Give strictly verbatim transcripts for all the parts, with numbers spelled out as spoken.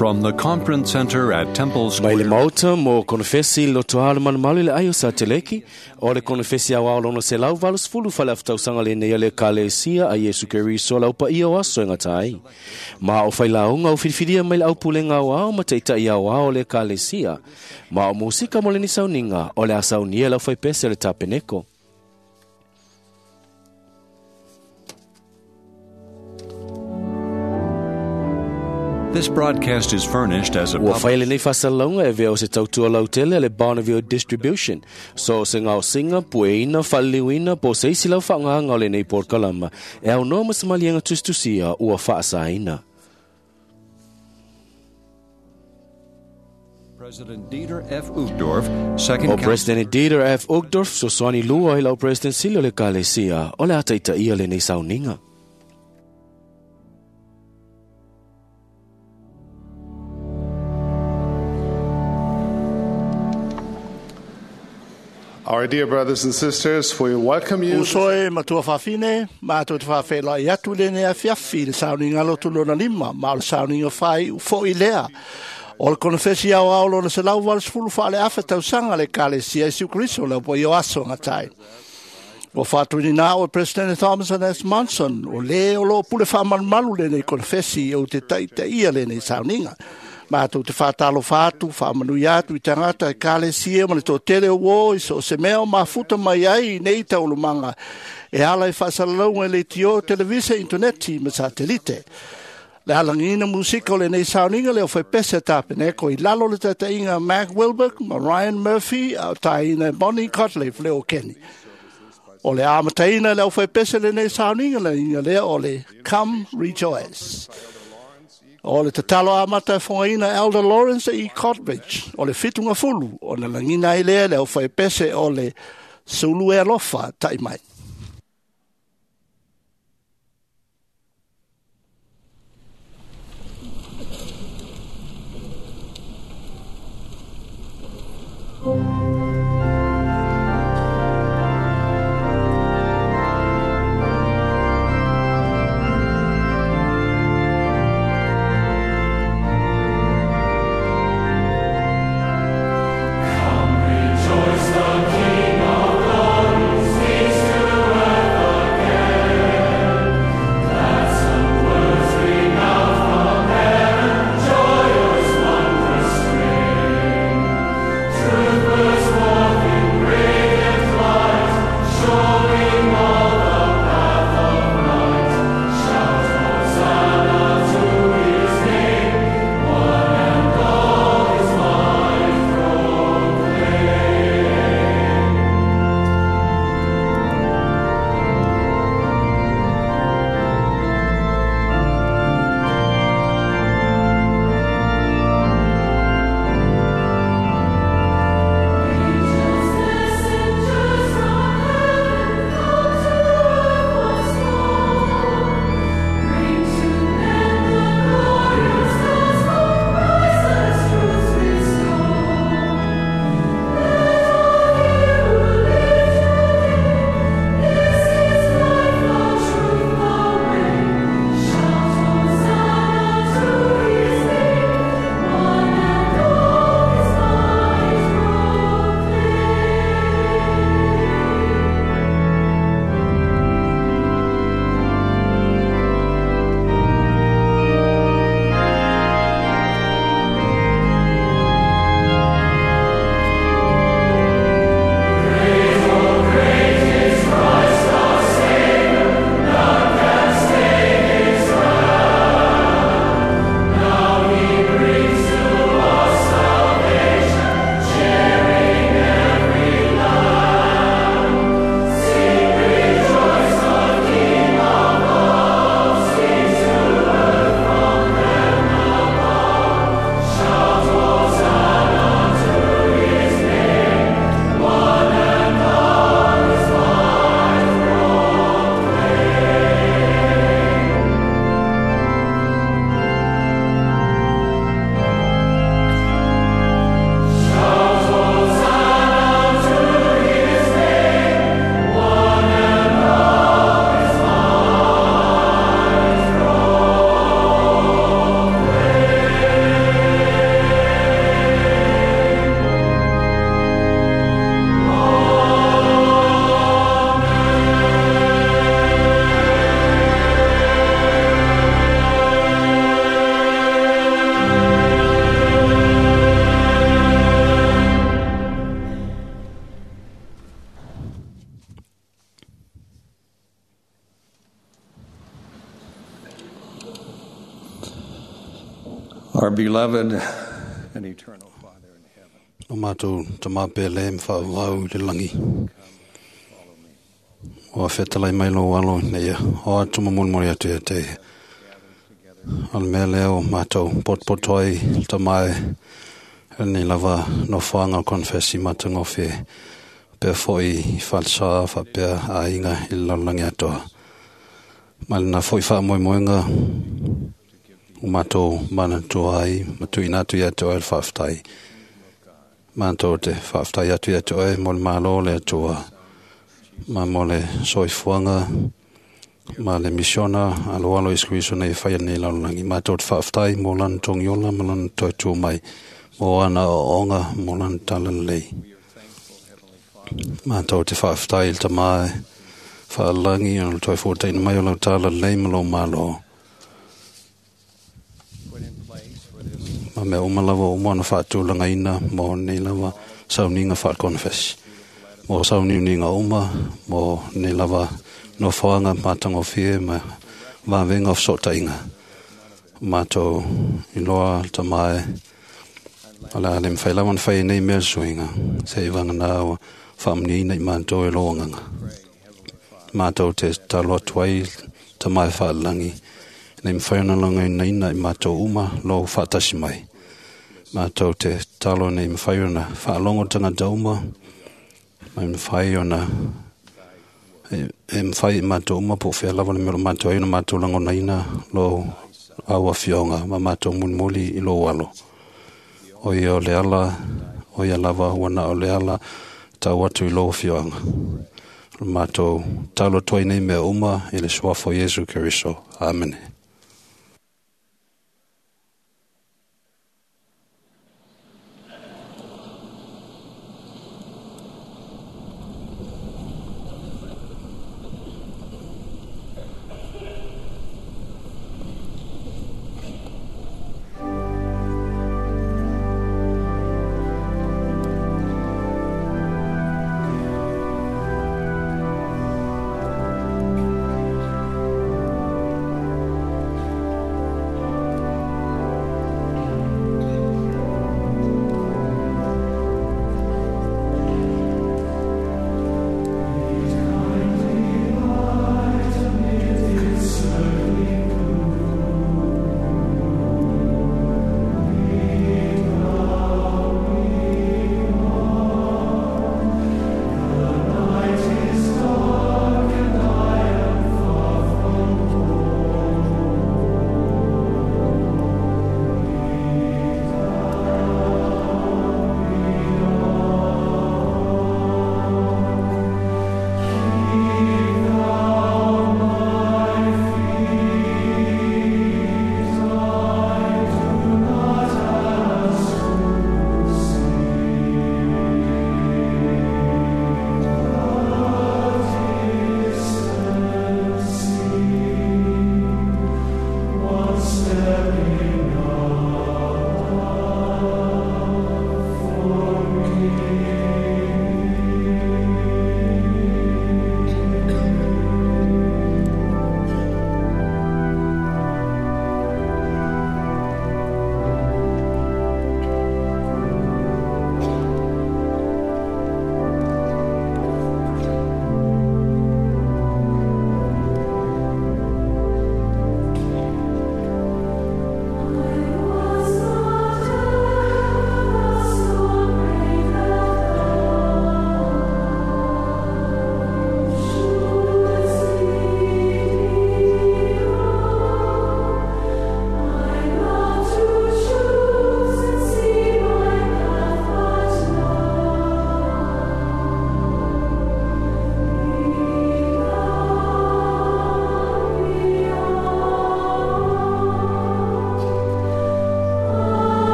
From the Conference Center at Temple Mai le Square. maota mo konofesi lotoa le malumalu i le ai o Sateleki, o le konofesi au ao lono se lau valu sefulu fale aftausaga lenei a le Ekalesia a Iesu Keriso lau paia o aso e gata ai. Ma o failauga o filifilia mai le aupulega aoao ma taita'i aoao o le Ekalesia. Ma o musika mo lenei sauniga o le a saunia e le aufaipese o le Tapeneko. This broadcast is furnished as a Ua public fai lenei faasalalauga e avea o se tautua lautele a le Bonneville Distribution. So se gaosiga, pueina, faaliliuina po o se isi lau faaaogaga o lenei polokalama e aunoa ma se maliega tusitusia ua faasaina. President Dieter F. Uchtdorf, second O President Dieter F. Uchtdorf fesoasoani lua i lau President sili o le Ekalesia o le a taitaia lenei sauniga. Our dear brothers and sisters, we welcome you. Uso e matua fafine, mātou te whawhela i atu le nea fiafi le sauniga lotu lona lima, ma o le sauniga whai ufo i lea. O le konofesi au ao lona se lau valu sefulu whaale afa tausaga le Ekalesia Iesu Keriso le po i o aso ngatai. Ua whātuini nā o President Thomas S. Monson, o le o lo pule whaamalumalu lenei konofesi o te taitaia lenei sauniga. Mātou te whātalo whātu, whaamanui atu i tangata e Ekalesia ma le tōtele o o i so se mea o mafuta mai ai i nei taulumanga. E ala i whaasalalauga i le tio, televisa, interneti ma satelite. Le alangina musika o lenei sauniga le o whaipese tapeneko i lalo le tatainga Mark Wilberg ma Ryan Murphy au taina Bonnie Cotleaf le o Kenny. O le amataina le au whaipese lenei sauniga le inga lea o le Come Rejoice. O le tatalo amata e whangaina Elder Lawrence E. Cotbridge o le fitunga fulu o na langina ai lea le au whaipese o le Sulu e alofa tai mai. Rejoice, the King of glory speaks to Our beloved and eternal Father in heaven, O mātou tamapele mwhaavau i le langi. O a whetalai mai lo alo nei o atu mamuli atu ia te. O le mea lea o mātou potpotoi tamae nei lava no whaanga konfesi matangofe pea foi i whalsa whapea a inga i lallangi atoa. Mai na foi wha moemoenga o mātou manatua ai, matuina atu ia te oe le whaaftai. Mātou te whaaftai atu ia te oe mo le malo le atua. Ma mo le soifuanga, ma le misiona alo alo Iesu Keriso nei whai nei lallangi. Mātou te whaaftai mo lan tongiola ma lan toi tū mai. Mo ana o onga mo lan talalei. Mātou te whaaftai il tamae whaalangi o le toi fōteina mai o lau talalei ma lo malo. put in place for this Ma mea uma lava o moana whaatūlanga ina mo nei lava sauninga whaakonfes. Mo sauniuninga uma mo nei lava no whaanga mātangofie ma wawenga o sotainga. Mātou i loa tamae ala ale mwhai lawan whai nei mea suinga. Se i wanga nā o whaamni ina i mātou e loanganga. Mātou te talo atu ai tamae whaalangi. Nei mwhai ona longa ina ina i mātou uma lo whaatasi mai. Mātou te talo nei mwhai ona whaalongo tangata uma. Mai mwhai ona e, e mwhai i mātou uma po whia lawa le mea o mātou ai ona mātou langona ina lo aua fionga ma mātou mulimuli i lo alo. O ia o le ala, o ia lava wana o le ala tau atu i lo fionga. O mātou talo toi nei mea uma i le suafo Iesu Keriso. Amene. Thank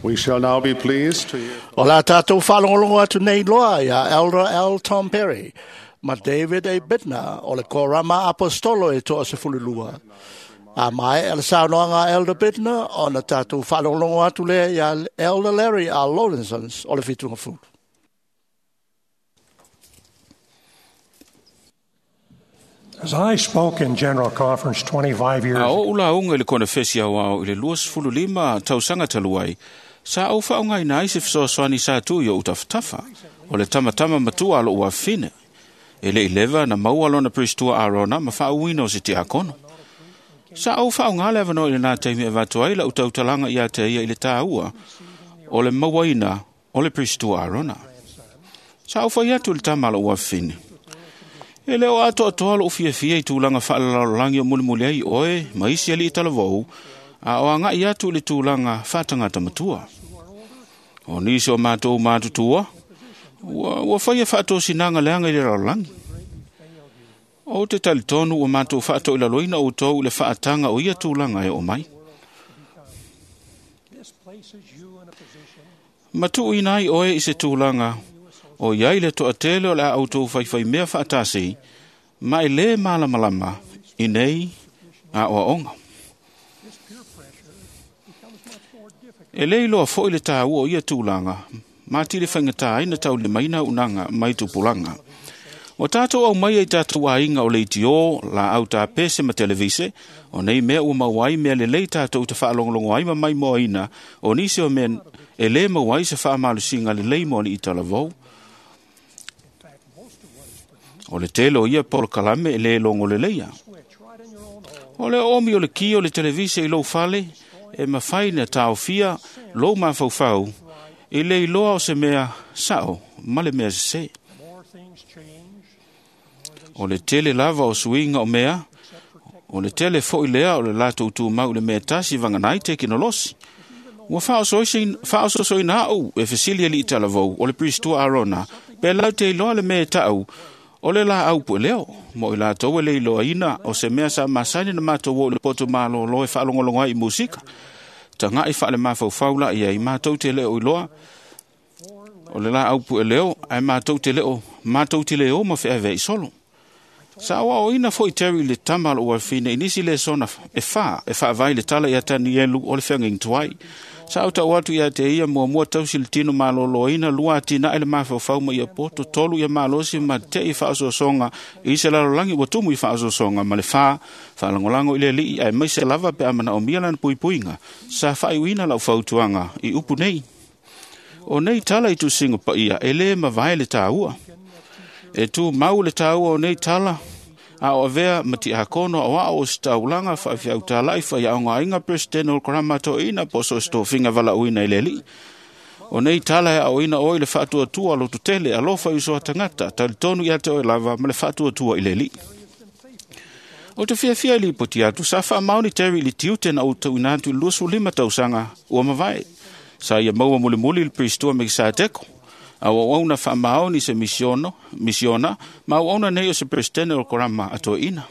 We shall now be pleased to hear O la tātou whaalongolongo atu nei loa ia Elder L. Tom Perry ma David A. Bittner o le Korama Apostolo e toa se fululua. A mai ele saunoaga a Elder Bittner o na tātou whaalongolongo atu lea ia Elder Larry R. Lawrence o le Fitunga Fulu. As I spoke in General Conference twenty-five years A ago, o ula unga i le konefesi au au i le luasefulu lima tausaga talu ai, sa ou faaaogaina ai se fesoasoani sa tu i ou tafatafa, o le tamatama matua a lou afafine. E le i leva na maua lona Pristua Arona ma faauuina o se tiakono. Sa ou faaaoga le avanoa i lenā taimi e avatu ai lau tautalaga ia te ia i le tāua o le mauaina o le Pristua Arona. Sa ou fai atu i le tama a lou afafine. E le o atoatoa lou fiafia i tulaga faalelalolagi o mulimuli ai oe ma isi alii talavou, a o agai atu i le tulaga faatagata matua. O nisi o matou matutua, ua, ua faia faatosinaga leaga i le lalolagi. O te talitonu ua matou faatoilaloina outou i le faataga o ia tulaga e oo mai. Ma tuuina ai oe i se tulaga o iai le toatele o le a outou faifaimea faatasi, ma e lē malamalama i nei aoaoga. E lē iloa foʻi le tāua o ia tulaga, ma tili faigata ai na taulimaina unaga mai tupulaga. Ua tatou aumaia i tatou aiga o leitio, laau tapese ma televise, o nei mea ua maua ai mea lelei tatou te faalogologo ai ma maimoaina, o nisi o mea e lē maua ai se faamalosiga lelei mo alii talavou. O le tele o ia polokalame e lē logo leleia. O le oomi o le ki o le televise i lou fale, e mafai na taofia lou mafaufau i le iloa o se mea sao ma le mea sesē. O le tele lava o suiga o mea, o le tele foʻi lea o le latou tumau i le mea tasi vaganai tekinolosi. Ua faaososoina aʻu e fesili alii talavou o le Pristua Arona, pe lau te iloa le mea e taʻu o le laau pueleo, mo i latou e le iloaina o se mea sa masani na matou o i le poto malōlō e faalogologo ai i musika. Tagaʻi faale-mafaufau la i ai matou te le o iloa o le laau pueleo, ae matou te le o matou te le o ma feaveai solo. Sa oaoina foʻi Terry i le tama a lou afafine i nisi lesona e fā e faavae le tala ia Tanielu o le feagaiga tuai. Sa ou tau atu ia te ia muamua tausi le tino malōlōina, lua atinae le mafaufau ma ia poto, tolu ia malosi ma teʻi faaosoosoga i se lalolagi ua tumu i faaosoosoga, ma le fā faalagolago i le alii ae maise lava pe a manaomia lana puipuiga. Sa faaiuina lau fautuaga i upu nei. O nei tala i tusiga paia e lē mavae le tāua. E tu mau le tāua o nei tala, a o avea ma tiakono o ao o se taulaga faafeautalaʻi faiaogaina President o le Korama toeaina po o so o se tofiga valaauina i le alii. O nei tala e aoina oe i le faatuatua lototele alofa i uso a tagata, talitonu ia te oe lava ma le faatuatua i le alii. O te fiafia i lipoti atu, sa faamaoni Terry i le tiute na ou tauina atu i le luasefulu lima tausaga ua mavae. Sa ia maua mulimuli le Pristua Mekiseteko. A ua auauna faamaoni se misiono, misiona, ma auauna nei o se Presidente o le Korama a toeaina.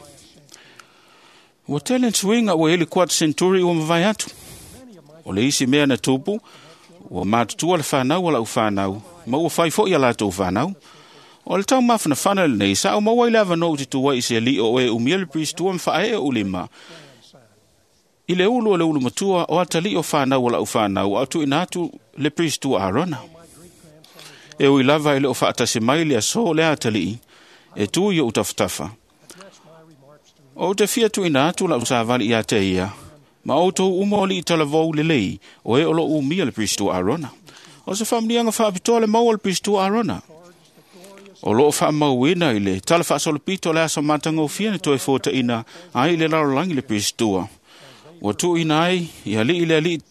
Ua tele suiga ua i ai le quarter century ua mavae atu. O le isi mea na tupu, ua matutua le fanau a lau fanau, ma ua fai foʻi a latou fanau. O le taumafanafana lenei, sa ou maua ai le avanoa ou te tu ai i se alii o oe umia le Pristua ma faaee ou lima i le ulu o le ulu matua o atalii o fanau a lau fanau, a o tuuina atu le Pristua Arona. E ui lava e le o faatasi mai le aso le atalii, e tu i ou tafatafa. O te fia tuuina atu lau savali ia te ia, ma outou uma o alii talavou lelei, o e o loo umia le Pristua Arona. O se faamanuiaga faapitoa le maua o le Pristua Arona. O loo faamauina i le tala faasolopito o le aso matagofie na toe fotaʻina ai i le lalolagi le Pristua. Ua tuuina ai i alii le alii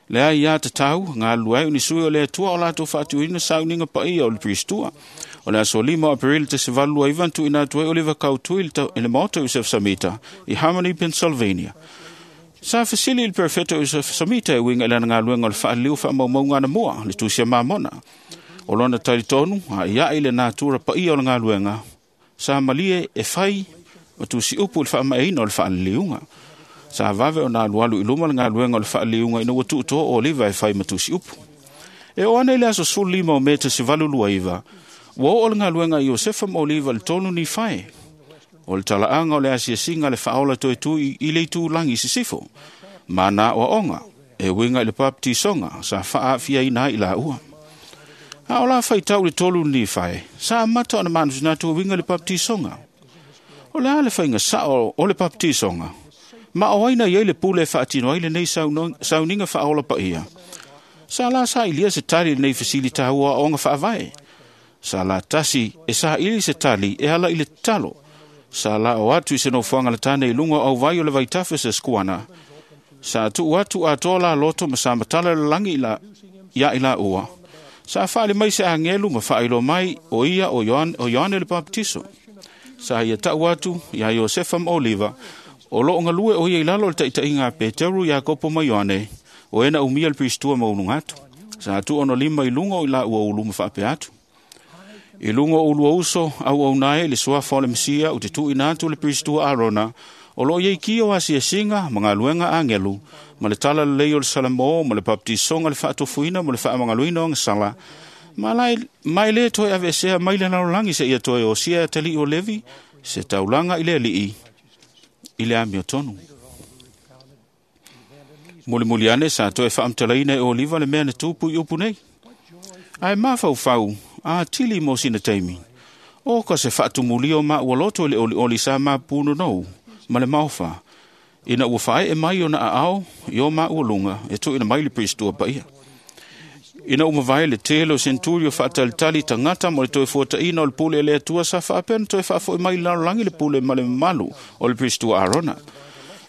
le ai ia tatau, galulue ai o ni sui o le Atua o latou faatuina sauniga paia o le Pristua. O le aso lima o Aperila tasi valu lua iva na tuuina atu ai Oliver Kautui i le maota o Yusef Samita i Harmony, Pennsylvania. Sa fesili i le Perfeto Yusef Samita e uiga i lana galuega o le faaliliu faamaumauga anamua, le tusi a Mamona. O lona talitonu, a ia i le natura paia o le galuega, sa malie e fai ma tusi upu i le faamaeaina o le faaliliuga. Sa vave o nā alualu i luma le galuega o le faaliuga ina ua tuutoa o Oliva e fai ma tusi upu. E o ana i le aso sefulu lima o Me tasi valu lua iva, ua oo le galuega a Iosefa ma Oliva i le tolu Nifae. O le talaaga o le asiasiga le faaola toe tu i le itulagi i sisifo. Ma na oaoga, e uiga i le papatisoga sa faaafiaina ai i laua. A o la faitau le tolu Nifae, sa amata ona manatunatu e uiga i le papatisoga. O le a le faiga sao o le papatisoga, ma o ai na iai le pule e faatino ai lenei sauniga faaola paia. Sa la sailia se tali lenei fesili taua aoaoga faavae. Sa la tasi e saili se tali e ala i le tatalo. Sa la o atu i se nofoaga le tane i luga o auvai o le vaitafe se skuana. Sa tuu atu atoa la loto ma sa matala le lagi ia i laua. Sa faali mai se agelu ma faailoa mai o ia o Ioane le Papatiso. Sa ia tau atu ia Iosefa ma Oliva, o loo galue o ia i lalo o le taitaiga a Peteru, Iakopo ma Ioane, o e na umia le Piristua maualuga atu. Sa tuu ona lima i luga o i laua ulu ma faapea atu. I luga o ulua uso auauna ai le suafa o le Mesia o te tuuina atu le Piristua Arona, o loo iai ki o asiasiga ma galuega agelu, ma le tala lelei o le Salamo, ma le papatisoga le faatofuina ma le faamagaloina o agasala, ma ma e lē toe aveesea mai le lalolagi seia toe osia e atalii o Levi, se taulaga i le alii i le amiotonu. Mulimuli ane sa toe faamatalaina e Oliva le mea na tupu i upu nei. Ae mafaufau a tili mo sina taimi. O ka se faatumulia o maua loto i le olioli sa mapunonou ma le maofa. Ina ua faaee mai ona aao i o maua luga e tuuina mai le Piristua paia. Ina ua mavae le tele o senturio faatalitali tagata mo le toe fuataina o le pule e le Atua sa faapea ona toe faafoi mai i lalolagi le pule ma le mamalu o le Piristua Arona.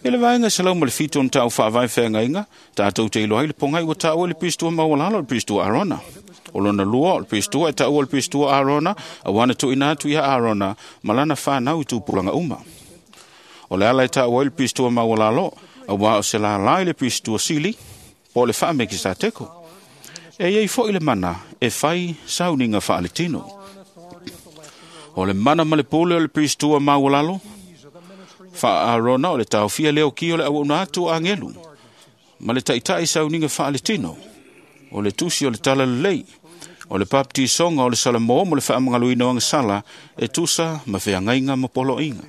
E le vaega selau ma le fitu ona tau faavae feagaiga, tatou te iloa ai le pogai ua taua i le Piristua maualalo o le Piristua Arona. O lona lua o le Piristua e taua le Piristua Arona, auā na tuuina atu ia Arona ma lana fanau i tupulaga uma. O le ala e taua ai le Piristua maualalo, auā o se lālā i le Piristua sili, po o le Faamekisateko. E iai foi le mana e fai sauniga faaletino. O le mana ma le pule o le Piristua maualalo, faa-Arona o le taofia leo ki o le auauna atu o agelu, ma le taitai sauniga faaletino, o le tusi o le tala lelei, o le papatisoga o le Salamo mo le faamagaloina o agasala e tusa ma feagaiga ma poloaiga.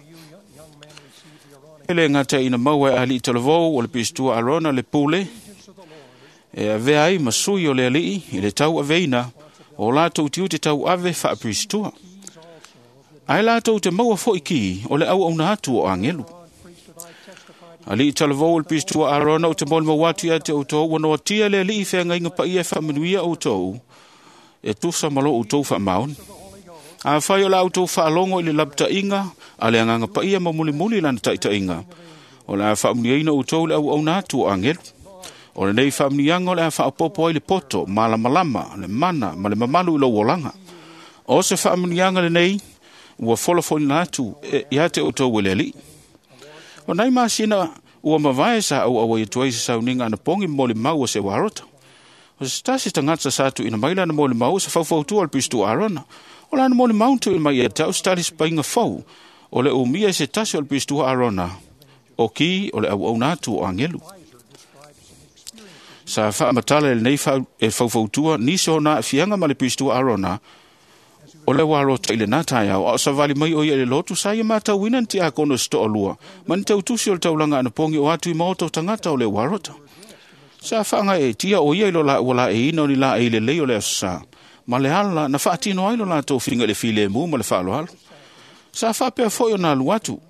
E le gata ina maua e alii talavou o le Piristua Arona le pule, e avea ai ma sui o le alii i le tauaveina o latou tiute tauave faapiristua. Ae latou te maua foi ki o le auauna atu o agelu. Alii talavou o le Piristua Arona o te molimau atu ia te outou ua noatia le alii feagaiga paia e faamanuia outou e tusa ma lo outou faamaoni. Afai o la outou faalogo i le lapataiga a le agaga paia ma mulimuli lana taitaiga, o le a faamanuiaina outou le auauna atu o agelu. O lenei faamanuiaga o le a faaopoopo ai le poto, malamalama, le mana ma le mamalu i lou olaga. O se faamanuiaga lenei ua folafolina atu ia te outou e le alii. O nai masina ua mavae sa auauai atu ai se sauniga anapogi molimau o se uarota. O se tasi tagata sa tuuina mai lana molimau o se faufautua o le Piristua Arona. O lana molimau na tuuina mai ia te au se talisipaiga fou o le umia e se tasi o le Piristua Arona, o ki o le auauna atu o agelu. Sa faamatala e lenei e faufautua nisi o na aafiaga ma le Piristua Arona o le uarota i lenā taeao, a o savali mai o ia i le lotu sa ia matauina ni tiakono se toalua ma ni tautusi o le taulaga anapogi o atu i maota o tagata o le uarota. Sa faagaeetia o ia i lo laua laeiina o ni laei lelei o le aso sa, ma le ala na faatino ai lo latou filiga i le filemu ma le faaaloalo. Sa faapea foi ona alu atu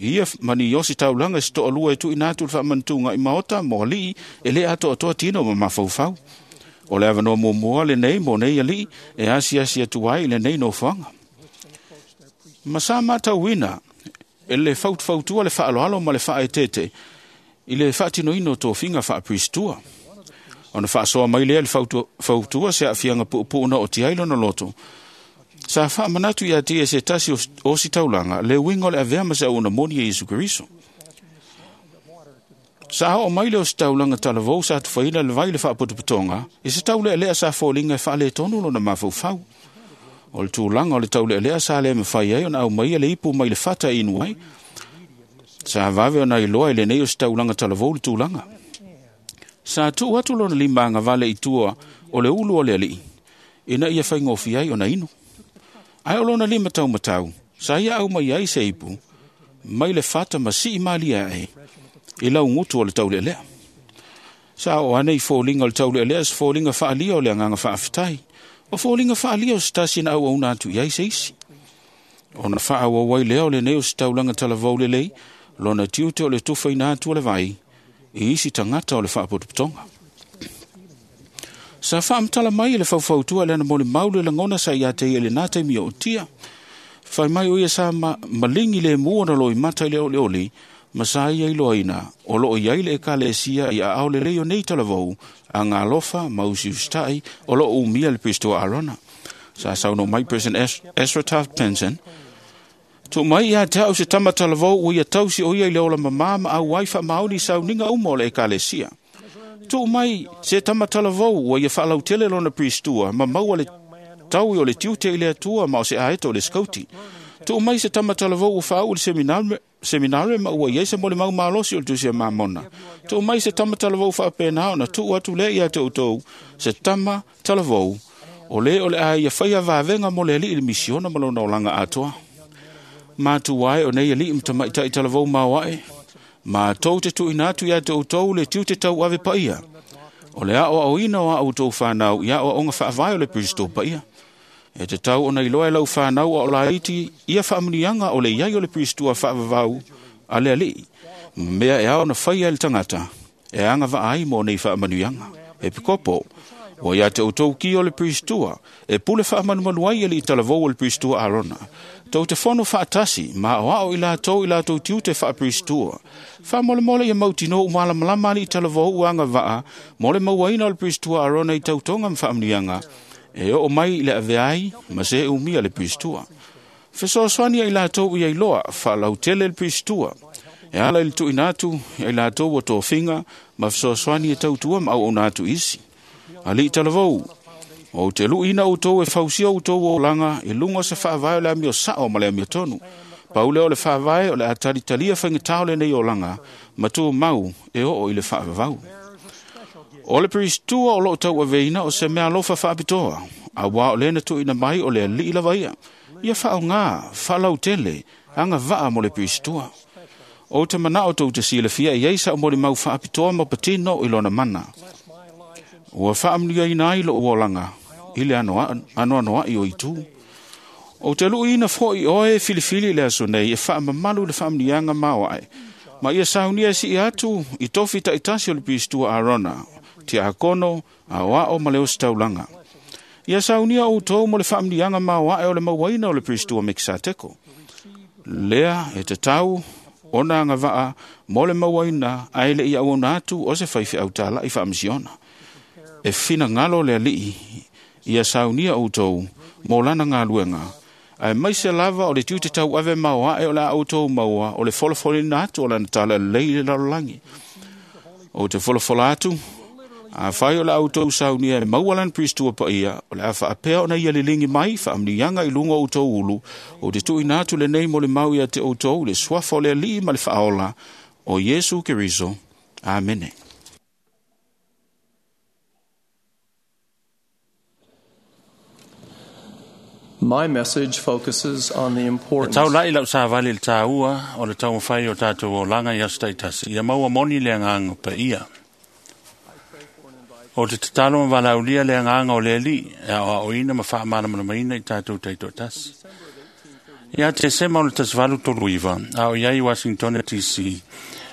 ia ma ni osi taulaga se toalua e tuuina atu le faamanatuga i maota mo alii e lē atoatoa tino ma mafaufau. O le avanoa muamua lenei mo nei alii e asiasi atu ai i lenei nofoaga. Ma sa matauina e le fautufautua le faaaloalo ma le faaeteete i le faatinoina o tofiga faapiristua. Ona faasoa mai lea le fautua se aafiaga puupuu na oti ai lona loto. Sa faamanatu ia te ia se tasi o si taulaga le uiga o le avea ma se auauna moni e Iesu Keriso. Sa oo mai le o se taulaga talavou sa tufaina le vai le faapotopotoga i se taulealea sa foliga e faaletonu lona mafaufau. O le tulaga o le taulealea sa le mafai ai ona aumaia le ipu mai le fata e inu ai. Sa vave ona iloa i lenei o se taulaga talavou le tulaga. Sa tuu atu lona lima agavale i tua o le ulu o le alii, ina ia faigofie ai ona inu. Ae o lona lima taumatau, sa ia au mai ai se ipu, mai le fata ma sii malie ae, i laugutu o le taulealea. Sa oo ane i foliga o le taulealea se foliga faalia o le agaga faafetai. O foliga faalia o se tasi na auauna atu i ai se isi. Ona faaauau ai lea o lenei o se taulaga talavou lelei, lona tiute o le tufaina atu o le vai, i isi tagata o le faapotopotoga. Sa faamatala mai e le faufautua le ana molimau le lagona sa ia te ia i lenā taimi o utia. Fai mai o ia sa ma, malingi le mua na loimata i le olioli, ma sa ia iloaina o loo i ai le ekalesia i aao lelei o nei talavou, a galofa ma usiusitai o loo umia le Pistoa Arona. Sa saunoa mai President Ezra Taft Benson, tuu mai ia te au se tama talavou ua ia tausi o ia i le ola mamā ma auai faamaoni i sauniga uma o le ekalesia. Tuu mai se tama talavou ua ia faalautele lona Pristua ma maua le taui o le tiute i le Atua ma o se aeto o le skauti. Tuu mai se tama talavou ua faau i le seminare, seminare ma ua iai se molimau malosi o le tusi a Mamona. Tuu mai se tama talavou faapena ona tuu atu lea ia te outou se tama talavou o le o le a ia faia vavega mo le alii le misiona ma lona olaga atoa. Matua ai o nei alii ma tamaitai talavou maoae, matou te tuuina atu ia te outou le tiute tauave paia. O le aoaoina o a outou fanau i aoaoga faavae o le Kristo paia. E te tau ona iloa e lau fanau a o laiti ia faamuniaga o le iai o le Kristo faavavau a le alii. Ma mea e ao ona faia e le tagata, e agavaa ai mo nei faamanuiaga. E pikopo, ua ia te outou ki o le Pristua, e pule faamanumalu ai alii talavou o le Pristua Arona. Tou te fono faatasi, ma o ao i latou i latou tiute faapristua. Faamolemole ia mautinoa ua malamalama alii talavou ua agavaa mo le mauaina o le Pristua Arona i tautoga ma faamanuiaga, e oo mai i le avea ai ma se umia le Pristua. Fesoasoani ai latou ia iloa faalautele le Pristua. E ala i le tuuina atu ai latou ua tofiga ma fesoasoani e tautua ma auauna atu isi. Alii talavou, ou te luiina outou e fausia outou olaga i luga o se faavae o le amio sao ma le amio tonu. Pau lea o le faavae o le a talitalia faigata o lenei olaga ma tumau e oo i le faavavau. O le Pristua o loo tauaveina o se mea alofa faapitoa, auā o lena tuuina mai o le alii lava ia. Ia faaaogā, faalautele, agavaa mo le Pristua. Ou te manao tou te silafia i ai sa molimau faapitoa ma patino i lona mana. Ua faamanuiaina ai lou olaga i le anoanoai o itu. Ou te luiina foi oe filifili i le aso nei e faamamalu le faamanuiaga maoae. Ma ia saunia sii atu i tofi taitasi o le Pristua Arona, tiakono, aoao ma le ositaulaga. Ia saunia outou mo le faamanuiaga maoae o le mauaina o le Pristua Mekisateko. Lea e tatau ona agavaa mo le mauaina ae le i auauna atu o se faifeau talai faamisiona. E finagalo le alii ia saunia outou mo lana galuega, ae maise lava o le tiute tauave maoae o le a outou maua o le folafolina atu o lana tala lelei i le lalolagi. Ou te folafola atu, afai o le a outou saunia e maua lana Pristua paia, o le a faapea ona ia liligi mai faamanuiaga i luga o outou ulu, ou te tuuina atu lenei molimau ia te outou le suafa o le alii ma le faaola o Iesu Keriso. Amene. My message focuses on the E importance taulai lau savali le tāua o le taumafai o tātou olaga i aso taitasi. Ia maua moni le agaga paia. O te tatalo ma valaulia le agaga o le alii e aoaoina ma faamalamalamaina i tātou taitoatasi. Ia Tesema o le tasi valu tolu iva, a o iai Washington D C,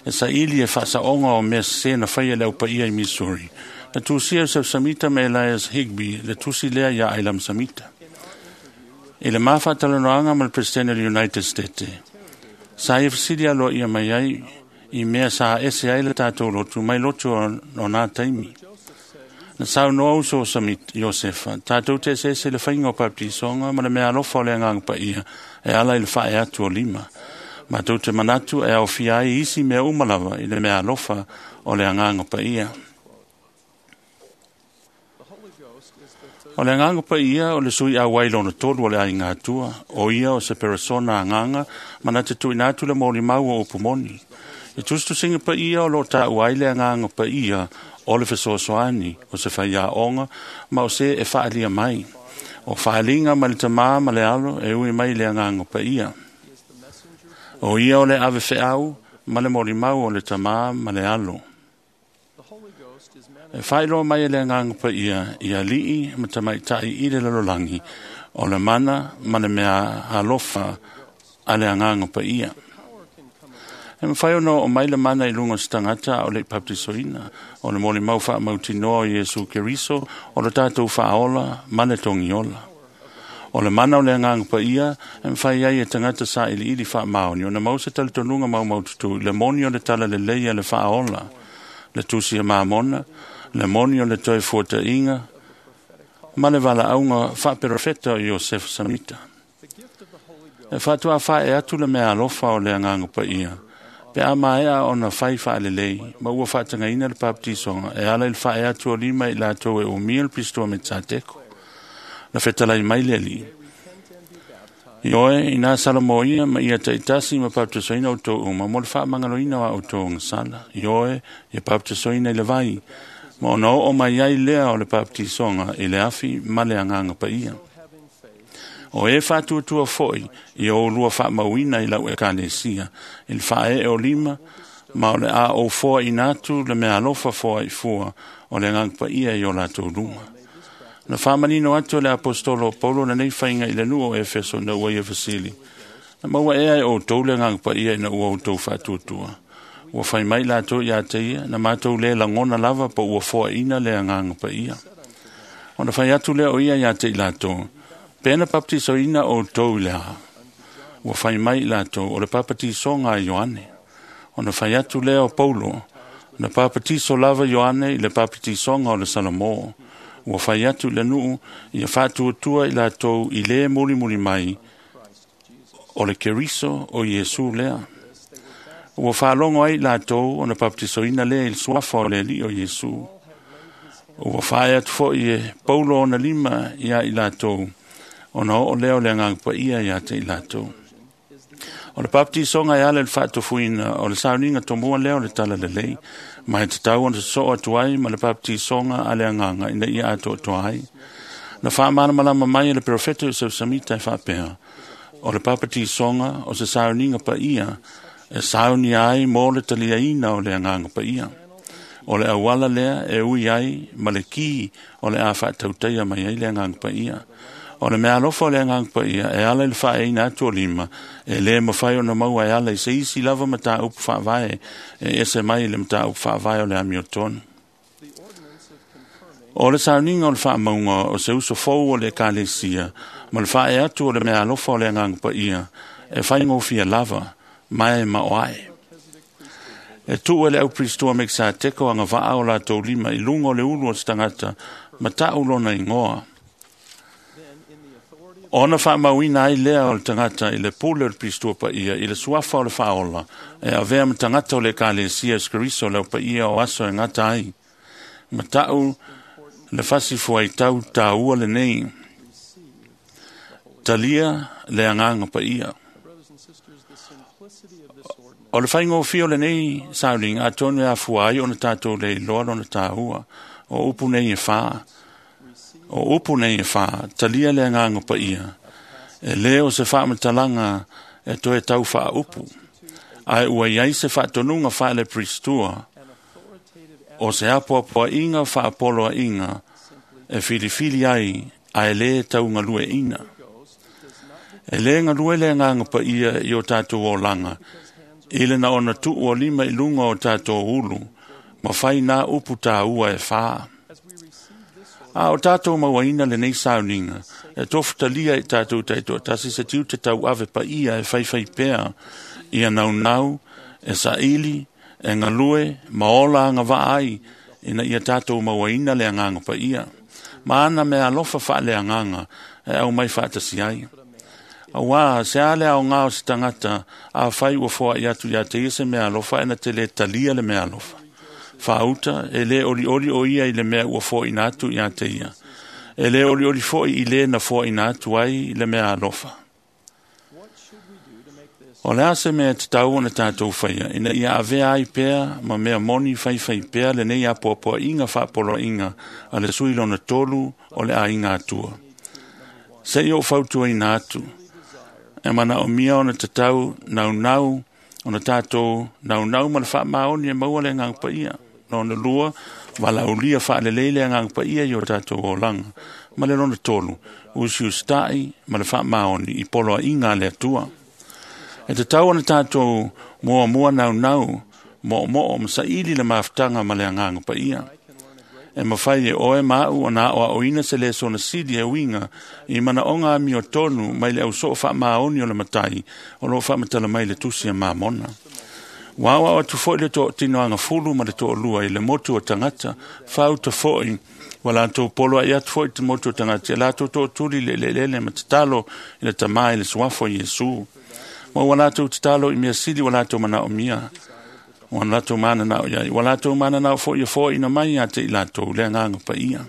e saili e faasaoga o mea sesē na faia le aupaia i Missouri. Na tusia Joseph Samita ma Elias Higby le tusi lea ia Ailam Samita. I le mafaatalanoaga ma le Presidente o le United States. Sa ia fesili aloaia mai ai i mea sa ese ai le tatou lotu mai lotu o nā taimi. Na saunoa uso o Samit Iosefa, tatou te eseese le faiga o baptisoga ma le mea alofa o le agaga paia e ala i le faae atu o lima. Matou te manatu e aofia ai isi mea uma lava i le mea alofa o le agaga paia. O le agaga paia o le sui auai lona tolu o le aiga atua, o ia o se peresona agaga ma na te tuuina atu le molimau o upu moni. I tusitusiga paia o lo o taua ai le agaga paia o le fesoasoani, o se faiaoga ma o se e faaalia mai. O faaliga ma le tamā ma le alo e ui mai le agaga paia. O ia o le ave feau ma le molimau o le tamā ma le alo. E faailoa mai e le agaga paia i alii ma tamaitai i le lalolagi o le mana ma le mea alofa a le agaga paia. E mafai ona oo mai le mana i luga o se tagata a o le i baptisoina, o le molimau faamautinoa o Iesu Keriso o le tatou faaola ma le togiola. O le mana o le agaga paia e mafai ai e tagata sailiili faamaoni ona maua se talitonuga maumaututu i le moni o le talalelei a le faaola, le tusi a Mamona, le moni o le toe fuataiga ma le valaauga faaperofeta o Iosefa Samita. E faatoa fae atu le mea alofa o le agaga paia, pe a maea ona fai faalelei ma ua faatagaina le baptisoga e ala i le fae atu o lima i latou e umia le pistoa me Tsateko. Na fetalai mai le Alii, i oe ina salamoia ma ia taitasi ma baptisoina outou uma mo le faamagaloina o a outou agasala. I oe ia baptisoina i le vai, ma ona oo mai ai lea o le baptisoga i le afi ma le agaga paia. O e faatuatua foi i o lua faamauina i lau ekalesia i le faaee o lima, ma o le a ou foaina atu le mea alofa foaifua o le agaga paia i o latou luma. Na faamanino atu e le apostolo o Paulo lenei faiga i le nuu o Efeso ina ua ia fesili, na maua ea e outou le agaga paia ina ua outou faatuatua. Ua fai mai latou ia te ia, na matou le lagona lava po ua foaina le agaga paia. Ona fai atu lea o ia ia te i latou, pe na baptisoina outou i le a. Ua fai mai i latou o le baptisoga a Ioane. Ona fai atu lea o Paulo, na baptiso lava Ioane i le baptisoga o le Salamo. Ua fai atu i le nuu ia faatuatua i latou i le mulimuli mai o le Keriso o Iesu lea. Ua faalogo ai i latou ona baptisoina lea i le suafa o le Alii o Iesu. Ua fae atu foi e Paulo ona lima ia i latou, ona oo lea o le agaga paia ia te i latou. O le baptisoga e ala i le faatofuina o le sauniga tomua lea o le talalelei, ma e tatau ona sosoo atu ai ma le baptisoga a le agaga ina ia atoatoa ai. Na faamalamalama mai e le perofeta Iosefa Samita e faapea, o le baptisoga o se sauniga paia e saunia ai mo le taliaina o le agaga paia. O le auala lea e ui ai ma le ki o le a faatautaia mai ai le agaga paia. O le mea alofa o le agaga paia e ala i le faaeina atu o lima, e le mafai ona maua e ala i se isi lava mataupu faavae e ese mai le mataupu faavae o le amiotonu. O le sauniga o le faamauga o se uso fou o le ekalesia ma le faae atu o le mea alofa o le agaga paia e faigofie lava ma e maoae. E tuu e le aupristoa Mekisateko agavaa o latou lima i luga o le ulu o se tagata ma tau lona igoa. Ona faamauina ai lea o le tagata i le pule o le pistoa paia i le suafa o le faaola e avea ma tagata o le ekalesia o Keriso le aupaia o aso e gata ai. Ma tau le fasifuaitau taua lenei, talia le agaga paia. O le faigofie o lenei sauniga atonu e afua ai ona tatou le iloa lona taua. O upu nei e fā, o upu nei e fā, talia le agaga paia. E le o se faamatalaga e toe tau faaupu, ae ua iai se faatonuga faale-pristua o se apoapoaiga faapoloaiga e filifili ai ae le taugalueina. E le galue le agaga paia i o tatou olaga i le na ona tuu o lima i luga o tatou ulu ma fai nā upu taua e fā. A o tatou mauaina lenei sauniga, e tofutalia i tatou taitoatasi se tiute tauave paia e faifai pea ia naunau, e saili, e galue, ma ola agavaa ai ina ia tatou mauaina le agaga paia. Ma ana mea alofa faaleagaga e aumai faatasi ai. Auā se a le aogā o se tagata a fai ua foai atu ia te ia se mea alofa e na te le talia le mea alofa. Faauta e le olioli o ia i le mea ua foaina atu ia te ia. E le olioli fo'i i lē na foaʻina atu ai le mea alofa. O le a se mea tatau ona tatou faia ina ia avea ai pea ma mea moni faifai pea lenei apoapoaiga faapoloaiga a le sui lona tolu o le aiga Atua. Seʻi ou fautuaina atu, e manaomia ona tatau naunau ona tatou naunau ma le faamaoni e maua le agaga paia. Lona lua, valaaulia faalelei le agaga paia i o tatou olaga. Ma le lona tolu, usiusitaʻi ma le faamaoni i poloaiga a le Atua. E tatau ona tatou muamua naunau moʻomoʻo ma saili le mafutaga ma le agaga paia. E mafai e oe ma aʻu ona aʻoaʻoina se lesona sili e uiga i manaoga amiotonu mai le ausoo faamaoni o le matai o loo faamatala mai le tusi a Mamona. Ua aoao atu foʻi le toatino agafulu ma le toalua i le motu o tagata, faauta foʻi ua latou polo ai atu foʻi te motu o tagata e latou tootuli i le eleelele ma tatalo i le tamā i le suafa o Iesu. Ma ua latou tatalo i mea sili ua latou manaomia, ua latou mananao iai, ua latou mananao foʻi e foaina mai ia te i latou le agaga paia.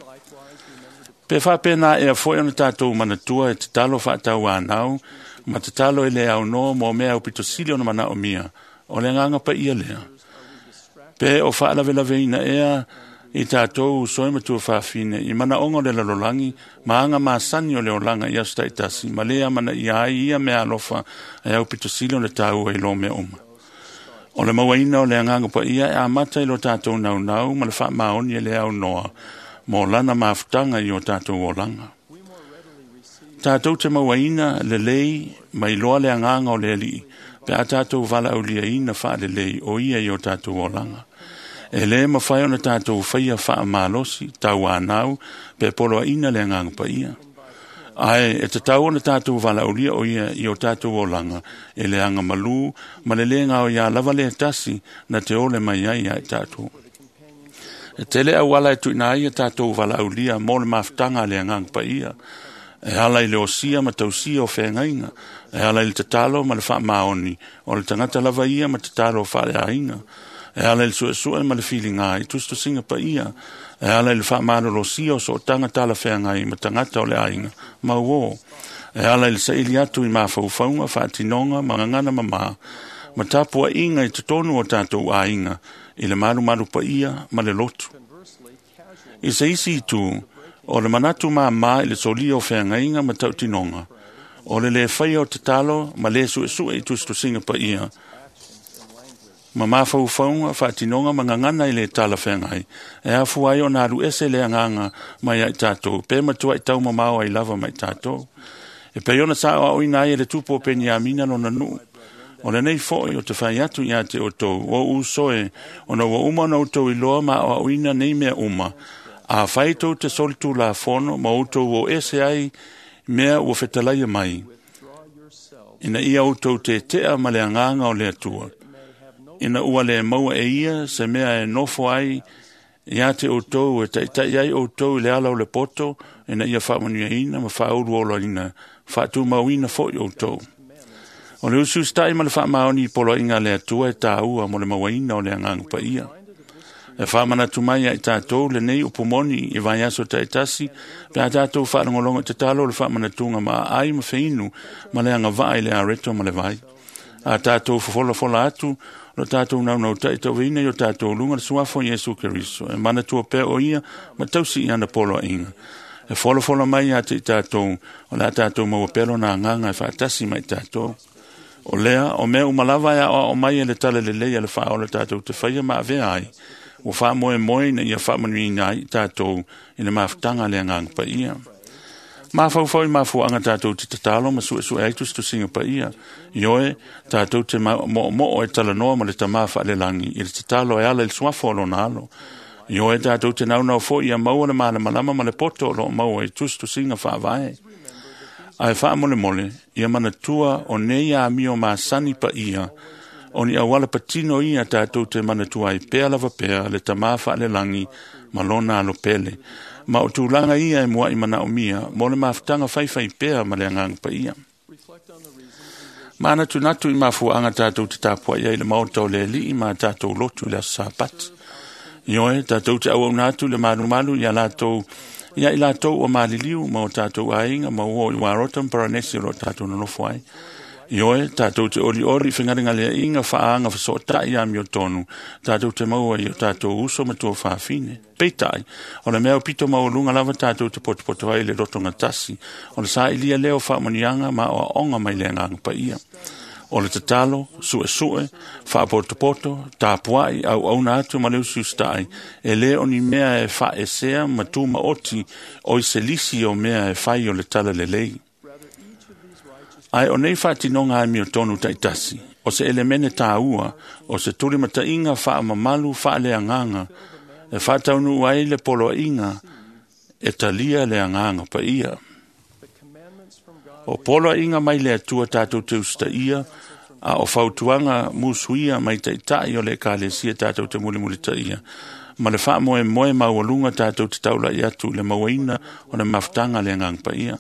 Pe faapena ea foʻi ona tatou manatua e tatalo faatauanau ma tatalo e le aunoa mo mea aupito sili ona manaomia, o le agaga paia lea. Pe o faalavelaveina ea i tatou uso e matua fafine i manaoga o le lalolagi ma aga masani o le olaga i aso taitasi ma lē amanaia ai ia mea alofa e aupito sili ona taua i lo mea uma. O le mauaina o le agaga paia e amata i lo tatou naunau ma le faamaoni e le aunoa mo lana mafutaga i o tatou olaga. Tatou te mauaina lelei ma iloa le agaga o le Alii pe a tatou valaauliaina faalelei o ia i o tatou olaga. E lē mafai ona tatou faia faamalosi tauanau pe poloaiina le agaga paia. Ae e tatau ona tatou valaaulia o ia i o tatou olaga e le aga malū ma le lē gaoiā lava lē tasi na te ole mai ai ia i tatou. E tele auala e tuuina ai ia tatou valaaulia mo le mafutaga a le agaga paia. E ala i le osia ma tausia o feagaiga, e ala i le tatalo ma le faamaoni o le tagata lava ia ma tatalo faaleaiga, e ala i le suesue ma le filiga i tusitusiga paia, e ala i le faamalolosia o sootaga talafeagai ma tagata o le aiga mauō, e ala i le saili atu i mafaufauga faatinoga ma gagana mamā ma tapuaʻiga i totonu o tatou aiga i le malumalu paia ma le lotu. I se isi itu, o le manatu māmā i le solia o feagaiga ma tautinoga, o le lē faia o tatalo ma lē suesue i tusitusiga paia ma mafaufauga faatinoga ma gagana i le talafeagai, e afua ai ona alu ese le agaga mai ai tatou pe matuaʻi taumamao ai lava mai tatou. E pei ona saoaoina ai e le tupu o Peniamina lona nuu. O lenei foʻi o te fai atu iā te outou, o uso e, ona ua uma ona outou iloa ma aoaoina nei mea uma, a fai tou te solitulafono ma outou o ese ai mea ua fetalaia mai, ina ia outou teteʻa ma le agaga o le Atua, ina ua lē maua e ia se mea e nofo ai iā te outou e taʻitaʻi ai outou i le ala o le poto, ina ia faamanuiaina ma faauluoloina faatumauina foʻi outou. O le usiusitaʻi ma le faamaoni i poloaiga a le Atua e tāua mo le mauaina o le agaga paia. E faamanatu mai ia i tatou lenei upu moni i vaiaso taitasi pe a tatou faalogologo i tatalo o le faamanatuga ma aai ma feinu ma le agavaa i le areto ma le vai. A tatou fofolafola atu lo tatou naunautaʻi tauveina i o tatou luga le suafa o Iesu Keriso e manatua pea o ia ma tausi i ana poloaiga. E folafola mai ia te i tatou o le a tatou maua pea lona agaga e faatasi ma i tatou. O lea, o mea uma lava e aoao mai e le tala lelei a le faaola tatou te faia ma avea ai, ua faamoemoe ina ia faamanuiina ai i tatou i le mafutaga a le agaga paia. Mafaufau i mafuaaga tatou te tatalo ma suesue ai tusitusiga paia. Ioe, tatou te moʻomoʻo e talanoa ma le tamā faalelagi i le tatalo e ala i le suafa o lona alo. Ioe, tatou te naunau foʻi ia maua le malamalama ma le poto o loo maua i tusitusiga faavae. Ae faamolemole, ia manatua o nei amio masani paia, o ni auala patino ia tatou te manatua ai pea lava pea le tamā faalelagi ma lona alo pele. Ma o tulaga ia e muaʻi manaomia mo le mafutaga faifai pea ma le agaga paia. Manatunatu i mafuaaga tatou te tapuaʻi ai le maota o le Alii ma tatou lotu i le aso Sapati. Ioe, tatou te auauna atu le malumalu ia latou Ia i latou ua maliliu ma o tatou aiga ma ua o i Warota ma Paranesi o lo o tatou nonofo ai. Ioe, tatou te olioli i fegalegaleaiga faaaga fesootai amiotonu, tatou te maua i o tatou uso ma tuafafine. Peitai, o le mea o pito maualuga lava tatou te potopoto ai i le lotogatasi, o le sailia lea o faamanuiaga ma aoaoga mai le Agaga Paia. O le tatalo, suesue, faapotopoto, tapuai, auauna atu ma le usiusitai, e le o ni mea e faaesea ma tumaoti o i se lisi o mea e fai o le talalelei. Ae o nei faatinoga amiotonu taitasi, o se elemene tāua, o se tulimataiga faamamalu faaleagaga, e faataunuu ai le poloaiga e talia le Agaga Paia. O poloaiga mai le Atua tatou te usitaia, a o fautuaga musuia mai taitai o le Ekalesia tatou te mulimulitaia, ma le faamoemoe maualuga tatou te taulai atu i le mauaina o le mafutaga a le Agaga Paia.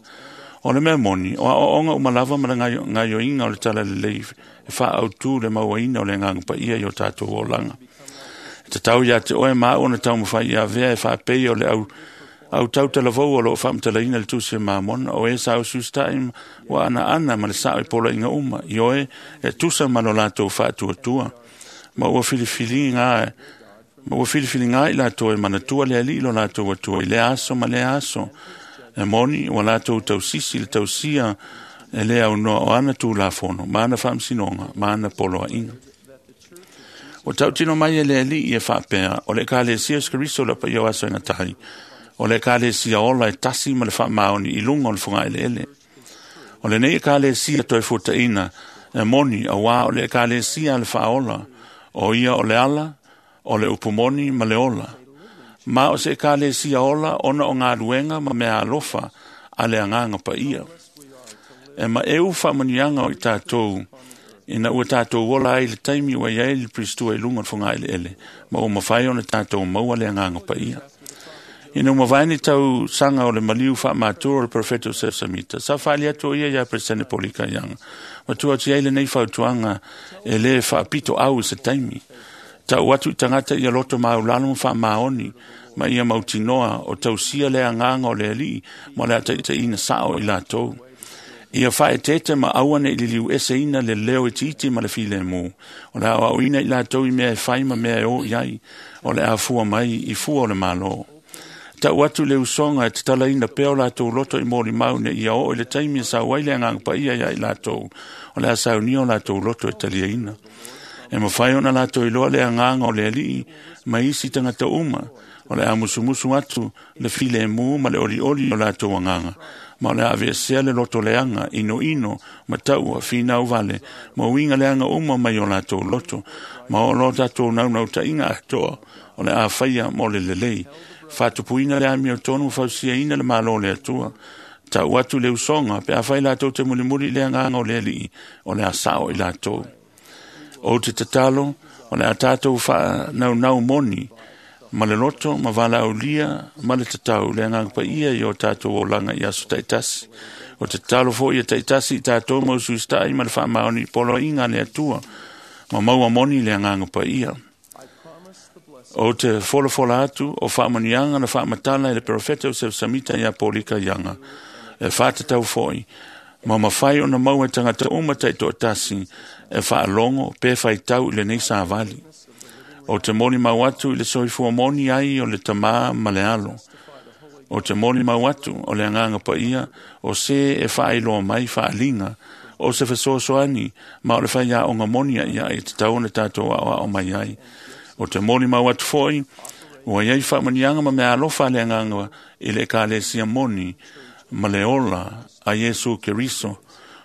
O le mea moni, o aoaoga uma lava ma le gaoioiga o le talalelei e faaautu le mauaina o le Agaga Paia i o tatou olaga. E tatau ia te oe ma au ona taumafai ia avea e faapei o le au au tautalavou o loo faamatalaina le Tusi a Mamona, o e sa usiusitai ua anaana ma le sao i poloaiga uma, ioe e tusa ma lo latou faatuatua. Ma ua filifiliga ma ua filifiliga i latou e manatua le Alii lo latou Atua i lea aso ma lea aso. E moni ua latou tausisi le tausia e le aunoa o ana Tulafono, ma ana faamasinoga, ma ana poloaiga. Ua tautino mai e le Alii e faapea, o le Ekalesia o Iesu Keriso le paia o aso e gatai, o le Ekalesia ola e tasi ma le faamaoni i luga o le fogaeleele. O lenei Ekalesia toe fuataina e moni auā o le Ekalesia a le faaola, o ia o le ala, o le upumoni ma le ola. Ma o se Ekalesia ola ona o galuega ma mea alofa a le Agaga Paia. E maeu faamanuiaga o i tatou ina ua tatou ola ai le taimi ua i ai le Peristua i luga o le fogaeleele, ma ua mafai ona tatou maua le Agaga Paia. Ina ua mavae ni tausaga o le maliu faamatua o le Perofeta o Sesamita, sa faali atu o ia ia Peresene Polika Ianga, ma tuu atu ai lenei fautuaga e le faapito au i se taimi. Tau atu i tagata ia loto maulalo ma faamaoni, ma ia mautinoa o tausia le agaga o le Alii ma le ataitaiina sao i latou. Ia faaeteete ma aua ne i liliu eseina le leo itiiti ma le filemu. O le aoaoina i latou i mea e fai ma mea e o i ai, o le afua mai i fua o le Malo. Tau atu le usoga e tatalaina pea o latou loto i molimau ne ia oo i le taimi e sau ai le Agaga Paia ia i latou, o le a saunia o latou loto e taliaina. E mafai ona latou iloa le agaga o le Alii ma isi tagata uma, o le a musumusu atu le filemu ma le olioli o latou agaga, ma o le a aveesea le loto leaga, inoino, ma taua, finau vale, ma uiga leaga uma mai o latou loto, ma o lo tatou naunautaiga atoa, o le a faia mo le lelei. Faatupuina le amiotonu fausiaina le Malo o le Atua. Tau atu le usoga, pe afai latou te mulimuli i le agaga o le Alii, o le a sao i latou. Ou te tatalo, o le a tatou faanaunau moni, ma le loto, ma valaaulia, ma le tatau, le Agaga Paia i o tatou olaga i aso taitasi. O te tatalo foi ia taitasi i tatou ma usuisitai ma le faamaoni i poloaiga a le Atua, ma maua moni le Agaga Paia. Ou te folafola atu o faamanuiaga na faamatala e le Perofeta o Sesamita ia Polika Ianga, e faatatau foi, ma mafai ona maua e tagata uma taitoatasi e faalogo pe faitau i lenei savali. O te molimau atu i le soifua moni ai o le Tamā ma le Alo. O te molimau atu o le Agaga Paia o se e faailoa mai faaliga, o se fesoasoani ma o le faiaoga moni ai e tatau ona tatou aoao mai ai. O te molimau atu foi, ua iai faamanuiaga ma mea alofa a le Agaga i le Ekalesia moni ma le ola a Iesu Keriso,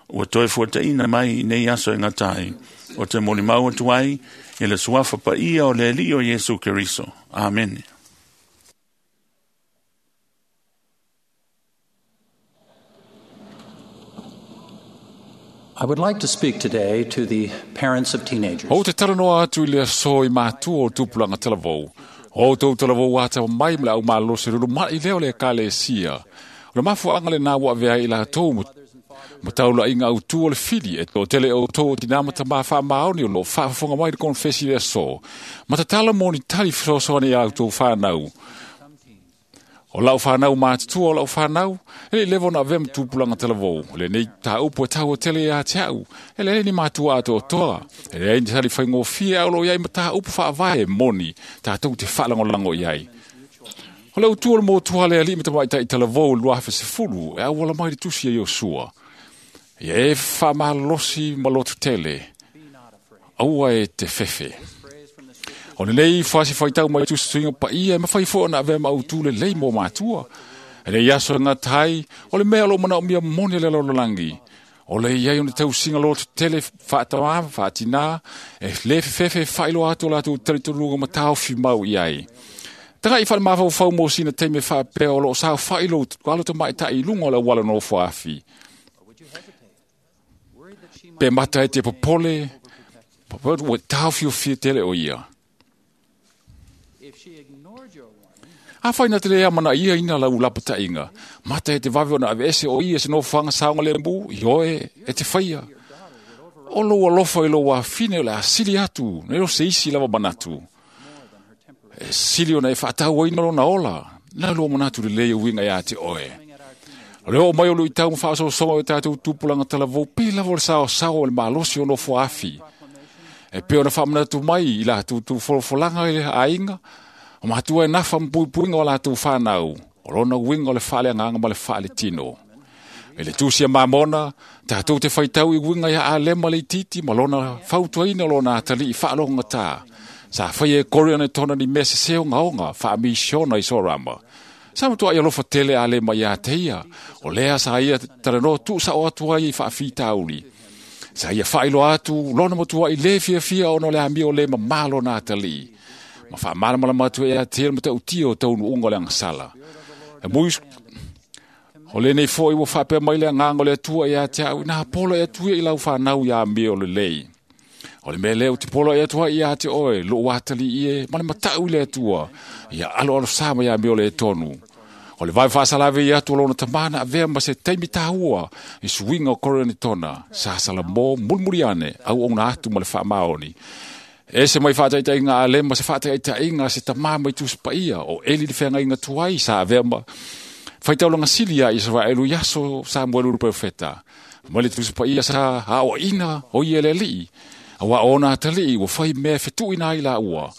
ua toe fuataina mai i nei aso e gata ai. O te molimau atu ai i le suafa paia o le Alii o Iesu Keriso. Amene. I would like to speak today to the parents of teenagers. O te talanoa atu i le aso i mātua o tupulaga talavou. O tou talavou ata mai ma le au malolosi lulu mai lea o le Ekalesia. O le mafuaaga lenā ua avea ai i latou ma taulaiga autū o le fili e toatele o outou o tinā ma tamā faamaoni o loo faafofoga mai le konefesi le aso. Ma tatalo mo ni tali fesoasoani i a outou whānau. O lau whanau mātutua o lau whanau, e le lewa na avea matupulanga talavou. Le nei tā upu e tau o tele ia te au, e le ni mātua ato o toa. E le ni tali whaingofia au lo iai ma tā upu whaavae moni, tā tau te whalangolango iai. O le utua le mōtua le ali me tamaitai talavou luafe se fulu, e au wala mai le tusi e Iosua. Ia e whamalosi malotu tele, aua e te fefe. O le nei whasi whaitau mai tusi pa ia, e mawhai fo na avea mau tule lei mō mātua. E le iaso ngā tai, o le mea lo mana o mia moni le lololangi. O le iai o ne tau singa lotu tele whaatama, whaatina, e le fefe whailo atu o lātou teritoruga matau mau iai. Tanga i whale mawhau whau mō sina teime whaapea o lo sao whailo alo te mai tai lunga o le wala no whaafi. Pe mata e te popole, ua taufiofia tele o ia. A whai na te lea mana ia ina lau lapatainga. Mata e te wawe ona ave ese o ia se no whanga saonga le mbu, i oe e te whaia. O lo alofa i lo wafine o le asili atu, ne o se isi lava manatu. E sili ona e whaatau ina lona ola, na lo manatu le lea uinga ia te oe. O leo mai o lui tau mwhaasosonga o tātou tupulanga talavou, pe lava o le sao sao o le malosi o nofo afi. E pe ona whamanatu mai i la tū folofolanga i le ainga, o matua e nafa mpuipuinga o lātou whanau, o lona uinga o le whaale anganga ma le whaale tino. E le tūsia mamona, tātou te whaitau i uinga ia alema le titi, ma lona fautuaina lona atali i whaalonga tā. Sa whai e kore ana tona ni mea se seo ngaonga, whaamisiona i sorama. Sa matua i alofa tele ale mai a teia, o lea sa ia taranoa tu sa o atua i whaafitauli. Sa ia whailo atu, lona matua i le fia fia ono le amio le mamalo na atali. Ma wha matua e a tele mata utia o taunu unga le angasala. E mui, o le nei fo i wa whapea mai le anganga le atua i a te au, nā polo e atua i lau whanau i a amio le lei. O le mea leo te polo e atua i a te oe, lo atali i e, ma le matau i le atua, ia alo alo sama ia meo le e tonu. O le vai whaasalave i atu lona tamana avea ma se taimi tāua i suinga o korone tona, sa sala mō mulmuriane au ona atu ma le whaamaoni. E se mai whaataitainga a lema se whaataitainga se tamā mai tusipaia o eli le whangainga tuai sa avea ma whaitaulanga sili a Israelu iaso Samuelu profeta. Ma le tusipaia sa ao ina o i ele lii. Awa ona atali ua whai mea fetuina ai la ua.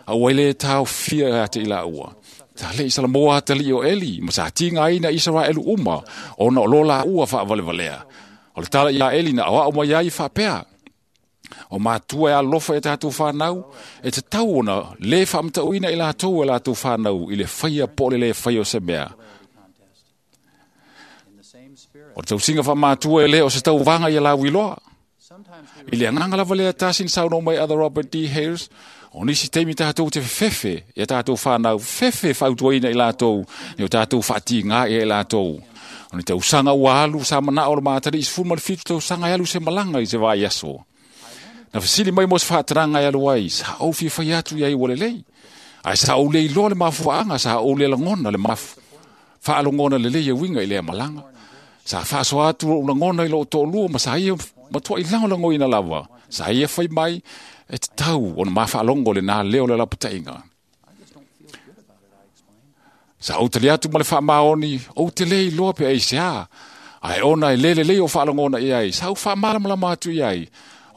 Awa ile tau fia ate i la ua. Ta le isala moa atali o Eli, ma sa tinga aina Israelu uma, ona o lola ua whaawalevalea. O le tala ia Eli na awa o mai ai whaapea. O mātua e alofa e tātou whanau, e te tau ona le whaamtauina i lātou e lātou whanau, i le whaia pole le whaia o se mea. O te tausinga wha mātua e le o se tau wanga i a lau iloa. I le anganga lava lea tasin sauno mai other Robert D. Hales, o nisi teimi tātou te fefe, ia tātou whanau, fefe whautuaina i lātou, ni o tātou whaati ngā i lātou. O ni te usanga ua alu sa mana o le mātari, i sefulu ma le fitu te usanga e alu se malanga i se vai aso. Na fasili mai mo se whaataranga e alu ai, sa au fia whai atu i ai wale lei. Ai sa au le iloa le mafuaanga, sa au le langona le mafu. Whaalongona le lei e winga i lea malanga. Sa whaaso atu o langona i lo tōlua, ma sa ia matua i langolango ina lava. Sa ia whai mai, e te tau o na mawhaalongo le nā leo le lapatainga. Sa au tali atu ma le whaamaoni, o te lei loa pe ei se a. Ai ona e lele lei o whaalongona i ai, sa au whaamalamalama atu i ai.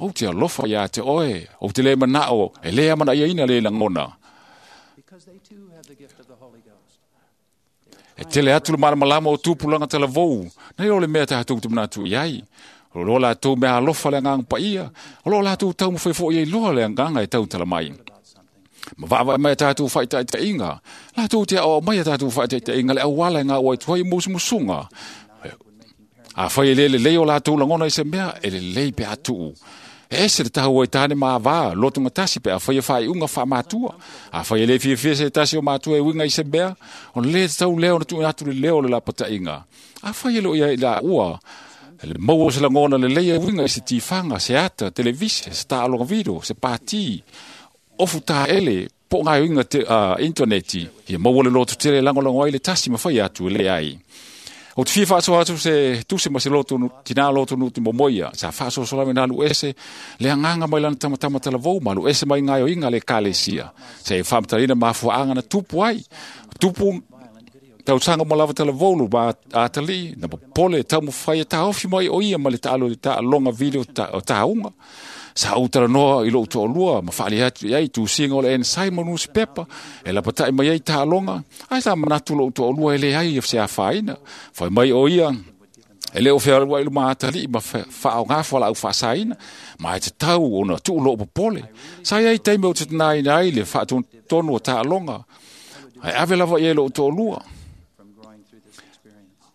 O te alofa ia te oe, o te le manao, e lea mana ia ina le langona. E tele atu le malamalama o tupulanga talavou, nei o le mea tātou te manatu i ai. O lo lātou mea alofa le anganga paia, o lo lātou tau mawhai fo i loa le anganga e tau tala mai. Ma vava mai tātou whaitaitainga, lātou te ao mai tātou whaitaitainga le awala ngā wai tuai musumusunga. A whai e lele lei o lātou langona i se mea, e le lei pe atu. E ese le tahu e tāne maa vā, lotunga tasi pe a whai e whai unga wha mātua. A whai e le fia se tasi o mātua e winga i se mea, o le te tau leo na tu atu le leo le lapatainga. A whai e lo ia i la ua, le maua se langona le leia winga i se tifanga, se ata, televise, se tālonga video, se pāti, ofu tā ele, po ngā winga te, uh, interneti, ia maua le lotu tele langolango ai le tasi ma whai atu e le ai. O te fia whaaso atu se tuse ma se lotu, tina lotu nu te momoia, sa whaaso solame nā lu ese, le anganga mai lana tamatama talavou, ma lu ese mai ngai o inga le kalesia. Se e whaamatarina mafuaanga na tupu ai, tupu tausaga uma lava talavou lo ma atalii na popole e taumafai e taofi mai o ia ma le taalo taaloga video o tauga. Sa ou talanoa i lou toalua ma faali atu i ai tusiga o le Ensign ma nusipepa e lapatai mai ai taaloga, ae sa manatu lou toalua e leai se afaina. Fai mai o ia e le o fealuai luma atalii ma faaoga fualaau faasaina, ma e tatau ona tuu loo popole. Sa iai taimi o tetenaina ai le faatonutonu o taaloga, ae ave lava i ai lou toalua.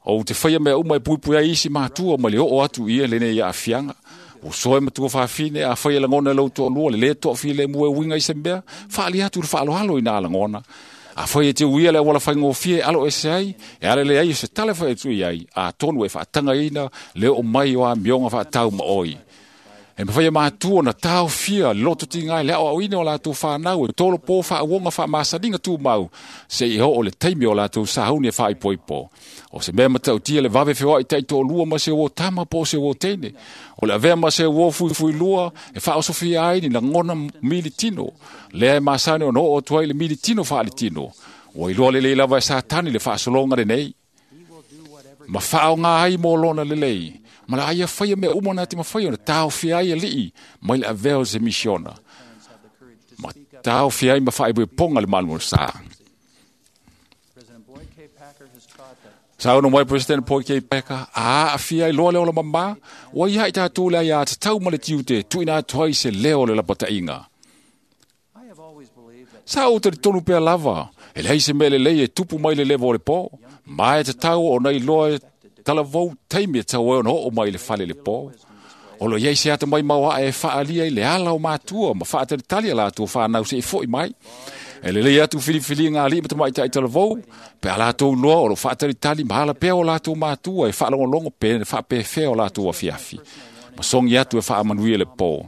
Ou te faia mea uma e puipui ai isi matua ma le oo atu i ia lenei aafiaga. Ua soe matua faafine a fai e lagona e lou toalua le lē toafilemu e uiga i se mea, faali atu le faaaloalo i nā lagona. A fai e te uia le auala faigofie e alo ese ai, e ala leai o se tala fai atu i ai, atonu e faatagaina le oo mai o amioga faatau ma oi. E mafai e matua na taofia le lototiga i le aoaoina o latou fanau e tolopo faauoga faamasaniga tumau seia oo le taimi o latou sauni e faaipoipo. O se mea matautia le vave feoai taitoalua ma se uo tama po o se uo teine. O le avea ma se uo fuifuilua e faaosofia ai ni lagona militino. Lea e masani ona oo atu ai le militino faalitino. Ua iloa lelei lava e Satani le faasologa lenei. Ma faaoga ai mo lona lelei. Ma la aia faia mea uma na te mafai ona taofia ai alii mai le avea o se misiona. Ma taofia ai ma faaipoipoga le malomalosa. Saunoa mai President Boyd K. Packer, a aafia ai loa le ola mamā, ua ia i tatou le aiā tatau ma le tiute tuuina atu ai se leo o le lapataiga. Sa ou talitonu pea lava, e leai se mea lelei e tupu mai le leva o le pō, ma e tatau ona iloa e talavou taimi e tau ai ona oo mai le fale le pō. O lo iai se ata mai mauae e faalia i le ala o matua ma faatalitali a latou fanau se'i fo'i mai. E lelei atu filifiliga a alii ma tamaitai talavou, pe a latou iloa o lo faatalitali ma ala pea o latou matua e faalogologo pe faapefea o latou afiafi. Ma sogi atu e faamanuia le pō.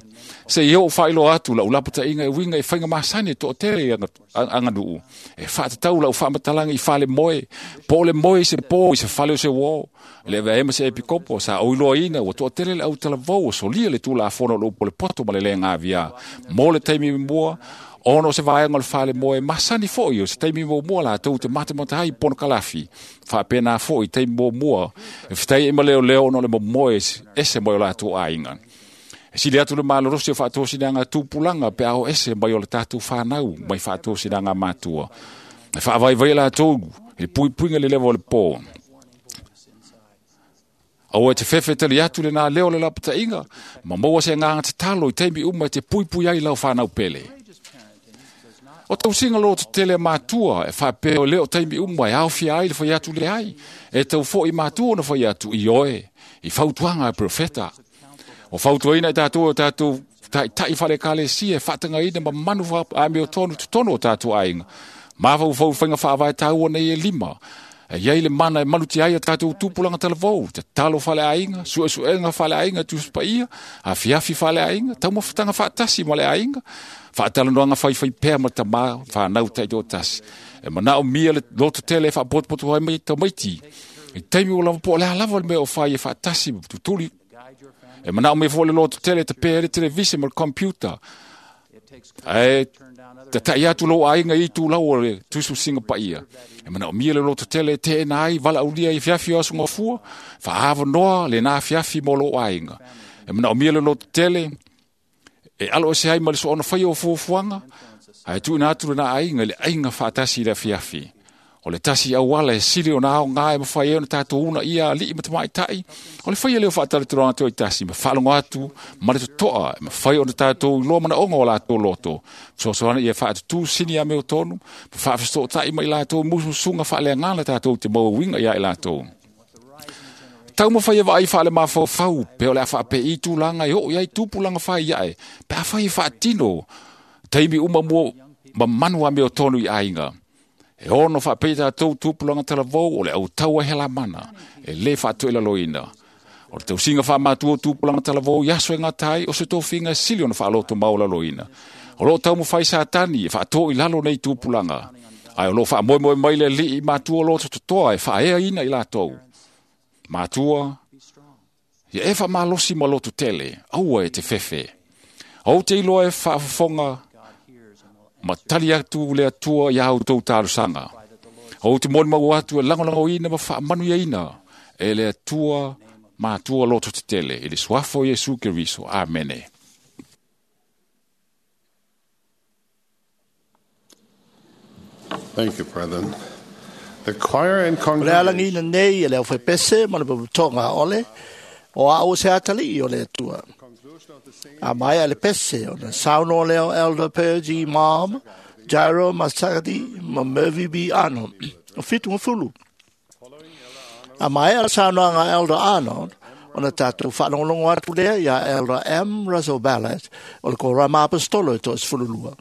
Seia oo faailoa atu lau lapataiga e uiga i faiga masani e toatele i aganuu. E faatatau lau faamatalaga i fale moe, po o le moe i se pō i se fale o se uō. E le avea ai ma se epikopo, sa ou iloaina ua toatele le au talavou o solia le tulafono o le upu o le poto ma le le gaviā. Mo le taimi mua, ona o se vaega o le fale moe, masani fo'i o se taimi muamua latou te matamata ai i ponokalafi. Faapena fo'i taimi muamua, e fetai ai ma leoleo ona o le momoe ese mai o latou aiga. E sili atu le malolosi o faatosinaga tupulaga pe a o ese mai o le tatou fanau mai faatosinaga matua. E faavaivai latou i le puipuiga le leva o le pō. Aua e te fefe tali atu lenā leo o le lapataiga, ma maua se agaga tatalo i taimi uma e te puipui ai lau fanau pele. O tausiga lototetele a matua e faapea o lea o taimi uma e aofia ai le fai atu leai, e tau fo'i matua ona fai atu i oe, i fautuaga a profeta. O fautuaina i tatou o tatou taitai faale-ekalesia e faatagaina ma manu amiotonu totonu o tatou aiga. Mafaufau faiga faavae taua nei e lima. E iai le mana e malutia ai a tatou tupulaga talavou, tatalo faaleaiga, suesuega faaleaiga Tusi Paia, afiafi faaleaiga, taumafataga faatasi ma le aiga, faatalanoaga faifaipea ma tamā fanau taitoatasi. E manaomia le lototele e faapotopoto ai mai tamaiti. I taimi ua lava po o le a lava le mea o fai e faatasi ma tutuli. E manaomia foi le lototele e tapea ai le televise ma le computer. Ae tatai atu lou aiga i itulau o le tusitusiga paia. E manaomia le lototele e teena ai valaaulia i afiafi o aso gafua, faaavanoa lenā afiafi mo lou aiga. E manaomia le lototele e alo ese ai ma le soona faia o fuafuaga, ae tuuina atu lenā aiga i le aiga faatasi i le afiafi. O le tasi auala e sili ona aoga e mafai ai ona tatou uunaia alii ma tamaitai, o le faia lea o faatalatalanoaga toatasi ma faalogo atu ma le totoa e mafai ona tatou iloa manaoga o latou loto. Fesoasoani ia faatutū sini amiotonu ma faafesootai ma i latou musumusuga faaleagala tatou te maua uiga ia i latou. Taumafai e vaai faalemafaufau pe o le a faapei tulaga e oo i ai tupulaga fai ae, pe afai e faatino taimi uma mua ma manu amiotonu i aiga. E ono faapei tatou tupulaga talavou o le autaua e helamana, e lē faatoilaloina. O le tausiga faamatua o tupulaga talavou i aso e gata ai o se tofiga e sili ona faaloto maualaloina. O loo taumafai Satani e faatoo i lalo nei tupulaga, ae o loo faamoemoe mai le alii matua loto totoa e faaeaina i latou. Matua, ia e faamalosi ma loto tele, aua e te fefe. Ou te iloa e faafofoga ma tali atu le Atua iā outou talosaga. O te moni mau atu e lagolagoina ma faamanuiaina e le Atua matua loto tetele i le suafa o Iesu Keriso. Amene. Thank you, brethren. The choir and O le alagina congregation nei e le aufepese ma le paputoga ole o a o se atalii o le Atua. A mai a le pese o na sauno leo Elder Pergy Mom, Jairo Masagadi ma Mervi B. Arnold. O fitu ngafulu. A mai a le saunoaga Elder Arnold, o na tātou whaalongolongo atu lea ia Elder M. Russell Ballard o le Korama Apostolo e toasefululua.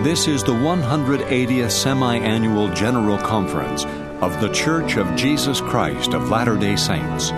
This is the one hundred eightieth Semi-Annual General Conference of The Church of Jesus Christ of Latter-day Saints.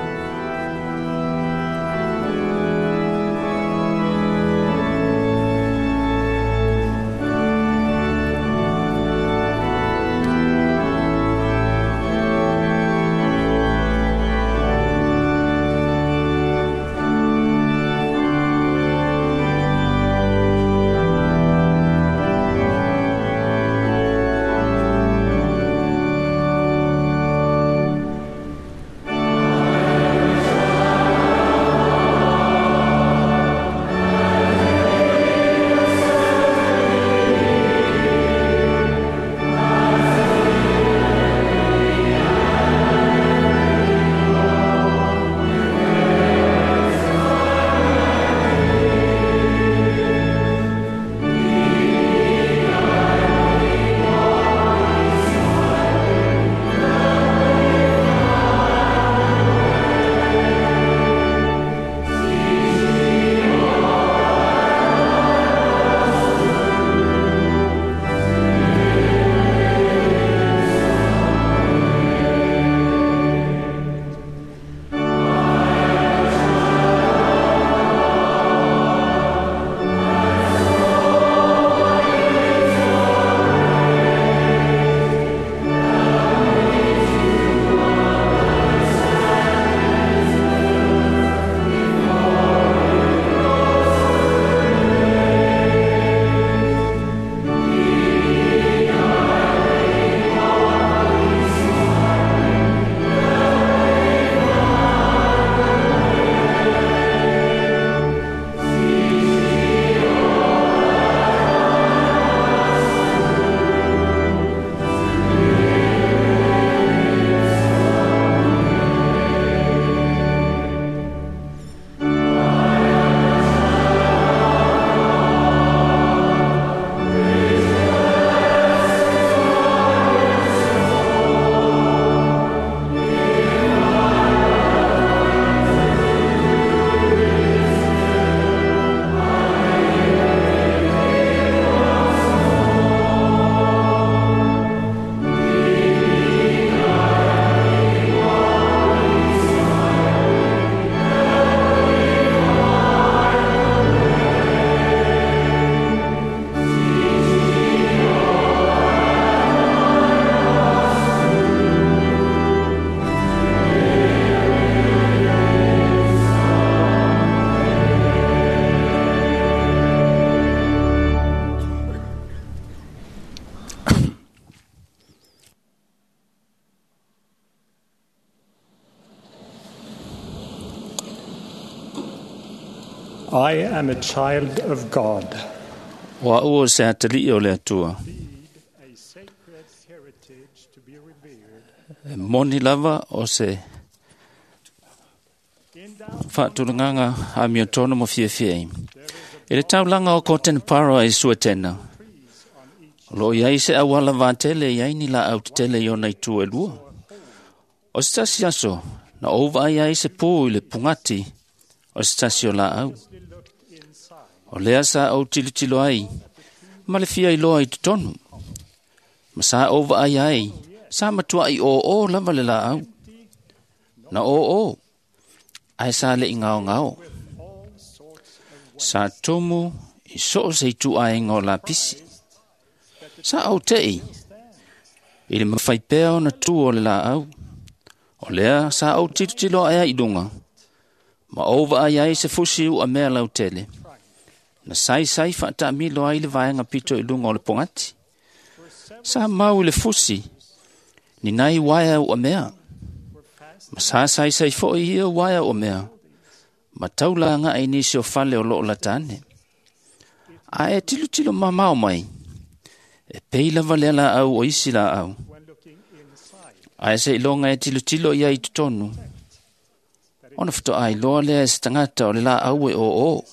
I am a child of God. O au o se atalii o le Atua. E moni lava o se whaatulanganga a mio tono mo fiafia ai. E le taulanga o Cotton Para e suatena. O lo iai se awala vātele iai ni la au tetele i ona i tua e lua. O se tasi aso, na ova ai ai se pō i le pungati o se tasi o la au. O lea sa au tilotilo ai, ma le fia iloa i totonu. Ma sa ova ai ai, sa matua i o o lava le la au. Na o o, ai sa le i ngao ngao. Sa tumu i soo se i tu ai ngao la pisi. Sa au tei, i le mawhai pea o na tu o le la au. O lea sa au tilotilo ai i lunga. Ma ova ai ai se fusi u a mea lau tele. Na saisai faatamilo ai le vaega pito i luga o le pogati. Sa mau i le fusi, ni nai uaea uamea. Ma sa saisai foʻi ia uaea uamea, ma taula agaʻi nisi o fale o loo lata ane. Ae tilotilo mamao mai, e pei lava lea laau o isi laau. Ae seiloga e tilotilo ia i totonu, ona faatoa iloa lea e se tagata o le laau e oo,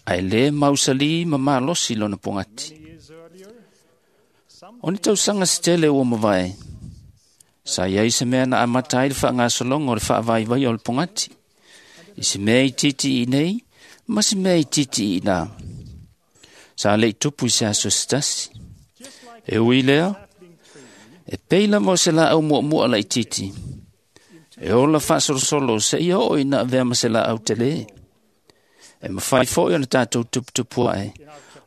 ae lē mausalī ma malosi lona pogati. O ni tausaga se tele ua mavae, sa iai se mea na amata ai le faagasologa o le faavaivaia o le pogati, i se mea itiiti iinei ma se mea itiiti iinā. Sa leʻi tupu i se aso se tasi. E ui lea, e pei lava o se laau muamua laitiiti, e ola faasolosolo seia oo ina avea ma se laau telē. E mafai foʻi ona tatou tuputupu aʻe,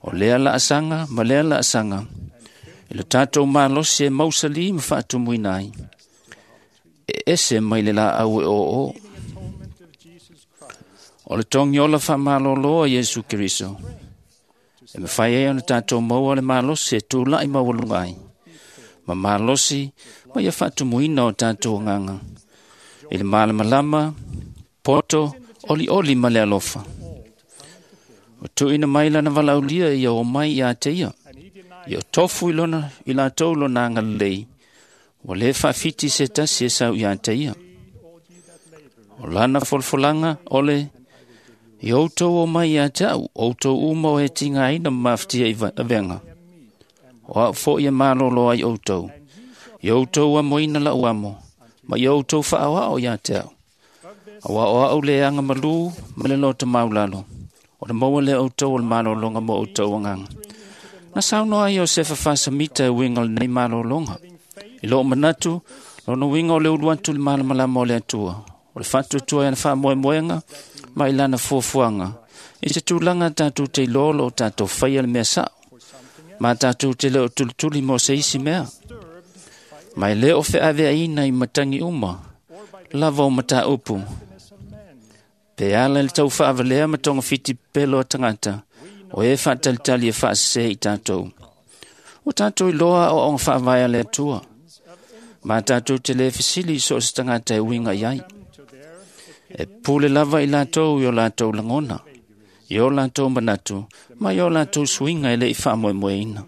o lea laasaga ma lea laasaga, i lo tatou malosi e mausalī ma faatumuina ai, e ese mai le laau e oo. O le togi ola faamalōlō a Iesu Keriso, e mafai ai ona tatou maua le malosi e tulaʻi maualuga ai, ma malosi ma ia faatumuina o tatou agaga, i le malamalama, poto, olioli ma le alofa. O tuuina mai lana valaaulia ia o mai iā te ia, ia o tofu i lona i latou lona agalelei, ua lē faafiti se tasi e sau iā te ia. O lana folafolaga o le i outou o mai iā te au, outou uma o e tigaina ma mafatia i avega. O au foʻi e malōlō ai outou, i outou amoina laʻu amo, ma ia outou faaoao iā te au. Auā o aʻu le agamalū ma le loto maulalo, o le maua lea outou o le malōlōga mo outou agaga. Na saunoa ai o Sefa Fasamita e uiga o lenei malōlōga. I loo manatu, lona uiga o le ulu atu i le malamalama o le Atua, o le faatuatua i ana faamoemoega ma i lana fuafuaga, i se tulaga tatou te iloa o loo tatou faia le mea saʻo, ma tatou te le o tulituli mo se isi mea. Ma e lē o feaveaina i matagi uma, lava o mataupu. Pe ala i le taufaavalea ma togafiti pepelo a tagata, o e faatalitali e faasesē i tatou. Ua tatou iloa aoaoga faavae a le Atua, ma tatou te lē fesili i so o se tagata e uiga i ai. E pule lava i latou i o latou lagona, i o latou manatu, ma i o latou suiga e leʻi faamoemoeina.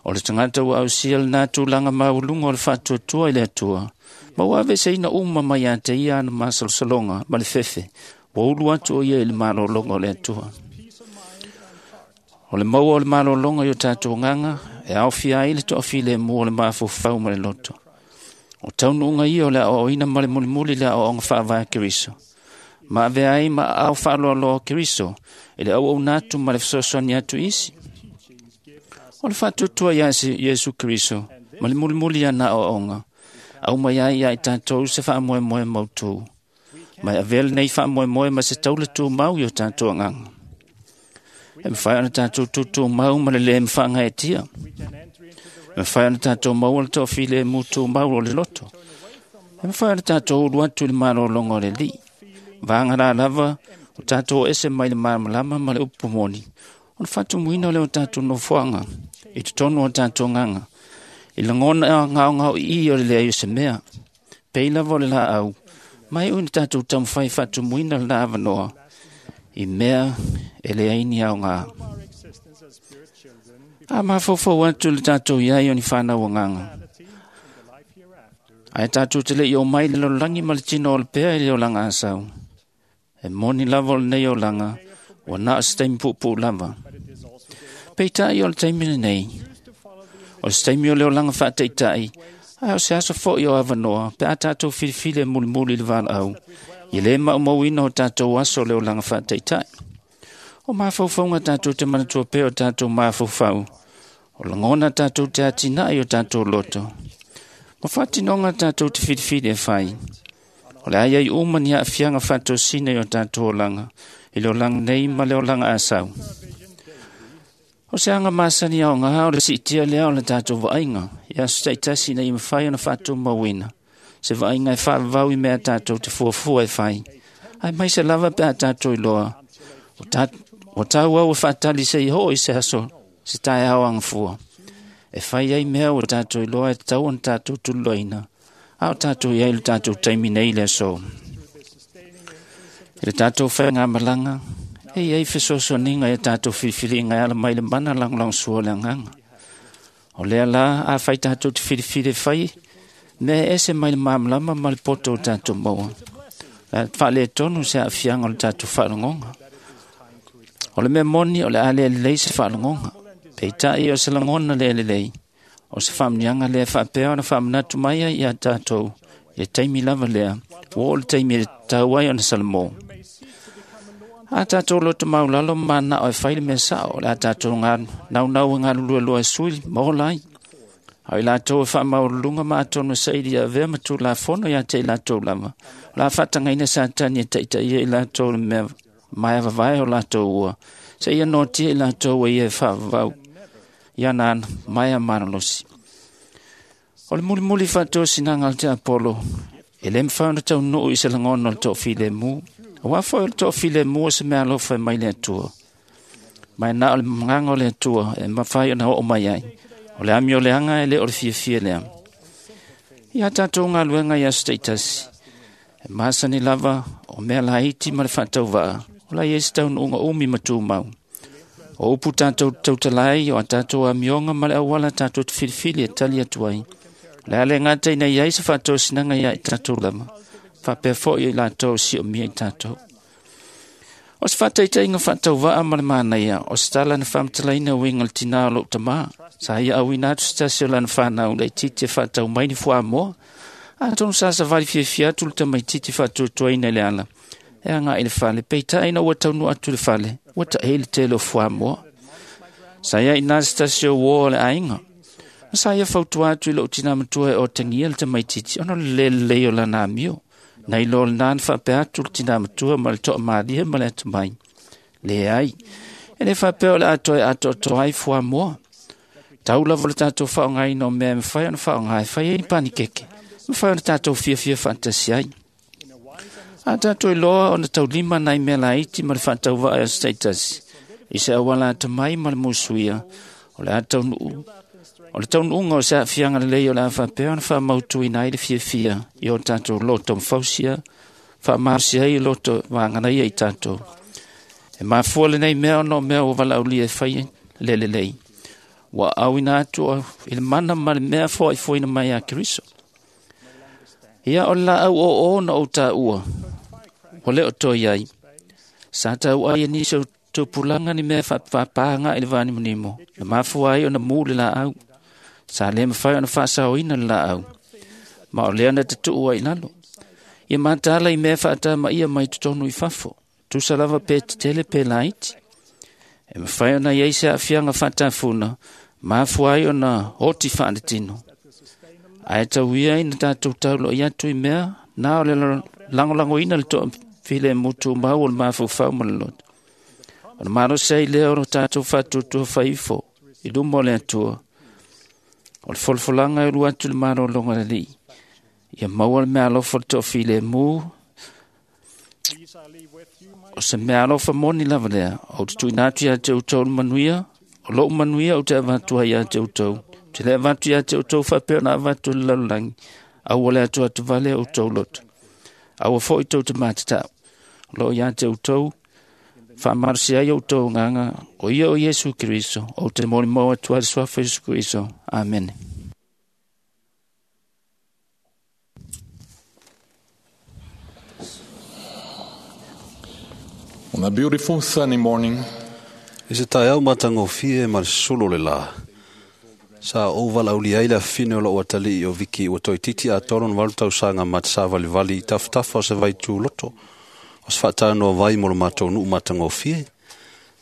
O le tagata ua ausia lenā tulaga maualuga o le faatuatua i le Atua, ma ua aveeseina uma mai iā te ia ana masalosaloga ma le fefe, ua ulu atu o ia i le malōlōga o le Atua. O le maua o le malōlōga i o tatou agaga, e aofia ai le toafilemu o le mafaufau ma le loto. O taunuuga ia o le aoaoina ma le mulimuli le aoaoga faavae a Keriso. Ma avea ai ma aao faaloaloa o Keriso i le auauna atu ma le fesoasoani atu i isi. O le faatuatua iā Iesu Keriso ma le mulimuli ana aoaoga, aumai ai iā i tatou se faamoemoe mautū. Ma e avea lenei faamoemoe ma se taula tumau i o tatou agaga. E mafai ona tatou tutumau ma le lē mafaagaetia. E mafai ona tatou maua le toafilemu tumau o le loto. E mafai ona tatou ulu atu i le malōlōga o le Alii. Vaga la lava o tatou o ese mai le malamalama ma le upu moni, o le faatumuina o lea o tatou nofoaga i totonu o tatou agaga, i lagona gaogaoiī o le leai o se mea. Pei lava o le laau, ma e ui na tatou taumafai faatumuina lenā avanoa, i mea e leai ni aogā. A mafaufau atu le tatou iai o ni fanau agaga, ae tatou te leʻi o mai le lalolagi ma le tino o le pea i le olaga asau. E moni lava o lenei olaga, ua na o se taimi puupuu lava. Peitai o le taimi lenei, o se taimi o le olaga faataitai, ae o se aso foʻi o avanoa pe a tatou filifili e mulimuli i le valaau, ia lē maumauina o tatou aso o le olaga faataitai. O mafaufauga tatou te manatua pea o tatou mafaufau, o lagona tatou te atinae i o tatou loto, ma faatinoga tatou te filifili e fai. O le a iai uma ni aafiaga faatosina i o tatou olaga, i le olaga nei ma le olaga asau. O se aga masani aogā o le siitia lea o le tatou vaaiga, i aso taitasi ina ia mafai ona faatumauina, se vaaiga e faavavau i mea tatou te fuafua e fai, ae mai se lava pe a tatou iloa, o Ua tau au e faatali se i oo i se aso se taeao agafua. E fai ai mea ua tatou iloa e tatau ona tatou tuliloaina, a o tatou i ai le tatou taimi nei i le aso. I le tatou faigamalaga, e i ai fesoasoaniga ia tatou filifiliga e ala mai le mana lagolagosua o le agaga. O lea la, a fai tatou te filifili e fai, mea e ese mai le malamalama ma le poto o tatou maua. Le faaletonu se aafiaga o le tatou faalogoga. O le mea moni o le a le lelei se faalogoga. Peitai o se lagona le lelei, o se faamuniaga lea faapea ona faamanatu mai ai ia tatou, i le taimi lava lea, ua oo le taimi e tatau ai ona salamo. A tatou loto maulalo ma manao e fai le mea sao, o le a tatou naunau e galulueloa e sui ma ola ai. A o i latou e faamaualuluga ma atonu e saili e avea ma tulafono ia te i latou lava, o le a faatagaina Satani e taitaia i latou le mea maea vavae o latou ua, seia noatia i latou e ia e faavavau i ana ana maea malolosi. O le mulimuli faatosinaga a le tiapolo, e le mafai ona taunuu i se lagona o le toafilemu. Aua foi o le toafilemu o se mea alofa e mai le Atua. Ma e na o le magaga o le Atua e mafai ona oo mai ai. O le amioleaga e le o le fiafia lea. Ia tatou galuega i aso taitasi, e masani lava o mea laiti ma le faatauvaa, o la i ai se taunuuga umi ma tumau. O upu tatou tautala ai, o a tatou amioga ma le auala tatou te filifili e tali atu ai. O le a le gata ina i ai se faatosinaga ia i tatou lava, faapea foi i latou siomia i tatou. O se faataitaiga faatauvaa ma le manaia, o se tala na faamatalaina uiga le tinā o lou tamā. Sa ia auina atu se tasi o lana fanau laitiiti e faatau mai ni fuamoa. Atonu sa savali fiafia atu le tamaitiiti faatuatuaina i le ala, e agai i le fale, peitai ina ua taunuu atu i le fale, ua taei le tele o fuamoa. Sa ia i se tasi o uo o le aiga. Na sa ia fautua atu i lou tinā matua e otagia le tamaitiiti ona o le le lelei o lana amio. Nai lo lena na faapea atu le tinā matua ma le toamalie ma le atamai. Leai, e le faapea o le a toe atoatoa ai fuamoa. Tau lava le tatou faaaogaina o mea e mafai ona faaaoga e fai ai ni panikeke, mafai ona tatou fiafia faatasi ai. A tatou iloa ona taulima nai mea laiti ma le faatauvaa i aso taitasi, i se auala atamai ma le musuia, o le a taunuu O le taunuuga o se aafiaga lelei o le a faapea ona faamautuina ai le fiafia i o tatou loto mafausia, faamalosi ai loto vaganaia i tatou. E mafua lenei mea ona o mea ua valaaulia e fai le lelei. Ua auina atu i le mana ma le mea foaifoaina mai ia Keriso. Ia o le laau oo na ou taua, ua le o toe ai. Sa taua ai e nisi o tupulaga ni mea faapaaga i le vanimonimo, na mafua ai ona mu le laau. Sa le mafai ona faasaoina le laau, ma o lea na tatuu ai i lalo. Ia mataala i mea faatamaia mai totonu i fafo, tusa lava pe tetele pe laiti. E mafai ona i ai se aafiaga faatafuna, mafua ai ona oti faaletino. Ae tau ia ina tatou tauloi atu i mea, na o le lagolagoina le toafilemu tumau o le mafaufau ma le loto. O le malosi ai lea o lo tatou faatuatua faifo i luma o le Atua. O le folafolaga e ulu atu le malologa le Alii, ia maua le meaalofa o le toafilemu, o se meaalofa moni lava lea, ou te tuuina atu ia te outou le manuia, o lou manuia ou te avatu ai ia te outou. Ou te le avatu ia te outou faapea ona avatu i le lalolagi, aua le atuatuvale outou loto. Aua foi tou te matatau, o loo ia te outou, faamalosi ai outou agaga, o ia o Iesu Keriso, ou te molimau atu ai le suafa Iesu Keriso. Amene. On a beautiful sunny morning, I se taeao matagofie ma le sulu o le lā, sa ou valaaulia ai le afafine o lou atalii o Viki ua toeitiiti atoa lona valu tausaga ma te savalivali i tafatafa o se vaituloto o se faatanoa vai mo le matou nuu matagofie.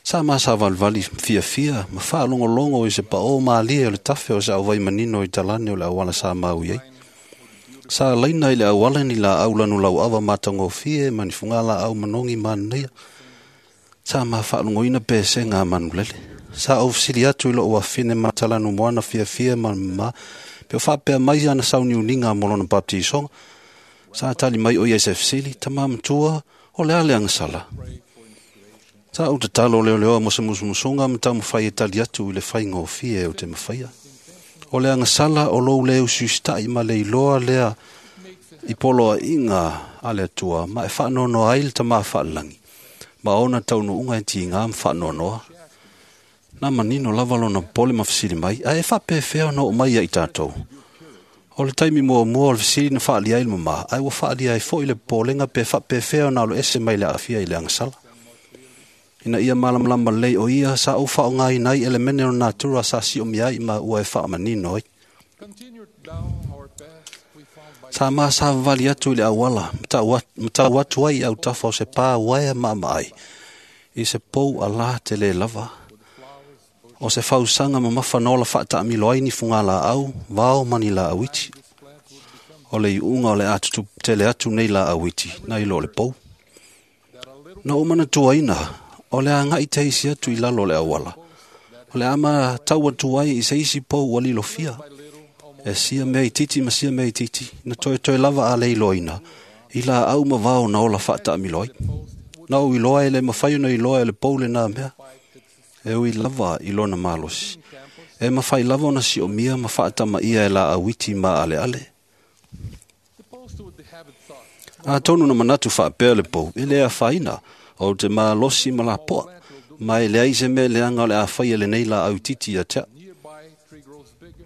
Sa ma savalivali fiafia ma faalogologo i se paō malie o le tafe o se auvai manino i talane o le auala sa maui ai. Sa laina i le auala ni laau lanulauava matagofie ma ni fugalaau manogi manaia. Sa ma faalogoina pesega a manulele. Sa ou fesili atu i lou afine matalanumoana fiafia ma ma pe o faapea mai ana sauniuniga mo lona baptisoga. Sa tali mai o ia i se fesili, tamā matua, o le a le agasala. Sa ou tatalo leoleoa mo se musumusuga ma taumafai e tali atu i le faigofie o te mafaia. O le agasala o lou le usiusitaʻi ma le iloa lea i poloaiga a le Atua ma e faanoanoa ai le tamā faalelagi ma ona taunuuga e tigā ma faanoanoa. Na manino lava lona popole ma fesili mai, ae e faapefea ona oo mai ia i tatou. O le taimi muamua o le fesili na faaalia ai le mamā, ae ua faaalia ai foʻi le popolega pe faapefea ona aloese mai le aafia i le agasala. Ina ia malamalama lelei o ia sa ou faaaogaina ai elemene o le natura sa siomia ai ma ua e faamanino ai. Sa masavavali atu i le auala ma tau atu ai i autafa o se pā uaea maamaai i se pou alā tele lava. O se fausaga mamafa na ola faataamilo ai ni fugalaau, vao ma ni laau iti. O le iuga o le a tutupu tele atu nei laau iti nai lo le pou. Na ou manatuaina o le agai teisi atu i lalo o le auala. O le ama tau atu ai i se isi pou ua lilofia. E sia mea itiiti ma sia mea itiiti, na toetoe lava a le iloaina, i laau ma vao na ola faataamilo ai. Na ou iloa e le mafai ona iloa e le pou lenā mea. E ui lava i lona malosi. E mafai lava ona siomia ma faatamaia e laau iti ma aleale. Atonu na manatu faapea le pou, e le afaina, o te malosi ma lapoa, ma e leai se mea leaga o le a faia lenei laau itiiti ia te au.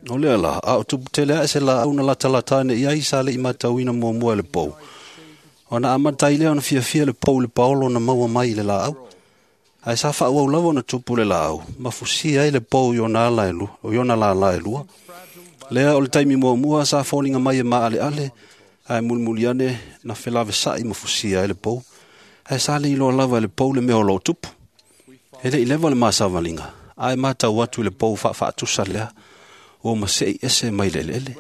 O lea la, a o tupu tele ae se laau na latalata ane i ai sa leʻi matauina muamua e le pou. Ona amata ai lea ona fiafia le pou i le paolo na maua mai i le laau. Ae sa faaauau lava ona tupu le laau, ma fusia ai le pou i ona ala e lua, i ona lālā e lua. Lea o le taimi muamua sa foliga mai e maaleale, ae mulimuli ane na felavesaʻi ma fusia ai le pou. Ae sa le iloa lava e le pou le mea o loo tupu. E leʻi leva le masavaliga, ae matau atu i le pou faafaatusa lea, ua maseʻi ese mai le eleele.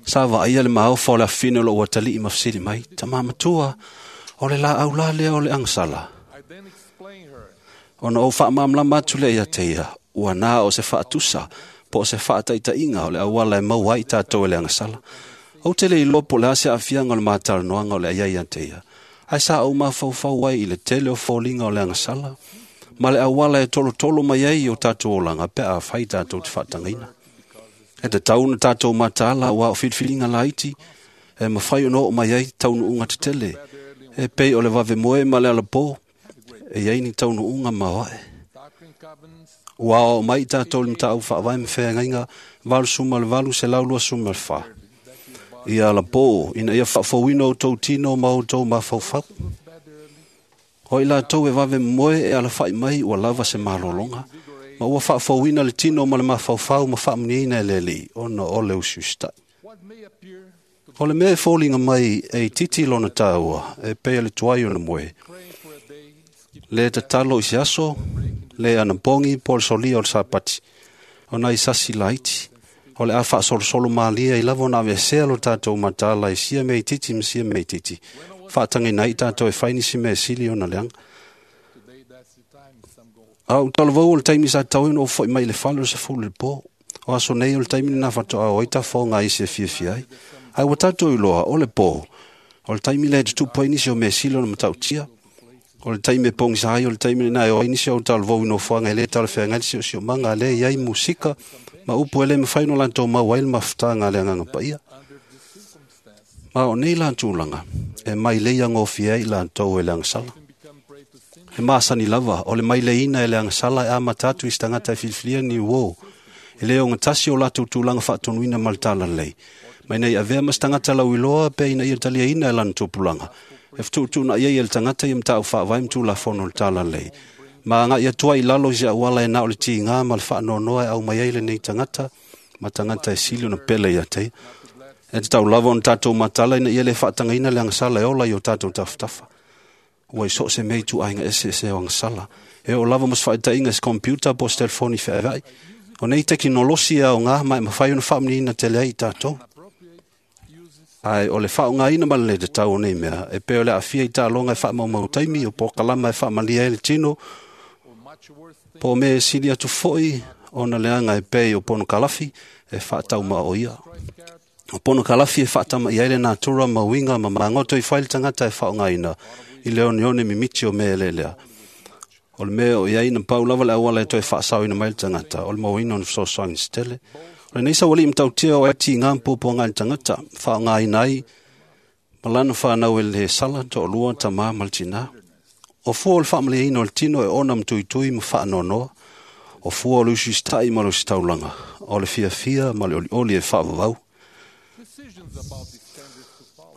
Sa vaaia le maofa o le afafine o lou atalii ma fesili mai, tamā matua, o le laau la lea o le agasala. Ona ou faamalamalama atu lea ia te ia, ua na o se faatusa, po o se faataitaiga o le auala e maua ai tatou e le agasala. Ou te le iloa po o le a se aafiaga o le matalanoaga o le a iai ia te ia. Ae sa ou mafaufau ai i le tele o foliga o le agasala, ma le auala e tolotolo mai ai i o tatou olaga pe a fai tatou te faatagaina. E tatau ona tatou mataala ua o filifiliga laiti, e mafai ona oo mai ai taunuuga tetele, e pei o le vavemoe ma le alapō, e iai ni taunuuga maoae. Ua aoao mai tatou i le mataupu faavae ma feagaiga valu suma le valu selau lua suma le fa. Ia alapō, ina ia faafouina outou tino ma outou mafaufau. O i latou e vave moe e alafaʻi mai ua lava se malologa, ma ua faafouina le tino ma le mafaufau ma faamuniaina e le Alii ona o le usiusitaʻi. O le mea e foliga mai e itiiti lona tāua, e pei o le tuai ona moe. Le tatalo i se aso, le anapogi po o le solia o le sapati, ona i sasi laiti. O le a faasolosolo malie ai lava ona aveesea lo tatou mataala i sia mea itiiti ma sia mea itiiti. Faatagaina ai tatou e fai nisi mea e sili ona leaga. A ou talavou o le taimi sa tatau ai ona ou foʻi mai i le fale o le sefulu i le pō. O aso nei o le taimi lenā faatoa o ai tafaoga isi e fiafia ai. Ae ua tatou iloa o le pō, o le taimi lea e tutupu ai nisi o mea sili ona matautia. O le taimi e pogisa ai o le taimi lenā e o ai nisi o ou talavou i nofoaga e le talafeagai le siosiomaga, lea e i ai musika ma upu e le mafai ona latou maua ai le mafutaga a le Agaga Paia. Ma o nei la tulaga, e mailei agofie ai i latou e le agasala. E masani lava, o le maileiina e le agasala e amata atu i se tagata e filifilia ni uō, e le ogatasi o latou tulaga faatonuina ma le talalelei. Ma ina ia avea ma se tagata lauiloa pe ina ia taliaina e lana tupulaga, e fetuutuunai ai e le tagata ia mataupu faavae ma tulafono o le talalelei. Ma agai atu ai i lalo i se auala e na o le tigā ma le faanoanoa e aumai ai lenei tagata ma tagata e sili ona pele ia te ia. E tatau lava ona tatou mataala ina ia le faatagaina le agasala e ola i o tatou tafatafa. Ua i so o se mea i tuaiga eseese o agasala. E oo lava ma se faataitaiga i se computer po o se telefoni feaveai. O nei tekinolosi e aoga ma e mafai ona faamuniaina tele ai i tatou. Ae o le faaaogaina ma le lē tatau o nei mea, e pei o le aafia i taaloga e faamaumau taimi, o polokalama e faamalie ai le tino, po o mea e sili atu foʻi ona leaga e pei o ponokalafi e faataumaoia. O ponokalafi e faatamaia ai le natura ma uiga ma magoto i fai le tagata e faaaogaina i le oneone mimiti o mea eleelea. O le mea o iai na pau lava le auala e toe faasaoina mai le tagata, o le mauaina o ni fesoasoani se tele. O lenei sauali'i matautia o e tigā ma puapuaga i le tagata, faaaogaina ai ma lana fanau e le sala, toalua, tamā ma le tinā. O fua o le faamalieina o le tino e ona ma tuitui ma faanoanoa, o fua o le usiusita'i ma le usitaulaga, o le fiafia ma le olioli e faavavau.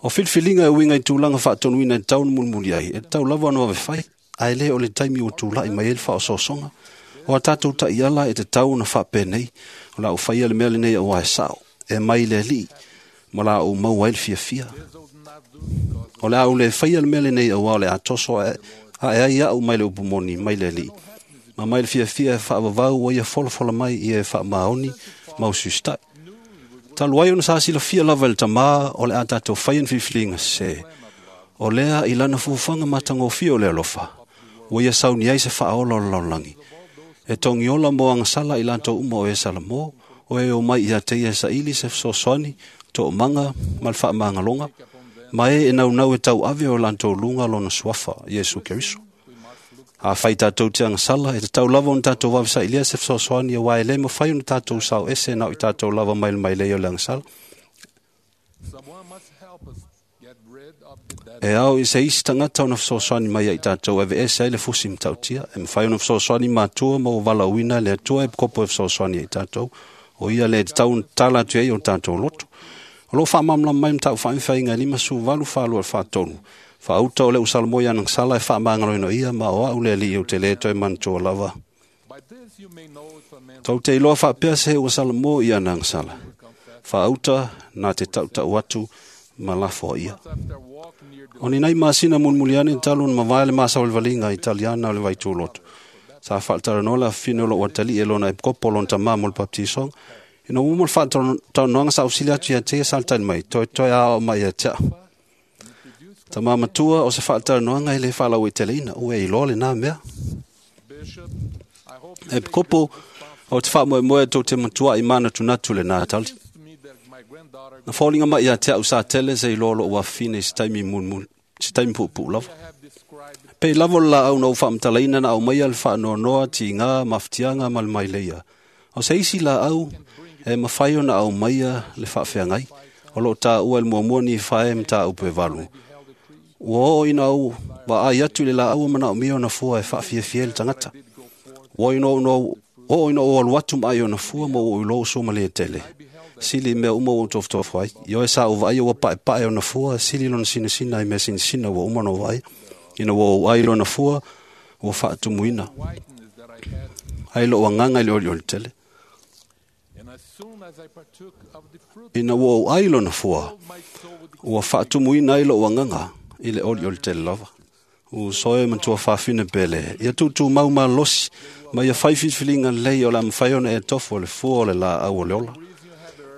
O filifiliga e uiga i tulaga faatonuina e tatau ona mulimuli ai, e tatau lava ona vavefai, ae lē o le taimi ua tula'i mai ai le faaosoosoga. O a tatou ta'iala e tatau ona faapenei, o la ou faia le mea lenei auā e sa'o, e mai le Alii, ma la ou maua ai le fiafia. O le a ou lē faia le mea lenei auā o le a toso a'e ai a'u mai le upu moni mai le Alii, ma mai le fiafia e faavavau ua ia folafola mai ia e faamaoni ma usiusita'i. Talu ai ona sa silafia lava e le tamā o le a tatou faia ni filifiliga sesē, o lea i lana fuafuaga matagofie o le alofa, ua ia sauni ai se faaola o le lalolagi, e togiola mo agasala i latou uma o e salamo, o e omai ia te ia e saili se fesoasoani, toomaga ma le faamagaloga, ma e e naunau e tauave o latou luga lona suafa, Iesu Keriso. Afai tatou te agasala, e tatau lava ona tatou vavesailia se fesoasoani auā e lē mafai ona tatou sao ese na o i tatou lava mai le mailei o le agasala. E ao i se isi tagata ona fesoasoani mai ia i tatou e aveese ai le fusi matautia, e mafai ona fesoasoani matua ma ua valaauina e le Atua e kopo e fesoasoani ia i tatou, o ia le tatau ona tatala atu ai o tatou loto. O loo faamalamalama mai mataupu faamifaiga e lima valu falua i le faatolu. Faauta o le usalamo i anagasala e faamagaloina ia ma o a'u le Alii ou te lē toe manatua lava. Tou te iloa faapea se ua salamo i anagasala. Faauta na te tautau atu ma lafo ia. O ni nai masina mulimuli ane talu ona mavae le masao o le valiga Italiana o le Vaituloto. Sa faatalanoa le afafine o lou atalii e lona epikopo o lona tamā mo le baptisoga. Ina ua uma le faatalanoaga sa ausili atu ia te ia sa le tali mai, toetoe aoao mai ia te a'u. Tamā matua o se faatalanoaga e lē faalauaiteleina, ua e iloa lenā mea. Epikopo, o te faamoemoe tou te matua'i manatunatu lenā tali. Na foliga mai ia te a'u sa tele se iloa lo'u afafine i se taimi mulimuli, se taimi puupuu lava. Pei lava o le laau na ou faamatalaina na aumaia le faanoanoa, tigā, mafatiaga ma le maileia. O se isi laau e mafai ona aumaia le faafeagai, o loo taua e le muamua Nifae mataupu e valu. Ua oo ina ou vaai atu i le laau manaomia ona fua e faafiafia ai le tagata. Ua ina oo ina ou alu atu ma ai ona fua ma ua ou iloa ua suamalie tele. Sili i mea uma ua ou tofotofo ai. Ioe sa ou vaaia ua paepae ona fua, sili lona sinasina i mea sinasina ua uma ona ou vaaia. Ina ua ou ai lona fua, ua faatumuina ai lou agaga i le olioli tele. Ina ua ou ai lona fua, ua faatumuina ai lou agaga i le olioli tele lava. Uso e matua faafine pele, ia tuutumau malosi, ma ia fai filifiliga lelei o le a mafai ona e tofo le fua o le laau o le ola.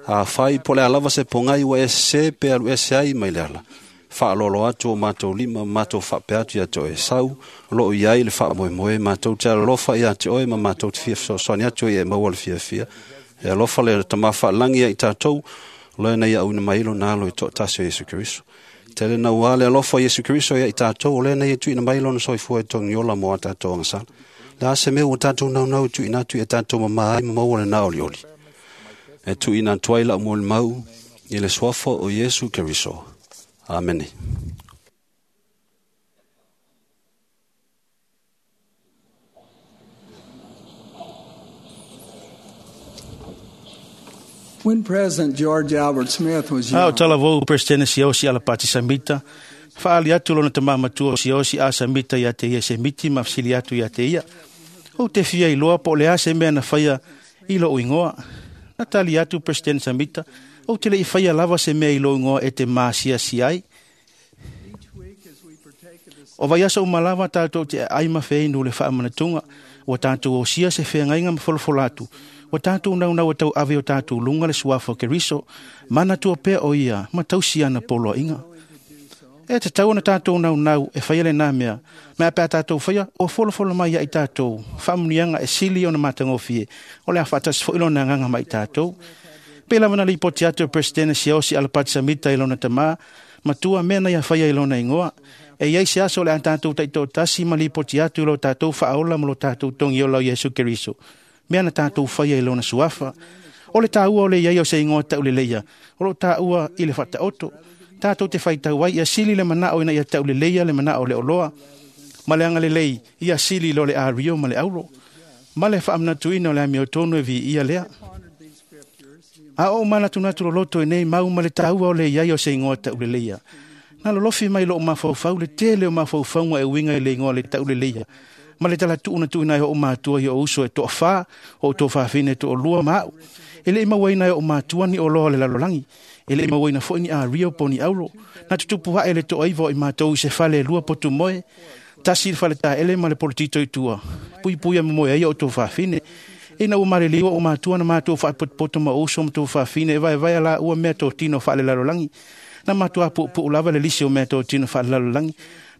Afai po o le a lava se pogai ua e sesē pe alu ese ai mai le ala, faaaloalo atu o matou lima ma matou faapea atu ia te oe, sau o loo i ai le faamoemoe, matou te alolofa ia te oe ma matou te fia fesoasoani atu ai e maua le fiafia. E alofa le Tamā faalagi ia i tatou, o lea na ia auina mai lona alo i toatasi o Iesu Keriso. Tele nauā le alofa o Iesu Keriso ia i tatou, o lea na ia tuuina mai lona soifua e togiola mo a tatou agasala. Le a se mea ua tatou naunau e tuuina atu ia tatou mamā ai ma maua lenā olioli. E tuuina atu ai lau molimau i le suafa o Iesu Keriso. Amene. When President George Albert Smith was A o young, talavou Presidente Siaosi Alapati Samita, faali atu lona tamā matua o Siaosi a Samita ia te ia se miti ma fesili atu ia te ia. Ou te fia iloa po o le a se mea na faia i lou ingoa. Na tali atu President Samita, ou te le i faia lava se mea i lou ingoa e te maasiasi ai. O vaiaso uma lava tatou te ai ma feinu le faamanatuga, ua tatou osia se feagaiga ma folafola atu, ua tatou naunau e tauave o tatou luga le suafa o Keriso, manatua pea o ia ma tausi ana poloaiga. E tatau ona tatou naunau e faia lenā mea, ma a pe a tatou faia, ua folafola mai ia i tatou faamuniaga e sili ona matagofie, o le a faatasi foi lona agaga ma i tatou. Pe lava na lipoti atu e Presidente Siaosi Alapati Samita i lona tamā, matua mea na ia faia i lona ingoa, E iai se aso o le a tātou taitoatasi ma lipoti atu i lo tātou faaola ma lo tātou togiola o Iesu Keriso. Mea na tātou faia i lona suafa. O le tāua o le iai o se igoa tauleleia, o loo tāua i le faataoto. Tātou te faitau ai ia sili le manao ina ia tauleleia le manao o le oloa. Ma le agalelei ia sili lo le ario ma le auro. Ma le faamanatuina o le amiotonu e viia lea. A o manatunatu loloto e nei mau ma le tāua o le iai o se igoa tauleleia. Na lolofi mai loo mafaufau le tele o mafaufauga e uiga i le igoa le tauleleia. Ma le talatuu na tuuina ai o matua i o uso e toafā, o toafafine e toalua ma au. E le i mauaina e o matua ni oloa o le lalolagi. E le i mauaina foi ni ario po ni auro. Na tutupu ae le toaiva o i matou i se fale e lua potu moe. Tasi le faletaele ma le polotito i tua. Puipuia momoe ai o toafafine. Ina ua maliliu o matua na matou faapotopoto ma uso ma toafafine e vaevaea la ua mea totino faalelalolagi. Na matua puupuu lava le lisi o mea totino faalelalolagi.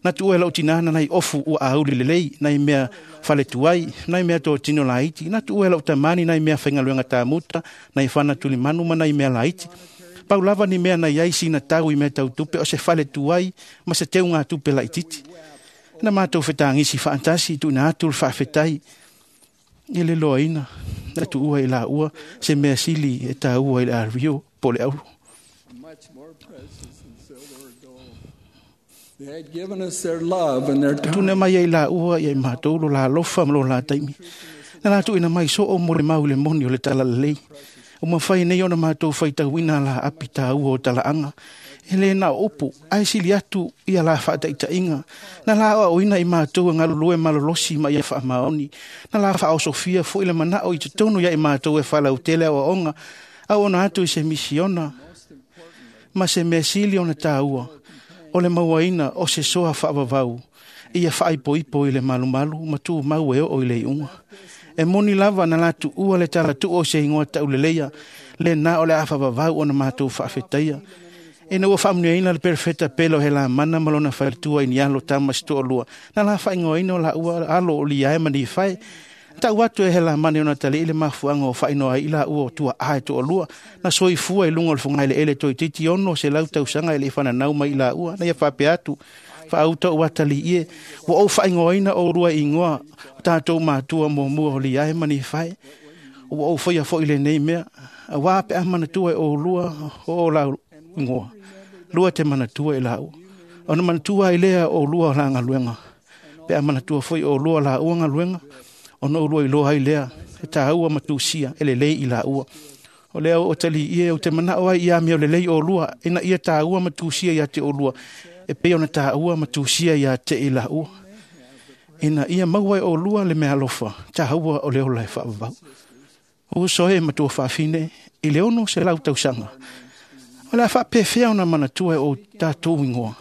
Na tuua e lau tinā na nai ofu ua auli lelei, nai mea faletuai, nai mea totino laiti. Na tuua e lau tamani nai mea faigaluega tamuta, nai fana tulimanu ma nai mea laiti. Pau lava ni mea na iai sina tau i mea tautupe o se faletuai ma se teugatupe laititi. Na matou fetagisi faatasi tuuina atu le faafetai i le loaina na tuua i laua se mea sili e tāua i le ario po le auro. They had given us their love and their time. Tuna mai ai laua ia i matou lo la alofa ma lo la taimi. Na la tuuina mai soo mo le mau i le moni o le talalelei. O mafai nei ona matou faitauina la api tāua o talaaga. E le na o upu, ae sili atu ia la faataitaiga. Na la aoaoina i matou e galulue malolosi ma ia faamaoni. Na la faaosofia foi le manao i totonu ia i matou e falautele aoaoga. Au ona atu i se misiona ma se mea sili ona tāua. O le mauaina o se soa faavavau. Ia faaipoipo i le malumalu ma tumau e oo i le iuga. E moni lava na la tuua le talatuu o se igoa tauleleia. Le na o le a faavavau ona matou faafetaia. Ina ua faamanuiaina le perofeta pele o Helamana ma lona faletua i ni alo tama se toalua. Na la faaigoaina o laua alo o Liae ma Nifae. Tau atu e Helamana i ona talii le mafuaaga o faainoa ai i laua o tuaa e toalua. Na soifua i luga o le fogaeleele toeitiiti ono selau tausaga e le i fananau mai i laua. Na ia faapea atu, faauta o atalii e, ua ou faaigoaina oulua i igoa o tatou matua muamua o Liae ma Nifae. Ua ou faia foi lenei mea, auā pe a manatua e oulua o o lau igoa. Lua te manatua e laua. Ona manatua ai lea o lua o la galuega. Pe a manatua foi o lua laua galuega, ona oulua iloa ai lea e tāua ma tusia e lelei i laua. O lea o talii e o te manao ai ia mea o lelei o lua, ina ia tāua ma tusia ia te o lua, e pei ona tāua ma tusia ia te i laua. Ina ia maua e o lua le mea alofa, tāua o le ola e faavavau. O soe matua faafine, i le ono se lau tausaga. O le a faapefea ona manatua e o tātou ingoa.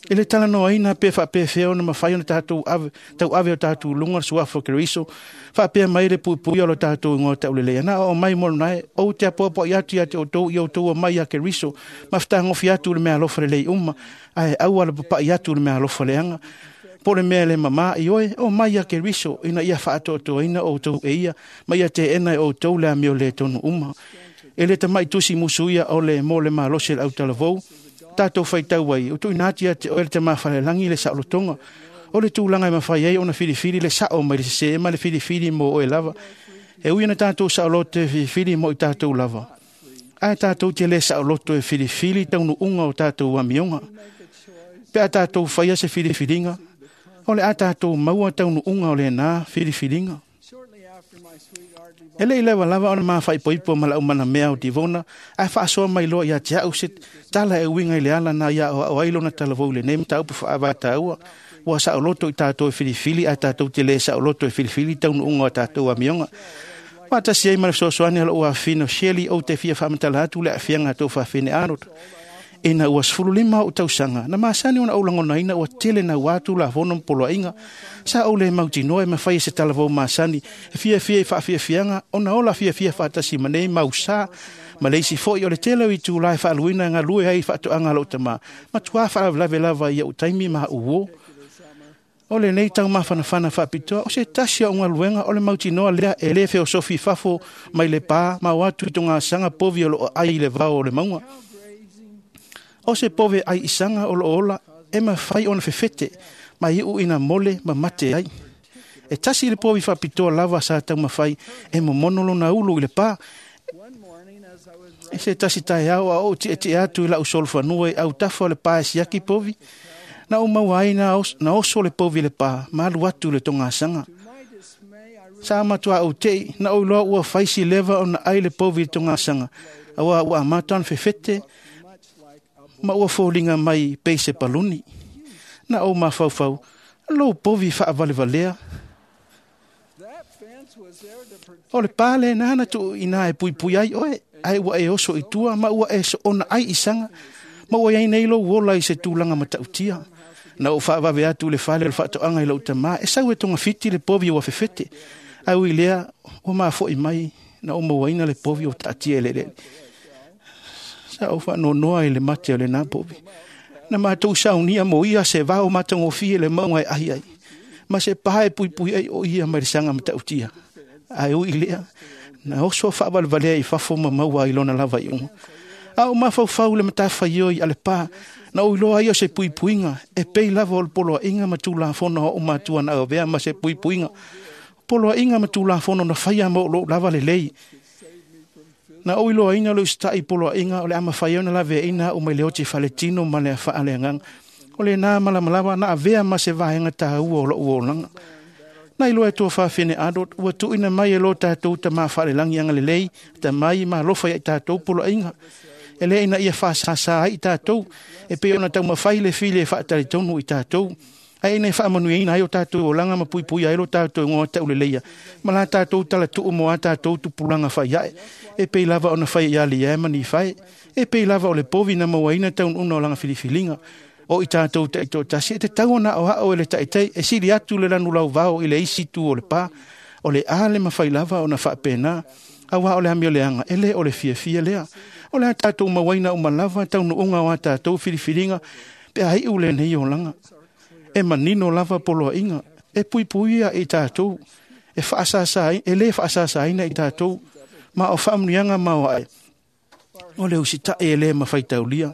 E le talanoaina pe faapefea ona mafai ona tātou ave, tau ave o tātou luga le suafa o Keriso, faapea mai le puipuia o lo tātou ingoa tauleleia. Na o mai molonae, ou te apoapoai atu ia te outou i outou mai ia Keriso, ma fetagofi atu le mea alofa lelei uma, ae aua le papa'i atu le mea alofa leaga. Po le mea le mamā i oe, o mai ia Keriso, ina ia faatoatoaina outou e ia, ma ia teena e outou le amio le tonu uma. E le tamai tusi musuia o le mo le malosi le autalavou, tātou faitau ai, o tuuina atu ia te oe le tamafalelangi le saolotoga. O le tulaga e mafai ai ona filifili le sao mai le sesē ma le filifili mo oe lava. E ui ona tātou saoloto e filifili mo i tātou lava. Ae tātou te le saoloto e filifili taunuuga o tātou amioga. Pe a tātou faia se filifiliga, o le a tātou maua taunuuga o lenā filifiliga. E le i lewa lava ona mafaipoipo ma lau manamea o Divona, ae faasoa mai loa ia te au se tala e uiga i le ala na ia o ai lona talavou i lenei mataupu faavatāua. Ua saoloto i tātou e filifili, ae tātou te le saoloto e filifili taunuuga o tātou amioga. Faatasi ai ma le fesoasoani a lou afafine o Shelley ou te fia faamatala atu le aafiaga a tou faafine Arnold. Ina ua sefulu lima ou tausaga, na masani ona ou lagonaina ua tele naua atu lafono ma poloaiga. Sa ou le mautinoa e mafai e se talavou masani, e fiafia i faafiafiaga, ona ola fiafia faatasi ma nei mausā. Ma le isi foi o le tele o itulā e faaluina e galue ai i faatoaga a lou tamā. Matuā faalavelave lava i ou taimi ma au uō. O lenei taumafanafana faapitoa, o se tasi o galuega o le mautinoa lea e lē feosofi i fafo mai le pā ma o atu i togasaga povi o loo ai i le vao o le mauga. O se pove ai isaga o loo ola e mafai ona fefete ma iu ina mole ma mate ai. E tasi le povi faapitoa lava sa taumafai e momono lona ulu i le pā. E se tasi taeao a ou tietie atu i lau solofanua i autafa o le pā e siaki povi. Na ou maua ai na, os, na oso le povi le pā, ma alu atu le togasaga. Sa matua ou tei, na ou iloa ua faisi leva ona ai le povi i le togasaga, auā ua amata ona fefete, ma ua foliga mai pei se paluni. Na ou mafaufau, lou povi faavalevalea. O le pā lenā na tuuina e puipui ai oe, ae ua e oso i tua ma ua e soona ai i saga, ma ua iai nei lou ola i se tulaga matautia. Na ou faavave atu le fale o le faatoaga i lou tamā, e sau e togafiti le povi ua fefete. Ae ui lea, ua mafo'i mai, na ou mauaina le povi ua taatia i le eleele. Sa ou faanoanoa i le mate o lenā povi. Na matou saunia mo ia se vao matagofie le mauga e ai ai, ma se pā e puipui ai o ia mai le saga matautia. Ae ui lea, na oso faavalevalea i fafo ma maua ai lona lava iuga. A o mafaufau le matafaioi a le pā, na ou iloa ai o se puipuiga, e pei lava o le poloaiga ma tulafono a ou matua na avea ma se puipuiga. Poloaiga ma tulafono na faia ma o lou lava lelei. Na ou iloaina le usita'i poloaiga o le a mafai ai ona laveaina a'u mai le oti faletino ma le afa'a le agaga. O lenā malamalava na avea ma se vaega tāua o lo'u olaga. Na iloa e tua faafine adult, ua tuuina mai e lo tatou tamā faalelagi agalelei, tamai ma alofa ia i tatou poloaiga. E lē ina ia faasāsā ai i tatou, e pei ona taumafai le fili e faatalitonu i tatou. Ae ina e faamanuiaina ai o tatou olaga ma puipuia ai lo tatou igoa tauleleia, ma la tatou talatuu mo a tatou tupulaga faiae, e pei lava ona fai ia Liae ma Nifae, e pei lava o le povi na mauaina taunuuga o lana filifiliga. O i tatou taitoatasi e tatau ona aoao e le taitai e sili atu le lanu lauvao i le isi itu o le pā. O le a le mafai lava ona faapena, auā o le amioleaga e lē o le fiafia lea. O le a tatou mauaina uma lava taunuuga o a tatou filifiliga pe a iu lenei olaga. E manino lava poloaiga, e puipuia i tatou, e faasāsā, e lē faasāsāina i tatou, ma o faamanuiaga maoae. O le usita'i e lē mafai taulia.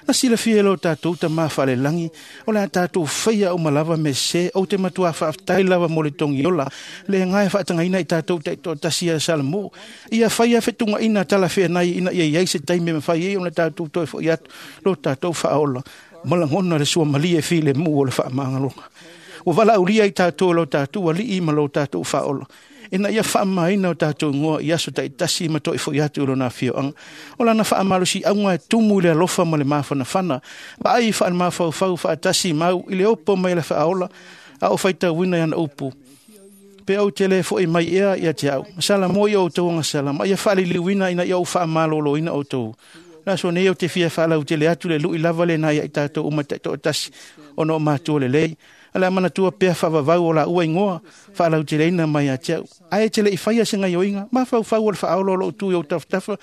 Na silafia e lo tatou tamā faalelagi, o le a tatou faia uma lava me sesē, ou te matuā faafetai lava mo le togiola, le agae faatagaina i tatou taitoatasi ia Salamo. Ia faia fetugaina talafeanai ina ia iai se taimi e mafai ai ona tatou toe fo'i atu lo tatou faaola. Ma lagona le suamalie e filemu o le faamagaloga. Ua valaaulia i tatou e lo tatou alii ma lo tatou faaola, ina ia faamamaina o tatou igoa i aso taitasi ma toe fo'i atu i lona afioaga. O lana faamalosiauga e tumu i le alofa ma le mafanafana, vaai faalemafaufau faatasi mau i le opo mai le faaola, a o faitauina i ana upu. Pe ou te lē fo'i mai ea ia te au, ma salamo i outou agasala, ma ia faaliliuina ina ia ou faamalōlōina outou. Le aso nei ou te fia faalautele atu le lu'i lava lenā ia i tatou uma taitoatasi, ona o matua lelei. A le a manatua pea faavavau o laua igoa, faalauteleina mai ia te au. Ae e te le'i faia se gaioiga, mafaufau o le faaola o lou tu i ou tafatafa,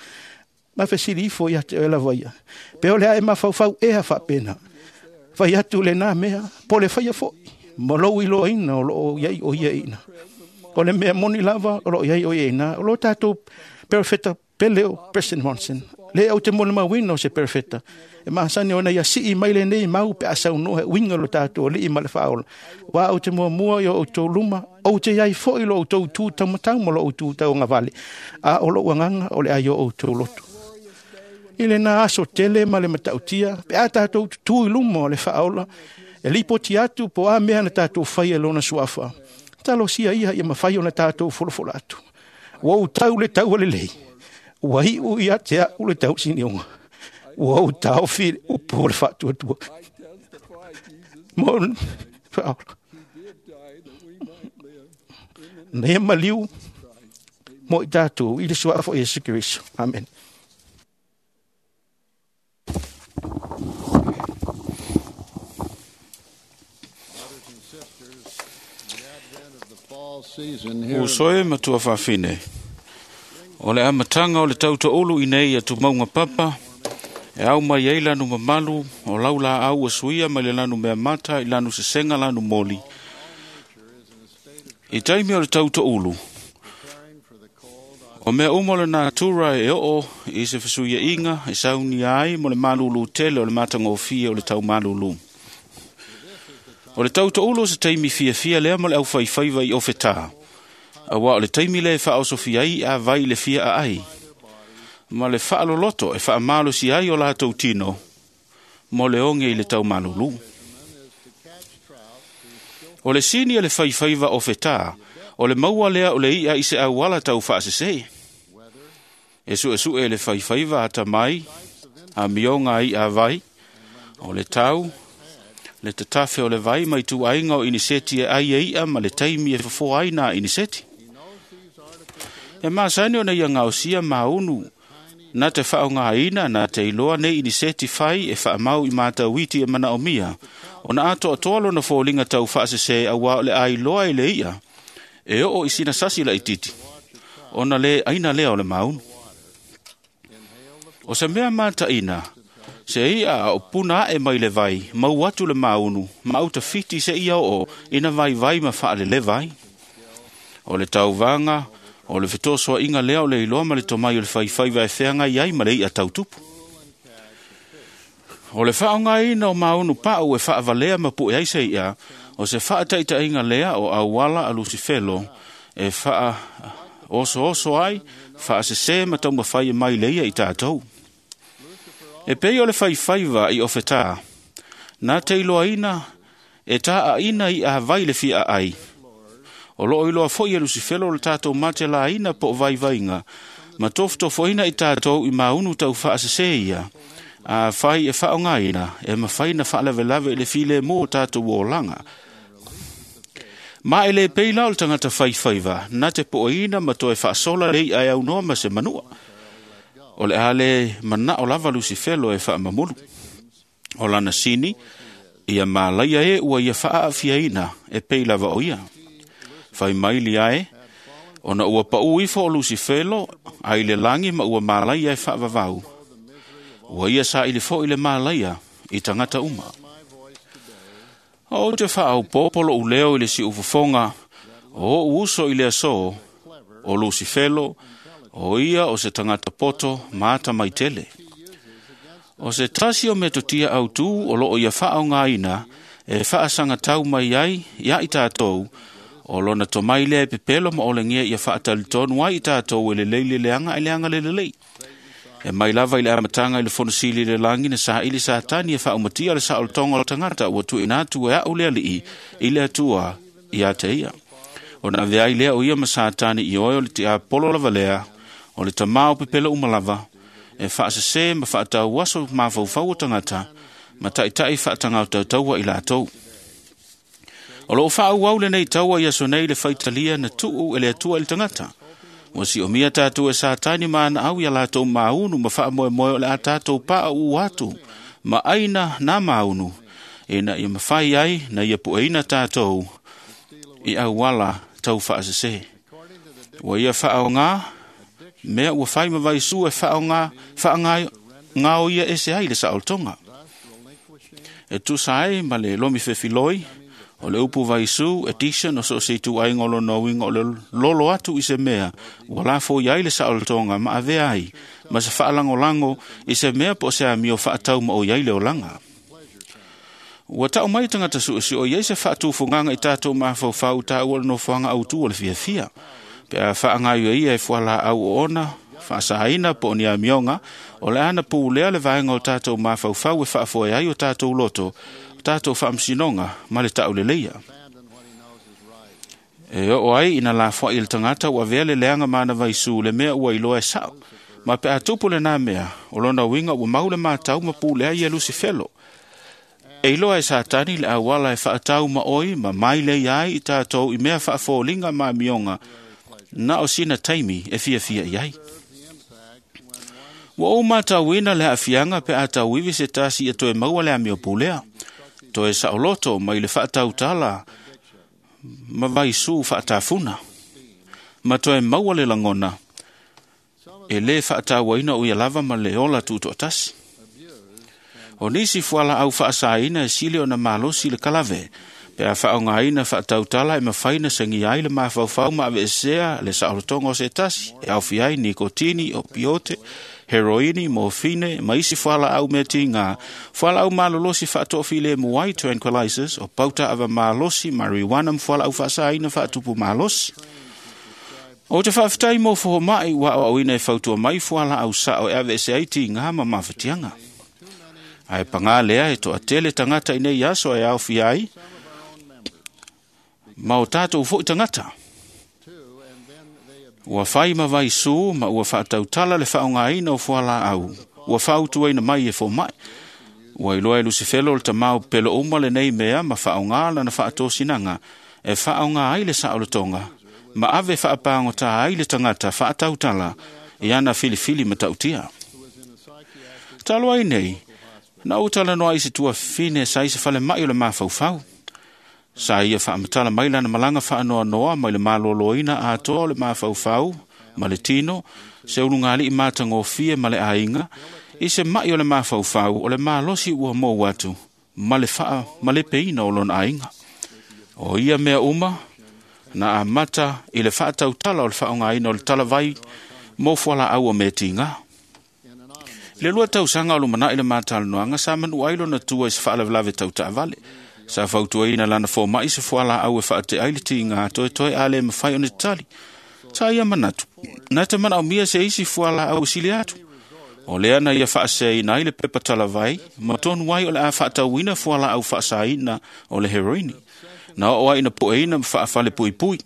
ma fesili ifo ia te oe lava ia. Pe o le a e mafaufau ea faapena. Fai atu lenā mea, po le faia fo'i, ma lou iloaina o loo iai o ia ina. O le mea moni lava o loo iai o ia ina, o lo tatou perofeta pele o President Monson. Le au te molimauina o se perofeta. E masani ona ia sii mai lenei mau pe a saunoa e uiga lo tatou alii ma le faaola. Uā ou te muamua i o outou luma, ou te iai fo'i lo outou tu taumatau ma lo outou tauagavale, a o lou agaga o le ai o outou loto. I lenā aso tele ma le matautia, pe a tatou tutū i luma o le faaola, e lipoti atu po a mea na tatou faia i lona suafa. Talosia ia ia mafai ona tatou folafola atu. Ua ou tau le taua lelei, ua iu ia te a'u le tausinioga. Ua ou taofi i le upu o le faatuatua. Mo le faaola. Na ia maliu mo i tatou i le suafa o Iesu Keriso. Amen. Uso e matua faafine. O le amataga o le tautoulu i nei atumauga papa, e au mai ai lanu mamalu, o lau laau ua suia mai le lanu meamata i lanu sesega lanu moli. I taimi o le tautoulu, o mea uma o le natura e oo i se fesuiaiga e saunia ai mo le malūlū tele o le matagofie o le taumalūlū. O le tauto'ulu o se taimi fiafia lea mo le aufaifaiva i ofetā, auā o le taimi lea e faaosofia ai i'a vai i le fia aai, ma le faaloloto e faamalosi ai o latou tino mo le oge i le taumalūlū. O le sini e le faifaiva ofetā, o le maua lea o le i'a i se auala taufaasesē. E su'esu'e e le faifaiva atamai, amioga a i'a vai, o le tau, le tatafe o le vai ma ituaiga o iniseti e ai e i'a ma le taimi e fofoa ai nā iniseti. E masani ona ia gaosia maunu na te faaaogāina na te iloa nei iniseti fai e faamau i matauiti e manaomia, ona atoatoa lona foliga taufaasesē auā o le ailoa i le i'a e oo i sina sasi laititi, ona lē aina lea o le maunu. O se mea mataʻina, se i'a a o puna aʻe mai le vai, mau atu le maunu, ma autafiti se ia oo ina vaivai ma faaleleva ai. O le tauvaga, o le fetosoaʻiga lea o le iloa ma le tomai o le faifaiva e feagai ai ma le i'a tautupu. O le faaaogāina o maunu paʻu e faavalea ma puʻe ai se i'a, o se faataʻitaʻiga lea o auala a Lusifelo e faaosooso ai, faasesē ma taumafai e mai le ia i tatou. E pei o le faifaiva i ofetā, na te iloaina e tāʻaʻina i'a vai le fia aai. O loo iloa foʻi e Lusifelo le tatou matelāina po o vaivaiga, ma tofotofoina i tatou i maunu taufaasesē ia, a fai e faaaogāina e mafai na faalavelave i le filemu o tatou olaga. Ma e lē pei la o le tagata faifaiva na te po'oina ma toe faasola le i'a e aunoa ma se manua. O le a lē manao lava Lusifelo e faamamulu. O lana sini, ia malaia e ua ia faaafiaina e pei lava o ia. Fai mai lia e, ona ua paʻu ifo o Lusifelo ai le lagi ma ua malaia e faavavau. Ua ia saili foʻi le malaia i tagata uma. O ou te faaopopo loʻu leo i le siufofoga o oʻu uso i le asō, o Lusifelo, o ia o se tagata poto ma atamaitele. O se tasi o metotia autū o loo ia faaaogāina e faasagatau mai ai ia i tatou, o lona tomai lea e pepelo ma olegia ia faatalitonu ai i tatou e lelei le leaga e leaga le lelei. E mai lava i le amataga i le fonosili le lagi na saili Satani e faaumatia le saolotoga o le tagata ua tuuina atu e aʻu le alii i le Atua ia te ia. Ona ave ai lea o ia ma Satani i oe o le tiapolo lava lea, o le tamā o pepelo uma lava, e faasesē ma faatauaso mafaufau o tagata, ma taʻitaʻi faatagautautaua i latou. O loo faaauau lenei taua i aso nei le faitalia na tuu e le Atua i le tagata. Ua siomia tatou e Satani ma ana au ia latou maunu ma faamoemoe o le a tatou paʻaʻu atu ma aina nā maunu, ina ia mafai ai na ia puʻeina tatou i auala taufaasesē. Ua ia faaogā mea ua fai ma vaisū e faaogā faagao ia ese ai le saolotoga. E tusa ai ma le lomi fefiloi, o le upu vaisū, addiction o so o se ituaiga o lona uiga o le lolo atu i se mea, ua lafoi ai le saolotoga ma avea ai, ma se faalagolago i se mea po o se amio faatau ma oi ai le olaga. Ua taʻu mai tagata suʻesuʻe i ai se faatufugaga i tatou mafaufau taua le nofoaga autū o le fiafia. Pe a faagaio ia e fualaau oona, faasāina po o ni amioga, o le ana pulea le vaega o tatou mafaufau e faafoe ai o tatou loto, o tatou faamasinoga ma le taʻuleleia. E oo ai ina lafoai le tagata ua avea le leaga ma ana vaisū le mea ua iloa e saʻo. Ma pe a tupu lenā mea, o lona uiga ua mau le matau ma pulea ia Lusifelo. E iloa e Satani le auala e faatau ma oi ma mailei ai i tatou i mea faafoliga ma amioga na o sina taimi e fiafia i ai. Ua ou matauina le aafiaga pe a tauivi se tasi ia toe maua le amio pulea, toe saoloto mai le faatautala ma vaisū faatafuna, ma toe maua le lagona e lē faatauaina o ia lava ma le ola tutoatasi. O nisi fualaau faasāina e sili ona malosi le kalave, pe a faaaogāina faatautala e mafai na sagia ai le mafaufau ma aveesea le saolotoga o se tasi, e aofia ai nikotini, opiote, heroini, morfine, ma isi fualaau mea tigā, fualaau malolosi faatoafilemu ai, tranquilizers, o pauta ava malosi, marijuana ma fualaau faasāina faatupu malosi. O te faafetai mo fohomaʻi ua aoaoina e fautua mai fualaau saʻo e aveese ai tigā ma mafatiaga. Ae pagā lea e toatele tagata i nei aso e aofia ai ma o tatou foʻi tagata. Ua fai ma vaisū ma ua faatautala le faaaogāina o fualaau ua faautuaina mai e fomaʻi. Ua iloa e Lusifelo le tamau pelo uma lenei mea ma faaaogā lana faatosinaga e faaaogā ai le saolotoga ma ave faapagotā ai le tagata faatautala i ana filifili matautia. Talo ai nei, na ou talanoa i se tuafafine sa i se falemaʻi o le mafaufau. Sa ia faamatala mai lana malaga faanoanoa mai le malōlōina atoa o le mafaufau ma le tino, se ulugalii matagofie ma le aiga, i se maʻi o le mafaufau o le malosi ua mou atu ma le faamalepeina o lona aiga. O ia mea uma na amata i le faatautala o le faaaogāina o le talavai mo fualaau o mea tigā. I le lua tausaga o lumanaʻi le matalanoaga sa manu ai lona tua i se faalavelave tautaavale. Sa fautuaina lana fomaʻi se fualaau e faatea ai le tigā toetoe a le mafai ona tatali. Sa ia manatu, na te manaomia se isi fualaau e sili atu. O lea na ia faaseaina ai le pepa talavai ma tonu ai o le a faatauina fualaau faasāina o le heroini. Na oo ai ina poeina ma faafalepuipui.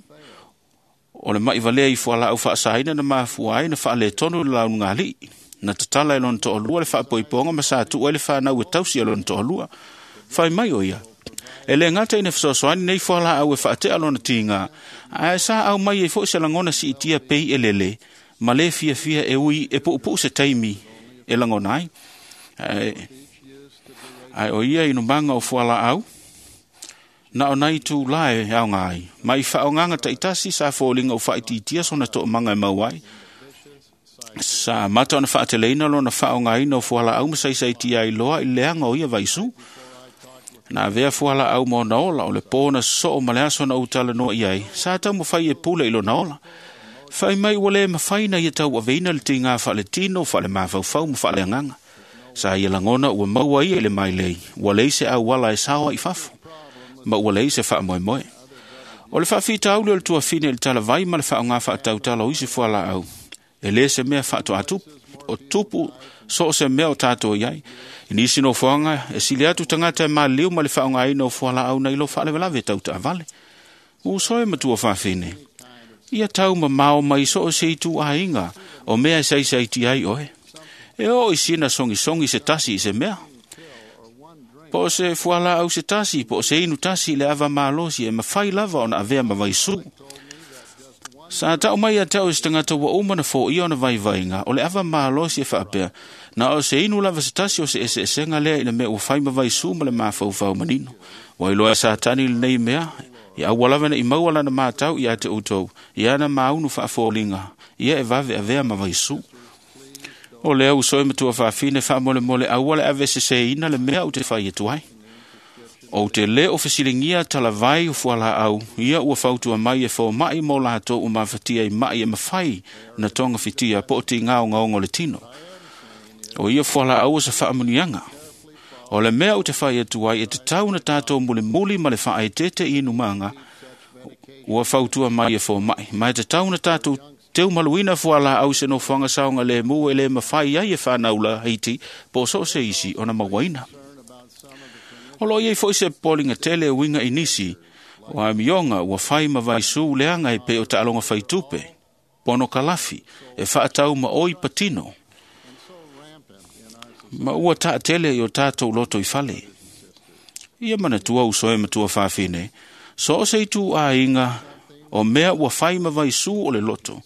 O le maʻi valea i fualaau faasāina na mafua ai na faaletonu le launugalii. Na tatala e lona toalua le faapoipoga ma sa tuu ai le fanau e tausi e lona toalua. Fai mai o ia, e le gata ina fesoasoani nei fualaau e faatea lona tigā, ae sa au mai ai foʻi se lagona siitia pei e lele, ma lē fiafia e ui e puupuu se taimi e lagona ai. Ae, ae o ia inumaga o fualaau, na o nai tūlā e aoga ai, ma i faaaogaga taitasi sa foliga ua faaitiitia sona toomaga e mau ai. Sa amata ona faateleina lona faaaogāina o fualaau ma saisaitia ai loa i le leaga o ia vaisū. Na avea fualaau ma ona ola o le pō na sosoo ma le aso na ou talanoa i ai, sa taumafai e pule i lona ola. Fai mai ua lē mafai na ia tauaveina le tigā faaletino, faalemafaufau ma faaleagaga. Sa ia lagona ua maua ia i le mailei, ua leai se auala e sao ai i fafo, ma ua leai se faamoemoe. O le faafitauli o le tuafine i le talavai ma le faaaogā faatautala o isi fualaau, e lē se mea faatoatupu, o tupu so o se mea o tatou i ai. I nisi nofoaga e sili atu tagata e maliliu ma le faaaogāina o fualaau nai lo faalavelave tautaavale. Uso e matua fafine, ia tau mamao mai so o se itu aiga o mea e saisaitia ai oe. E oo i sina sogisogi se tasi i se mea. Po o se fualaau se tasi, po o se inu tasi i le ava malosi e mafai lava ona avea ma vaisū. Sa tau mai ia te au i se tagata ua uma na foia ona vaivaiga, o le ava malosi e faapea, na o se inu lava se tasi o se eseesega lea i le mea ua fai ma vaisū ma le mafaufau manino. Ua iloa e Satani lenei mea, ia aua lava neʻi maua lana matau ia te outou, ia ana maunu faafoliga, ia e vave avea ma vaisū. O lea uso e matua fafine faamolemole aua le aveseseina le mea ou te fai atu ai. Ou te lē o fesiligia talavai o fualaau, ia ua fautua mai e fomaʻi mo latou ua mafatia i maʻi e mafai na togafitia po o tigāogaoga o le tino. O ia fualaau o se faamanuiaga. O le mea ou te fai atu ai e tatau na tatou mulimuli ma le faaeteete i inumaga ua fautua mai e fomaʻi, ma e tatau na tatou teumaluina fualaau i se nofoaga saogalēmū e lē mafai ai e fanau laiti po o so o se isi ona mauaina. O loo iai foʻi se poliga tele e uiga i nisi o amioga ua fai ma vaisū leaga e pei o taaloga faitupe, pono kalafi, e faatau ma oi patino, ma ua taatele i o tatou loto i fale. Ia manatua uso e matua fafine, so o se itu aiga o mea ua fai ma vaisū o le loto.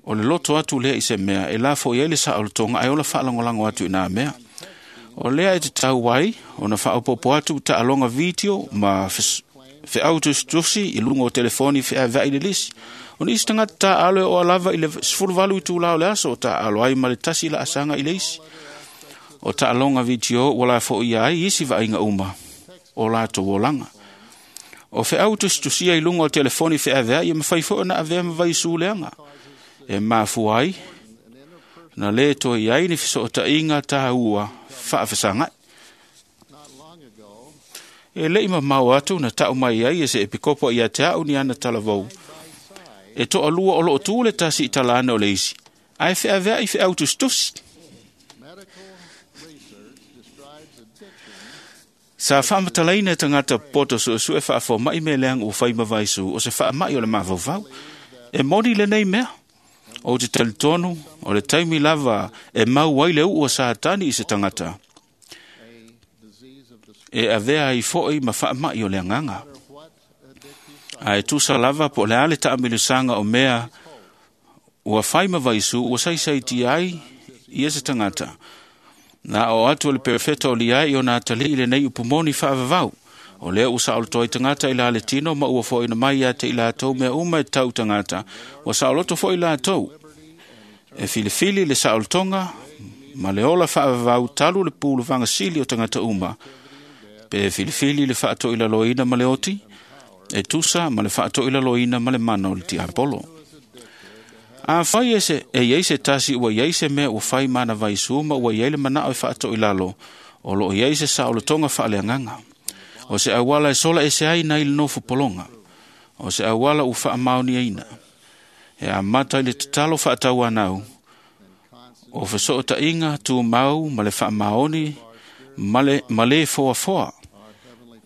O le loto atu lea i se mea e lafo i ai le saolotoga ae ola faalagolago atu i nā mea. O lea e te tau ai, ona faaopopo atu taaloga video ma feau tusitusi i luga o telefoni feaveai le lisi. O nisi tagata taaalo e oa lava i le sefuluvalu itulā o le aso o taaalo ai ma le tasi laasaga i le isi. O taaloga video ua lafoia ai isi vaaiga uma o latou olaga. O feau tusitusia i luga o telefoni feaveai e mafai foi ona avea ma vaisū leaga. E mafua ai Na le toe i ai ni fesootaiga tāua faafesagai. E le'i mamao atu na ta'u mai ai e se epikopo ia te a'u ni ana talavou. E to'alua o lo'o tu le tasi i talana o le isi, ae fe'avea'i fe'au tusitusi. Sa faamatalaina e tagata poto su'esu'e faafoma'i mea leaga ua fai ma vaisu o se faama'i o le mafaufau. E moni lenei mea. Ou te talitonu o le taimi lava e mau ai le u'u a Satani i se tagata. E avea ai fo'i ma faama'i o le agaga. Ae tusa lava po o le a le taamilosaga o mea ua fai ma vaisu ua saisaitia ai ia se tagata. Na o atu o le perofeta o liai o na atalii lenei upumoni faavavau. O lea ua saoloto ai tagata i la le tino ma ua fo'ina mai ia te i latou mea uma e tau tagata. Ua saoloto fo'i latou. E filifili le saolotoga ma le ola faavavau talu le pulu fagasili o tagata uma. Pe filifili le faatoilaloina ma le oti, e tusa ma le faatoilaloina ma le mana o le tiapolo. Afai e se e iai se tasi ua iai se mea ua fai mana vaisu ma ua iai le mana'o e faatoilalo, o loo iai se saolotoga faaleagaga. O se auala e sola ese ai nai le nofo pologa. O se auala ua faamaoniaina. E amata i le tatalo faatauanau, o fesootaiga tumau ma le faamaoni ma le, ma le foafoa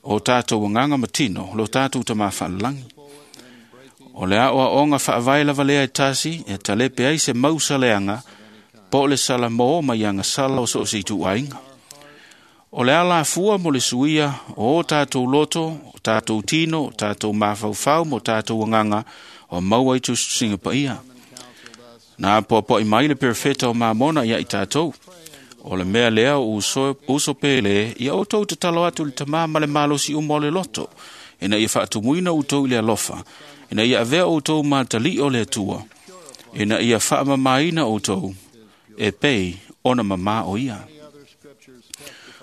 o tatou agaga ma tino, lo tatou tamā faalelagi. O le aoaoga faavae lava lea e tasi e talepe ai se mausaleaga po o le salamō mai agasala o so o se ituaiga. O le alafua mo le suia o o tatou loto, o tatou tino, o tatou mafaufau mo tatou agaga o maua i tusitusiga paia. Na apoapoai mai le perofeta o Mamona ia i tatou. O le mea lea o uso, uso pele ia outou tatalo atu i le tamā ma le malosi uma o le loto, ina ia faatumuina outou i le alofa, ina ia avea outou ma atalii o le Atua, ina ia faamamaina outou e pei ona mamā o ia.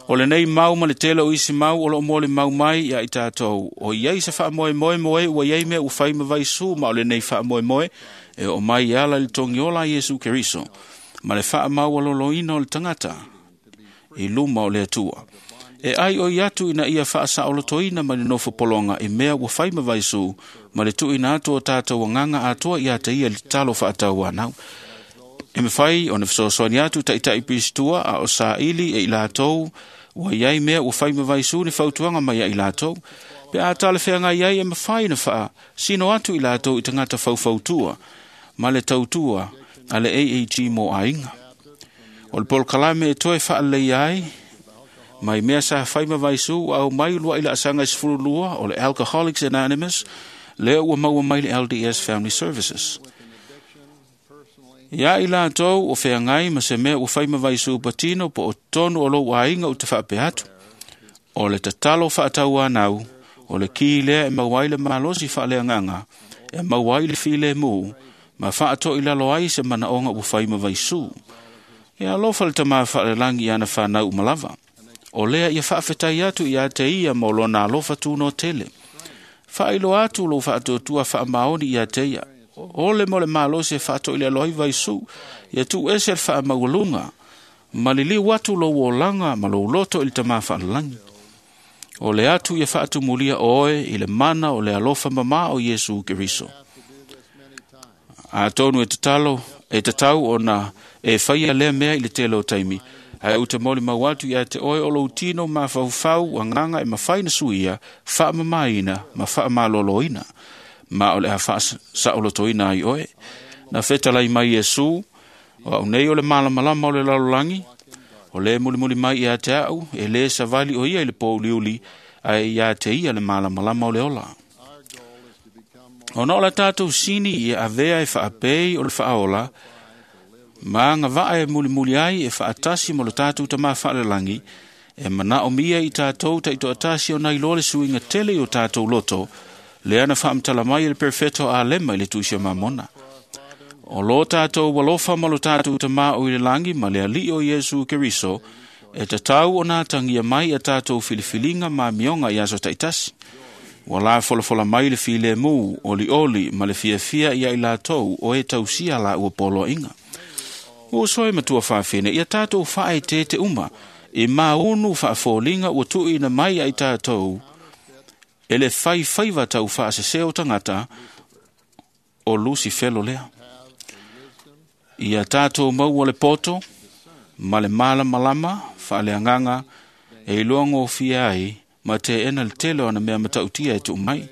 O lenei mau ma le tele o isi mau o loo molimau mai ia i tatou, o iai se faamoemoe mo e ua iai mea ua fai ma vaisu, ma o lenei faamoemoe e oo mai e ala i le togiola a Iesu Keriso, ma le faamaualoloina o le tagata i luma o le Atua. E ai oi atu ina ia faasaolotoina mai le nofo pologa i mea ua fai ma vaisu, ma le tuuina atu o tatou agaga atoa ia te ia i le tatalo faatauanau. E mafai ona fesoasoani atu ta'ita'i pistua a o saili e i latou ua iai mea ua fai ma vaisu ni fautuaga mai ia i latou. Pe a talafeagai ai e mafai na faasino atu i latou i tagata faufautua ma le tautua a le A A G mo aiga. O le polokalame e toe faaleleia ai mai mea sa fai ma vaisu ua aumai ulua'i laasaga e sefululua o le Alcoholics Anonymous, lea ua maua mai le L D S Family Services. Ia i latou o feagai ma se mea ua fai ma vaisu patino po o totonu o lou aiga ou te faapea atu. O le tatalo faatauanau, o le ki lea e maua ai le malosi faaleagaga, e maua ai le filemu, ma faatoilalo ai se manaoga ua fai ma vaisu. E alofa le tamā faalelagi i ana fanau uma lava. O lea ia faafetai atu ia te ia ma o lona alofa tuno tele. Faailoa atu lou faatuatua faamaoni ia te ia. O le mo le malosi e faatoilalo ai vaisu, ia tuuese le faamaualuga, ma liliu atu lou olaga ma lou loto i le tamā faalelagi. O le atu ia faatumulia oe i le mana o le alofa mamā o Iesu Keriso. Atonu e tatalo, e tatau ona e faia lea mea i le tele o taimi, ae ou te molimau atu ia te oe o lou tino mafaufau agaga e mafai na suia, faamamaina ma faamaloloina, ma o le a faasaolotoina ai oe. Na fetalai mai Iesu, o au nei o le malamalama o le lalolagi, o le mulimuli mai ia te au, e lē savali o ia i le pōuliuli, ae ia te ia le malamalama o le ola. Ona o la tatou sini ia avea e faapei o le faaola, ma agavaa e mulimuli ai e faatasi mo le tatou tamā faalelagi, e manaomia i tatou taitoatasi ona iloa le suiga tele i o tatou loto, lea na faamatala mai e le perofeta o Alema i le tusi o Mamona. O lo tatou alofa ma lo tatou tamā o i le lagi ma le alii o Iesu Keriso, e tatau ona atagia mai a tatou filifiliga ma amioga i aso taitasi. Ua la folafola mai le filemu, olioli ma le fiafia ia i latou o e tausia la ua poloaiga. Ua soe matua whawhine, ia tātou whae te te uma, e maunu whaafōlinga ua tui na mai ai tātou, e le whai whaiva tau whaaseseo tangata o Lusi Felo lea. Ia tātou maua le poto, ma le mala malama, whaaleanganga, e iloa ngōfia ai, ma te ena le tele o na mea matautia e tuu mai.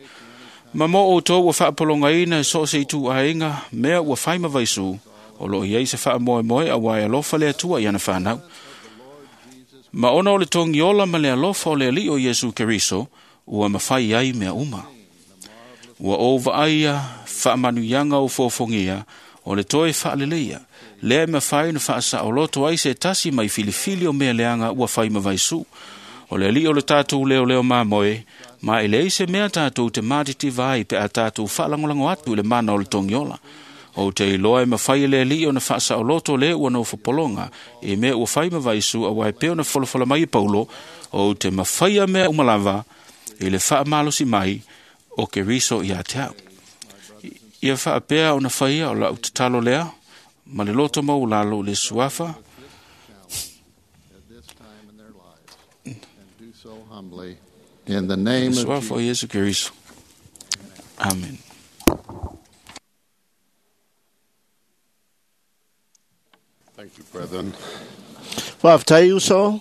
Ma mo o tō ua whaapolongaina e so se itu ainga, mea ua whaima vaisu, o loo iei se wha moe moe a wai alofa le atua i ana whanau. Ma ona o le tongi ola ma le alofa o le ali o Yesu Keriso, ua mawhai ai mea uma. Ua o vaaia whaamanuianga o fōfongia, o le toe whaaleleia, lea mawhai na whaasaoloto ai se tasi mai filifili o mea leanga ua whai mawaisu. O le ali o le tātou leo leo mā moe, ma e lei se mea tātou te mātiti vai pe a tātou whaalangolango atu le mana o le tongiola. O te iloa e mawhai le ali o na whaasaoloto le ua no whapolonga, e mea ua whai mawaisu a wai peo na wholofola mai e Paulo, o te mawhai a mea umalava, i le whaamalosi mai o ke riso i a te au. Ia whaapea o na whaia o lau tatalo lea, ma le loto mau lalo le suafa. In the name Le of suafa o Yesu Keriso. Amen. Thank you, brethren. Whaftai uso.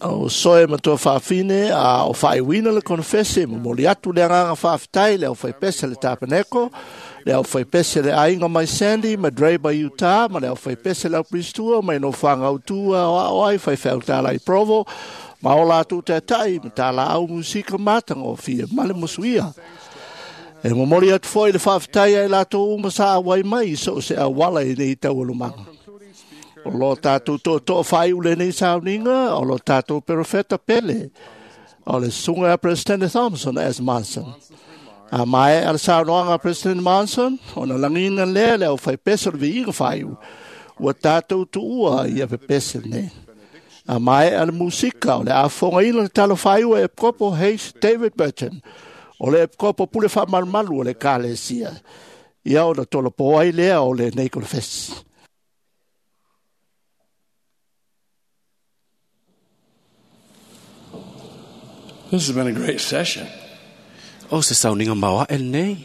O soe matua whawhine a o whaiwina le konfese mo moli atu le anganga whawhitai le au whaipese le tapeneko le au whaipese le ainga mai Sandy ma Draper Utah ma le au whaipese le au Pristua mai no whangautua o ao ai whaiwhautala i Provo ma o lātou te atai ma tā la au musika mātanga o fia male musuia. E momoli atu foi le whawhitai ai lātou uma sa awai mai so se awala i nei taualumanga. O lo tātou tō tō whai ule nei sauninga, o lo tātou perofeta pele, o le sunga a President Thompson S. Monson. A mai a le saunoanga a President Monson, o na langina lea le au whai pese o le viiga whai u, ua tātou tuua i a pepese nei. A mai a le musika, o le afonga ina le talo whai ua e Kopo Hayes David Burton, o le Kopo pule wha malumalu o le kalesia. Ia o na tolo poai lea o le nei konfesi. This has been a great session. O se sauninga maua el nei.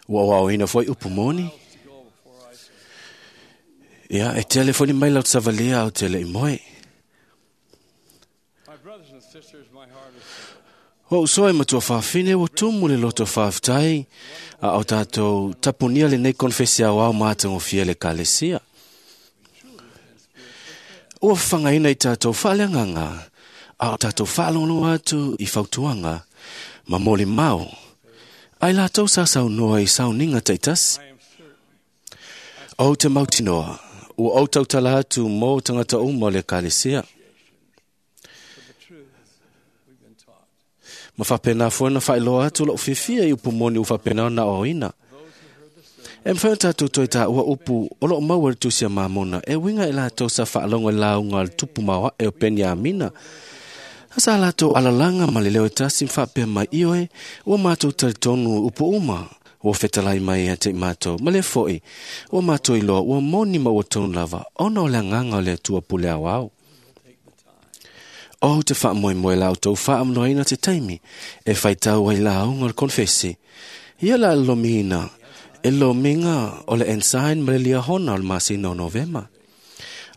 Ua wao ina foi upu moni. Ia, e telefoni mai lau savalia au tele i moe. O usoe matua whawhine o tumu le loto whawhtai a o tātou tapunia le nei konfesi au au mātango fia le kalesia. Ua whangaina i tātou whaleanganga a o tātou whaalongo atu i whautuanga ma moli mau. Ai lātou sa sau noa i sauninga teitas. O te mautinoa, ua o tautala atu mō tangata uma le kalesia. Ma whapena fuana whailoa atu lau whiwhia i upu moni u whapena na oina. E mwhai o tātou toi tā ua upu o loo maua le tusia mamona e winga i lātou sa whaalongo i launga le tupu maua e o Peniamina. Asa lātou alalanga ma le leo e tasi mwhapea mai ioe ua mātou taritonu upu uma ua whetalai mai a te mātou ma le foi ua mātou iloa ua moni ma ua tonu lava ona o le anganga o le atua pule au au. O te wha moe lau tau wha te taimi e whaitau ai launga o le konfesi. Ia la lomina e lominga o le ensign ma le liahona o le masina o Novema.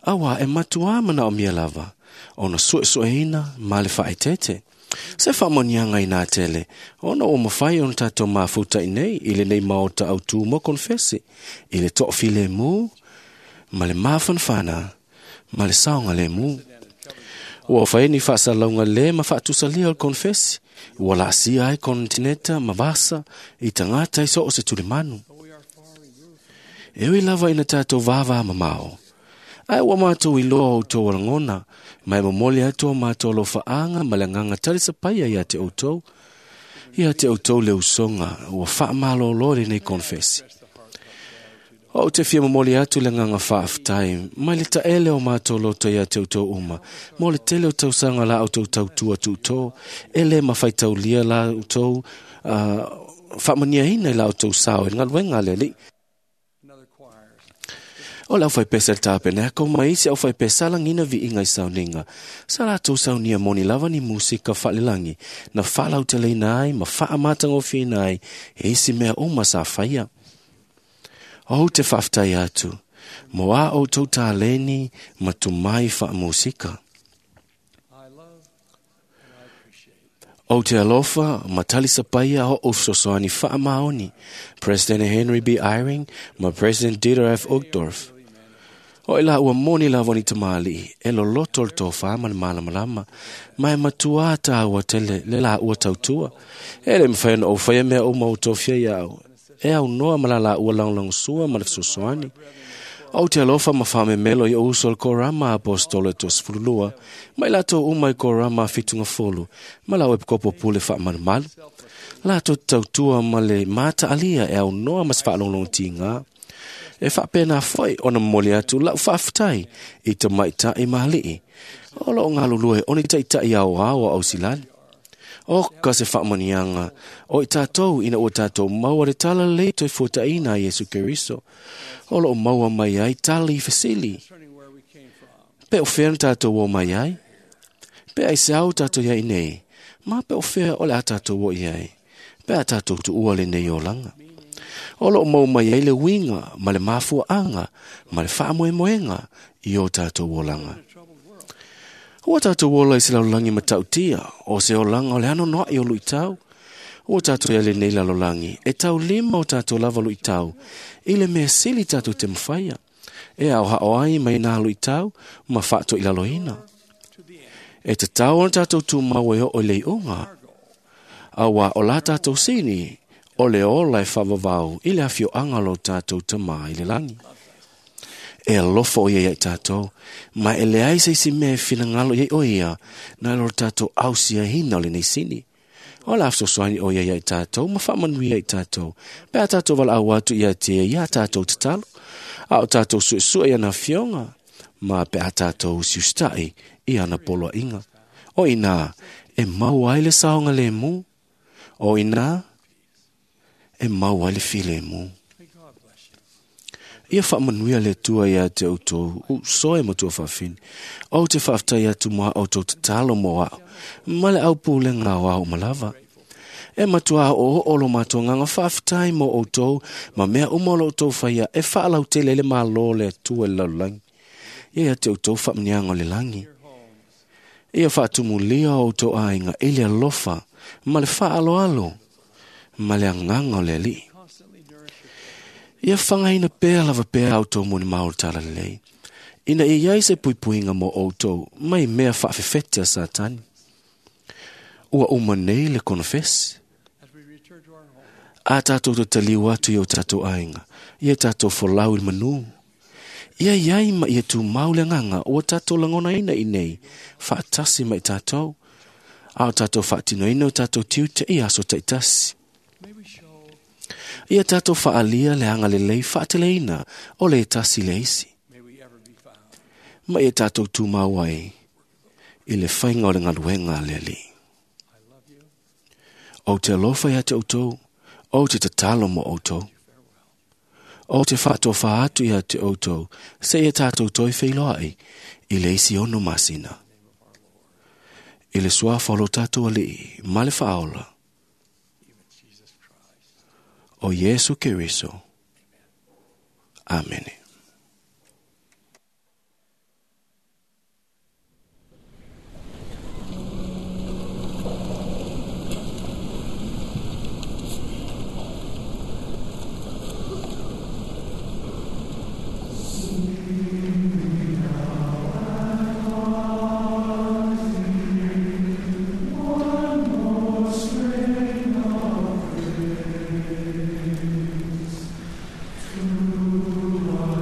Awa e matua mana o mia lava, ona suesueina ma le whaetete. Se whamonianga i nā tele, ona o mawhai ona tātou mafuta i nei, i le nei maota au tū mo konfesi, i le to'ofile mū, ma le māwhanwhana, ma le saonga le mū. Ua whai ni whaasalaunga le ma whaatusalia o le konfesi, ua laasia ai kontineta ma vasa i tangata i so o se tulimanu. Ewi lava ina tātou vāvā mamao. Ai ua mātou i loa o tō alangona, mai momoli atu o mātou lo whaanga ma le nganga tarisa paia ia te outou. Ia te outou le usonga, ua wha malo le nei konfesi. O te fia momoli atu le nganga whaaftai, mai le taele o mātou loto ia te outou uma, mo le tele o tausanga la au tau tautua tūtō, e le mawhaitaulia la outou, uh, whamania ina i la outou sao e ngalwenga le li. O le aufaipese a le tapenako ma isi aufaipesa lagina viiga i sauniga sa latou saunia moni lava ni musika faalelagi na faalauteleina ai ma faamatagofieina ai e isi mea uma sa faia. Ou te faafetai atu mo a outou taleni ma tumai faamusika. Ou te alofa ma talisapaia o o fesoasoani faamaoni President Henry B. Eyring ma President Dieter F. Uchtdorf. O i la ua moni lava ni tamalii e loloto le tofā ma le malamalama ma e matuā tāua tele le la ua tautua. E le mawhai ona o whaia mea o mau tofia iau. E au noa ma la la ua langolangosua ma le fesoasoani. Ou te alofa ma whamemelo i o uso le korama apostolo e tosefululua, mai latou uma i korama a fitungafolu, ma lau e pkopo pule whaamalumalu. Latou tautua ma le mātaalia e au noa ma se whaalonglongotiga. E whaapena foi ona momoli atu lau faafetai i te maitai mahalii. O loo ngalulue o ni taitai au au au silali. O ka se whaamanianga o i tātou ina ua tātou maua le tala lei toi fuataina a Iesu Keriso. O loo maua mai ai tala i fesili. Pe o whea na tātou o mai ai? Pe ai se au tātou iai nei? Ma pe o whea o le a tātou o iai? Pe a tātou tu ua le nei o langa? O loo mau mai ai le winga ma le mafuaanga ma le whaamoemoenga i o tātou o langa. Ua tātou ola i se lalolagi matautia, o se olaga o le anoanoaʻi o luʻitau. Ua tātou ia lenei lalolagi, e taulima o tātou lava luʻitau, i le mea sili tātou te mafaia. E aohao ai mai nā luʻitau ma faatoʻilaloina. E tatau ona tātou tumau e oo i le iuga. Auā o la tātou sini, o le ola e faavavau i le afioaga o lo tātou tamā i le lagi. E alofa o ia ia i tātou, ma e leai se isi mea e finagalo iai o ia, na lo tātou ausiahina o lenei sini. O la fesoasoani o ia ia i tātou, ma faamanuia i tātou, pe a tātou valaau atu ia te ia tātou tatalo, a o tātou suesue i ana afioga, ma pe a tātou siusitai i ana poloaiga. O inā, e maua ai le saoga lemu. O inā, e maua ai le filemu. Ia whaamanuia le tua ia te outou, u soe matua whaafini. O te whaaftai atu moa outou tatalo mo ao, ma le au pūlenga o ao malava. E matua o o lo matua nganga whaaftai mo outou, ma mea uma o lo outou whaia e whaalau tele le malo le atua le lalolagi. Ia ia te outou whaamanianga o le langi. Ia whaatumulia o outou ainga i le alofa, ma le whaaloalo, ma le anganga o le alii. Ia whangaina pea lava pea autou moni maul tala lelei. Ina ia iai se puipuiga mo outou, mai mea faafefete a Satani. Ua uma nei le konofesi. A tātou tataliu atu i o tātou aiga, ia tātou folau i le manū. Ia iai ma ia tumau le agaga ua tātou lagonaina i nei, faatasi ma i tātou. A o tātou faatinoina o tātou tiute i aso taitasi. Ia tātou whaalia le anga lelei whaateleina o le tasi le isi. Ma ia tātou tūmau ai i le whainga o le ngaluenga a le alii. O te alofa ia te outou, o te tatalo mo outou. O te whaatofa atu ia te outou, se ia tātou toi wheiloai i le isi ono masina. I le suafa o lo tātou alii, ma le whaaola. O Iesu Keriso. Amene. One more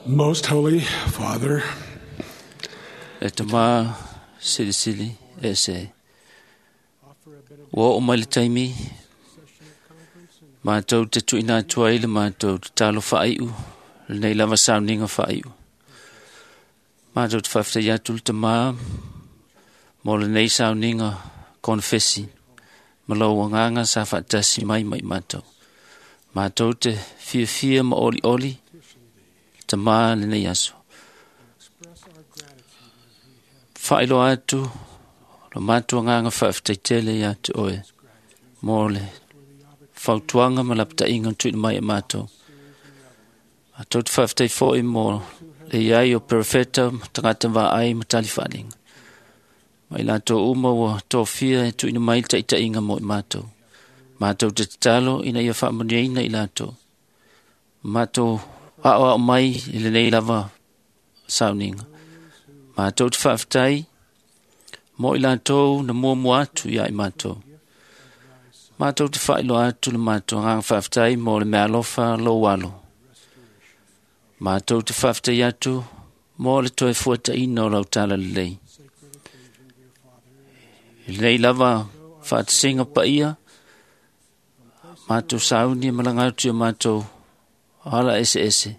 Most Holy Father, E tamā silisili e se. Ua oo mai le taimi, mātou te tuuina atu ai le mātou tatalo faaiu, lenei lava sauniga faaiu. Mātou te faafetai atu le tamā mo lenei sauniga konefesi ma lou agaga sa faatasi mai ma i mātou. Mātou te fiafia ma olioli le tamā lenei aso. Faailoa atu lo matou agaga faafetai tele ia te oe mo le fautuaga ma lapataiga na tuuina mai e matou. Matou te faafetai foi mo le iai o perofeta ma tagata vaai ma tali faaliga. Ma i latou uma ua tofia e tuuina mai le taitaiga mo i matou. Matou te tatalo ina ia faamanuiaina i latou. Matou aoao mai i lenei lava sauniga. Matou te faafetai mo i latou na muamua atu ia i matou. Matou te faailoa atu le matou agaga faafetai mo le meaalofa lou alo. Matou te faafetai atu mo le toe fuataina o lau talalelei. I lenei lava faatasiga paia, matou sauni e malaga atu i o matou ala eseese.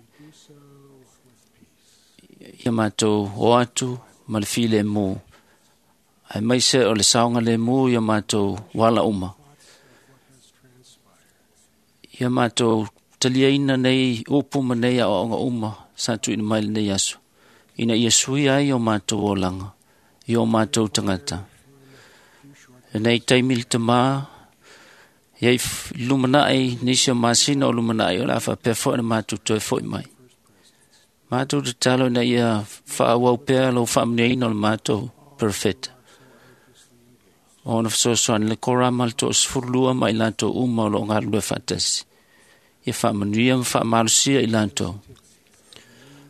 Ia matou o atu ma le filemu, aemaise o le saogalemu i o matou wala uma. Ia matou taliaina nei upu ma nei aoaoga uma sa tuuina mai lenei aso, ina ia suia ai o matou olaga i o matou tagata. Lenei taimi le tamā, iai lumanai, nisi o masina o lumanai, o le a faapea foi na matou toe foi mai. Matou tatalo ina ia faaauau pea lou faamanuiaina o le matou perofeta. Ona fesoasoani le korama le toasefululua ma i latou uma o loo galulue faatasi. Ia faamanuia ma faamalosia i latou.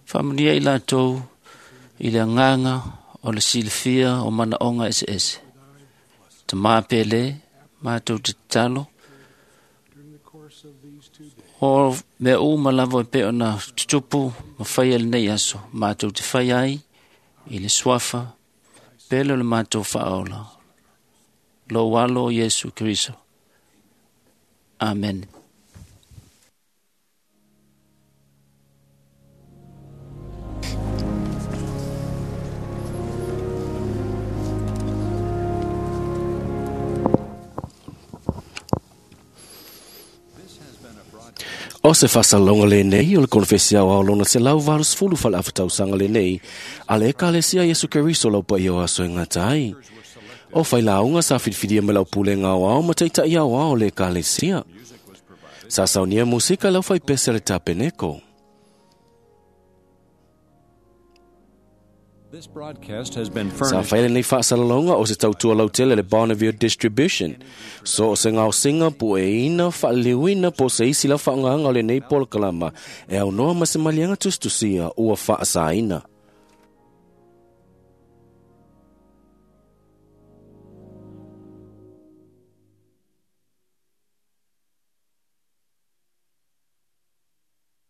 Faamanuia i latou i le agaga o le silafia o manaoga eseese. Tamā pele, matou te tatalo, o mea uma lava e pei ona tutupu ma faia lenei aso, matou te fai ai i le suafa pele o le matou faaola. Lou alo Iesu Keriso. Amen. O se faasalalauga lenei o le konefesi aoao lona selau valusefulu faaleafatausaga lenei a le Ekalesia Iesu Keriso lau paia o aso e gata ai. O failauga sa filifilia mai lau pulega aoao ma taita'i aoao o le Ekalesia. Sa saunia musika lau faipese le tapeneko. This broadcast has been Sa furnished fai lenei faasalalauga o se tautua lautele le Bonneville Distribution. So o se gaosiga pueina faaliliuina po o se isi lau faaaogaga o lenei polokalama e aunoa ma se maliega tusitusia ua faasaina.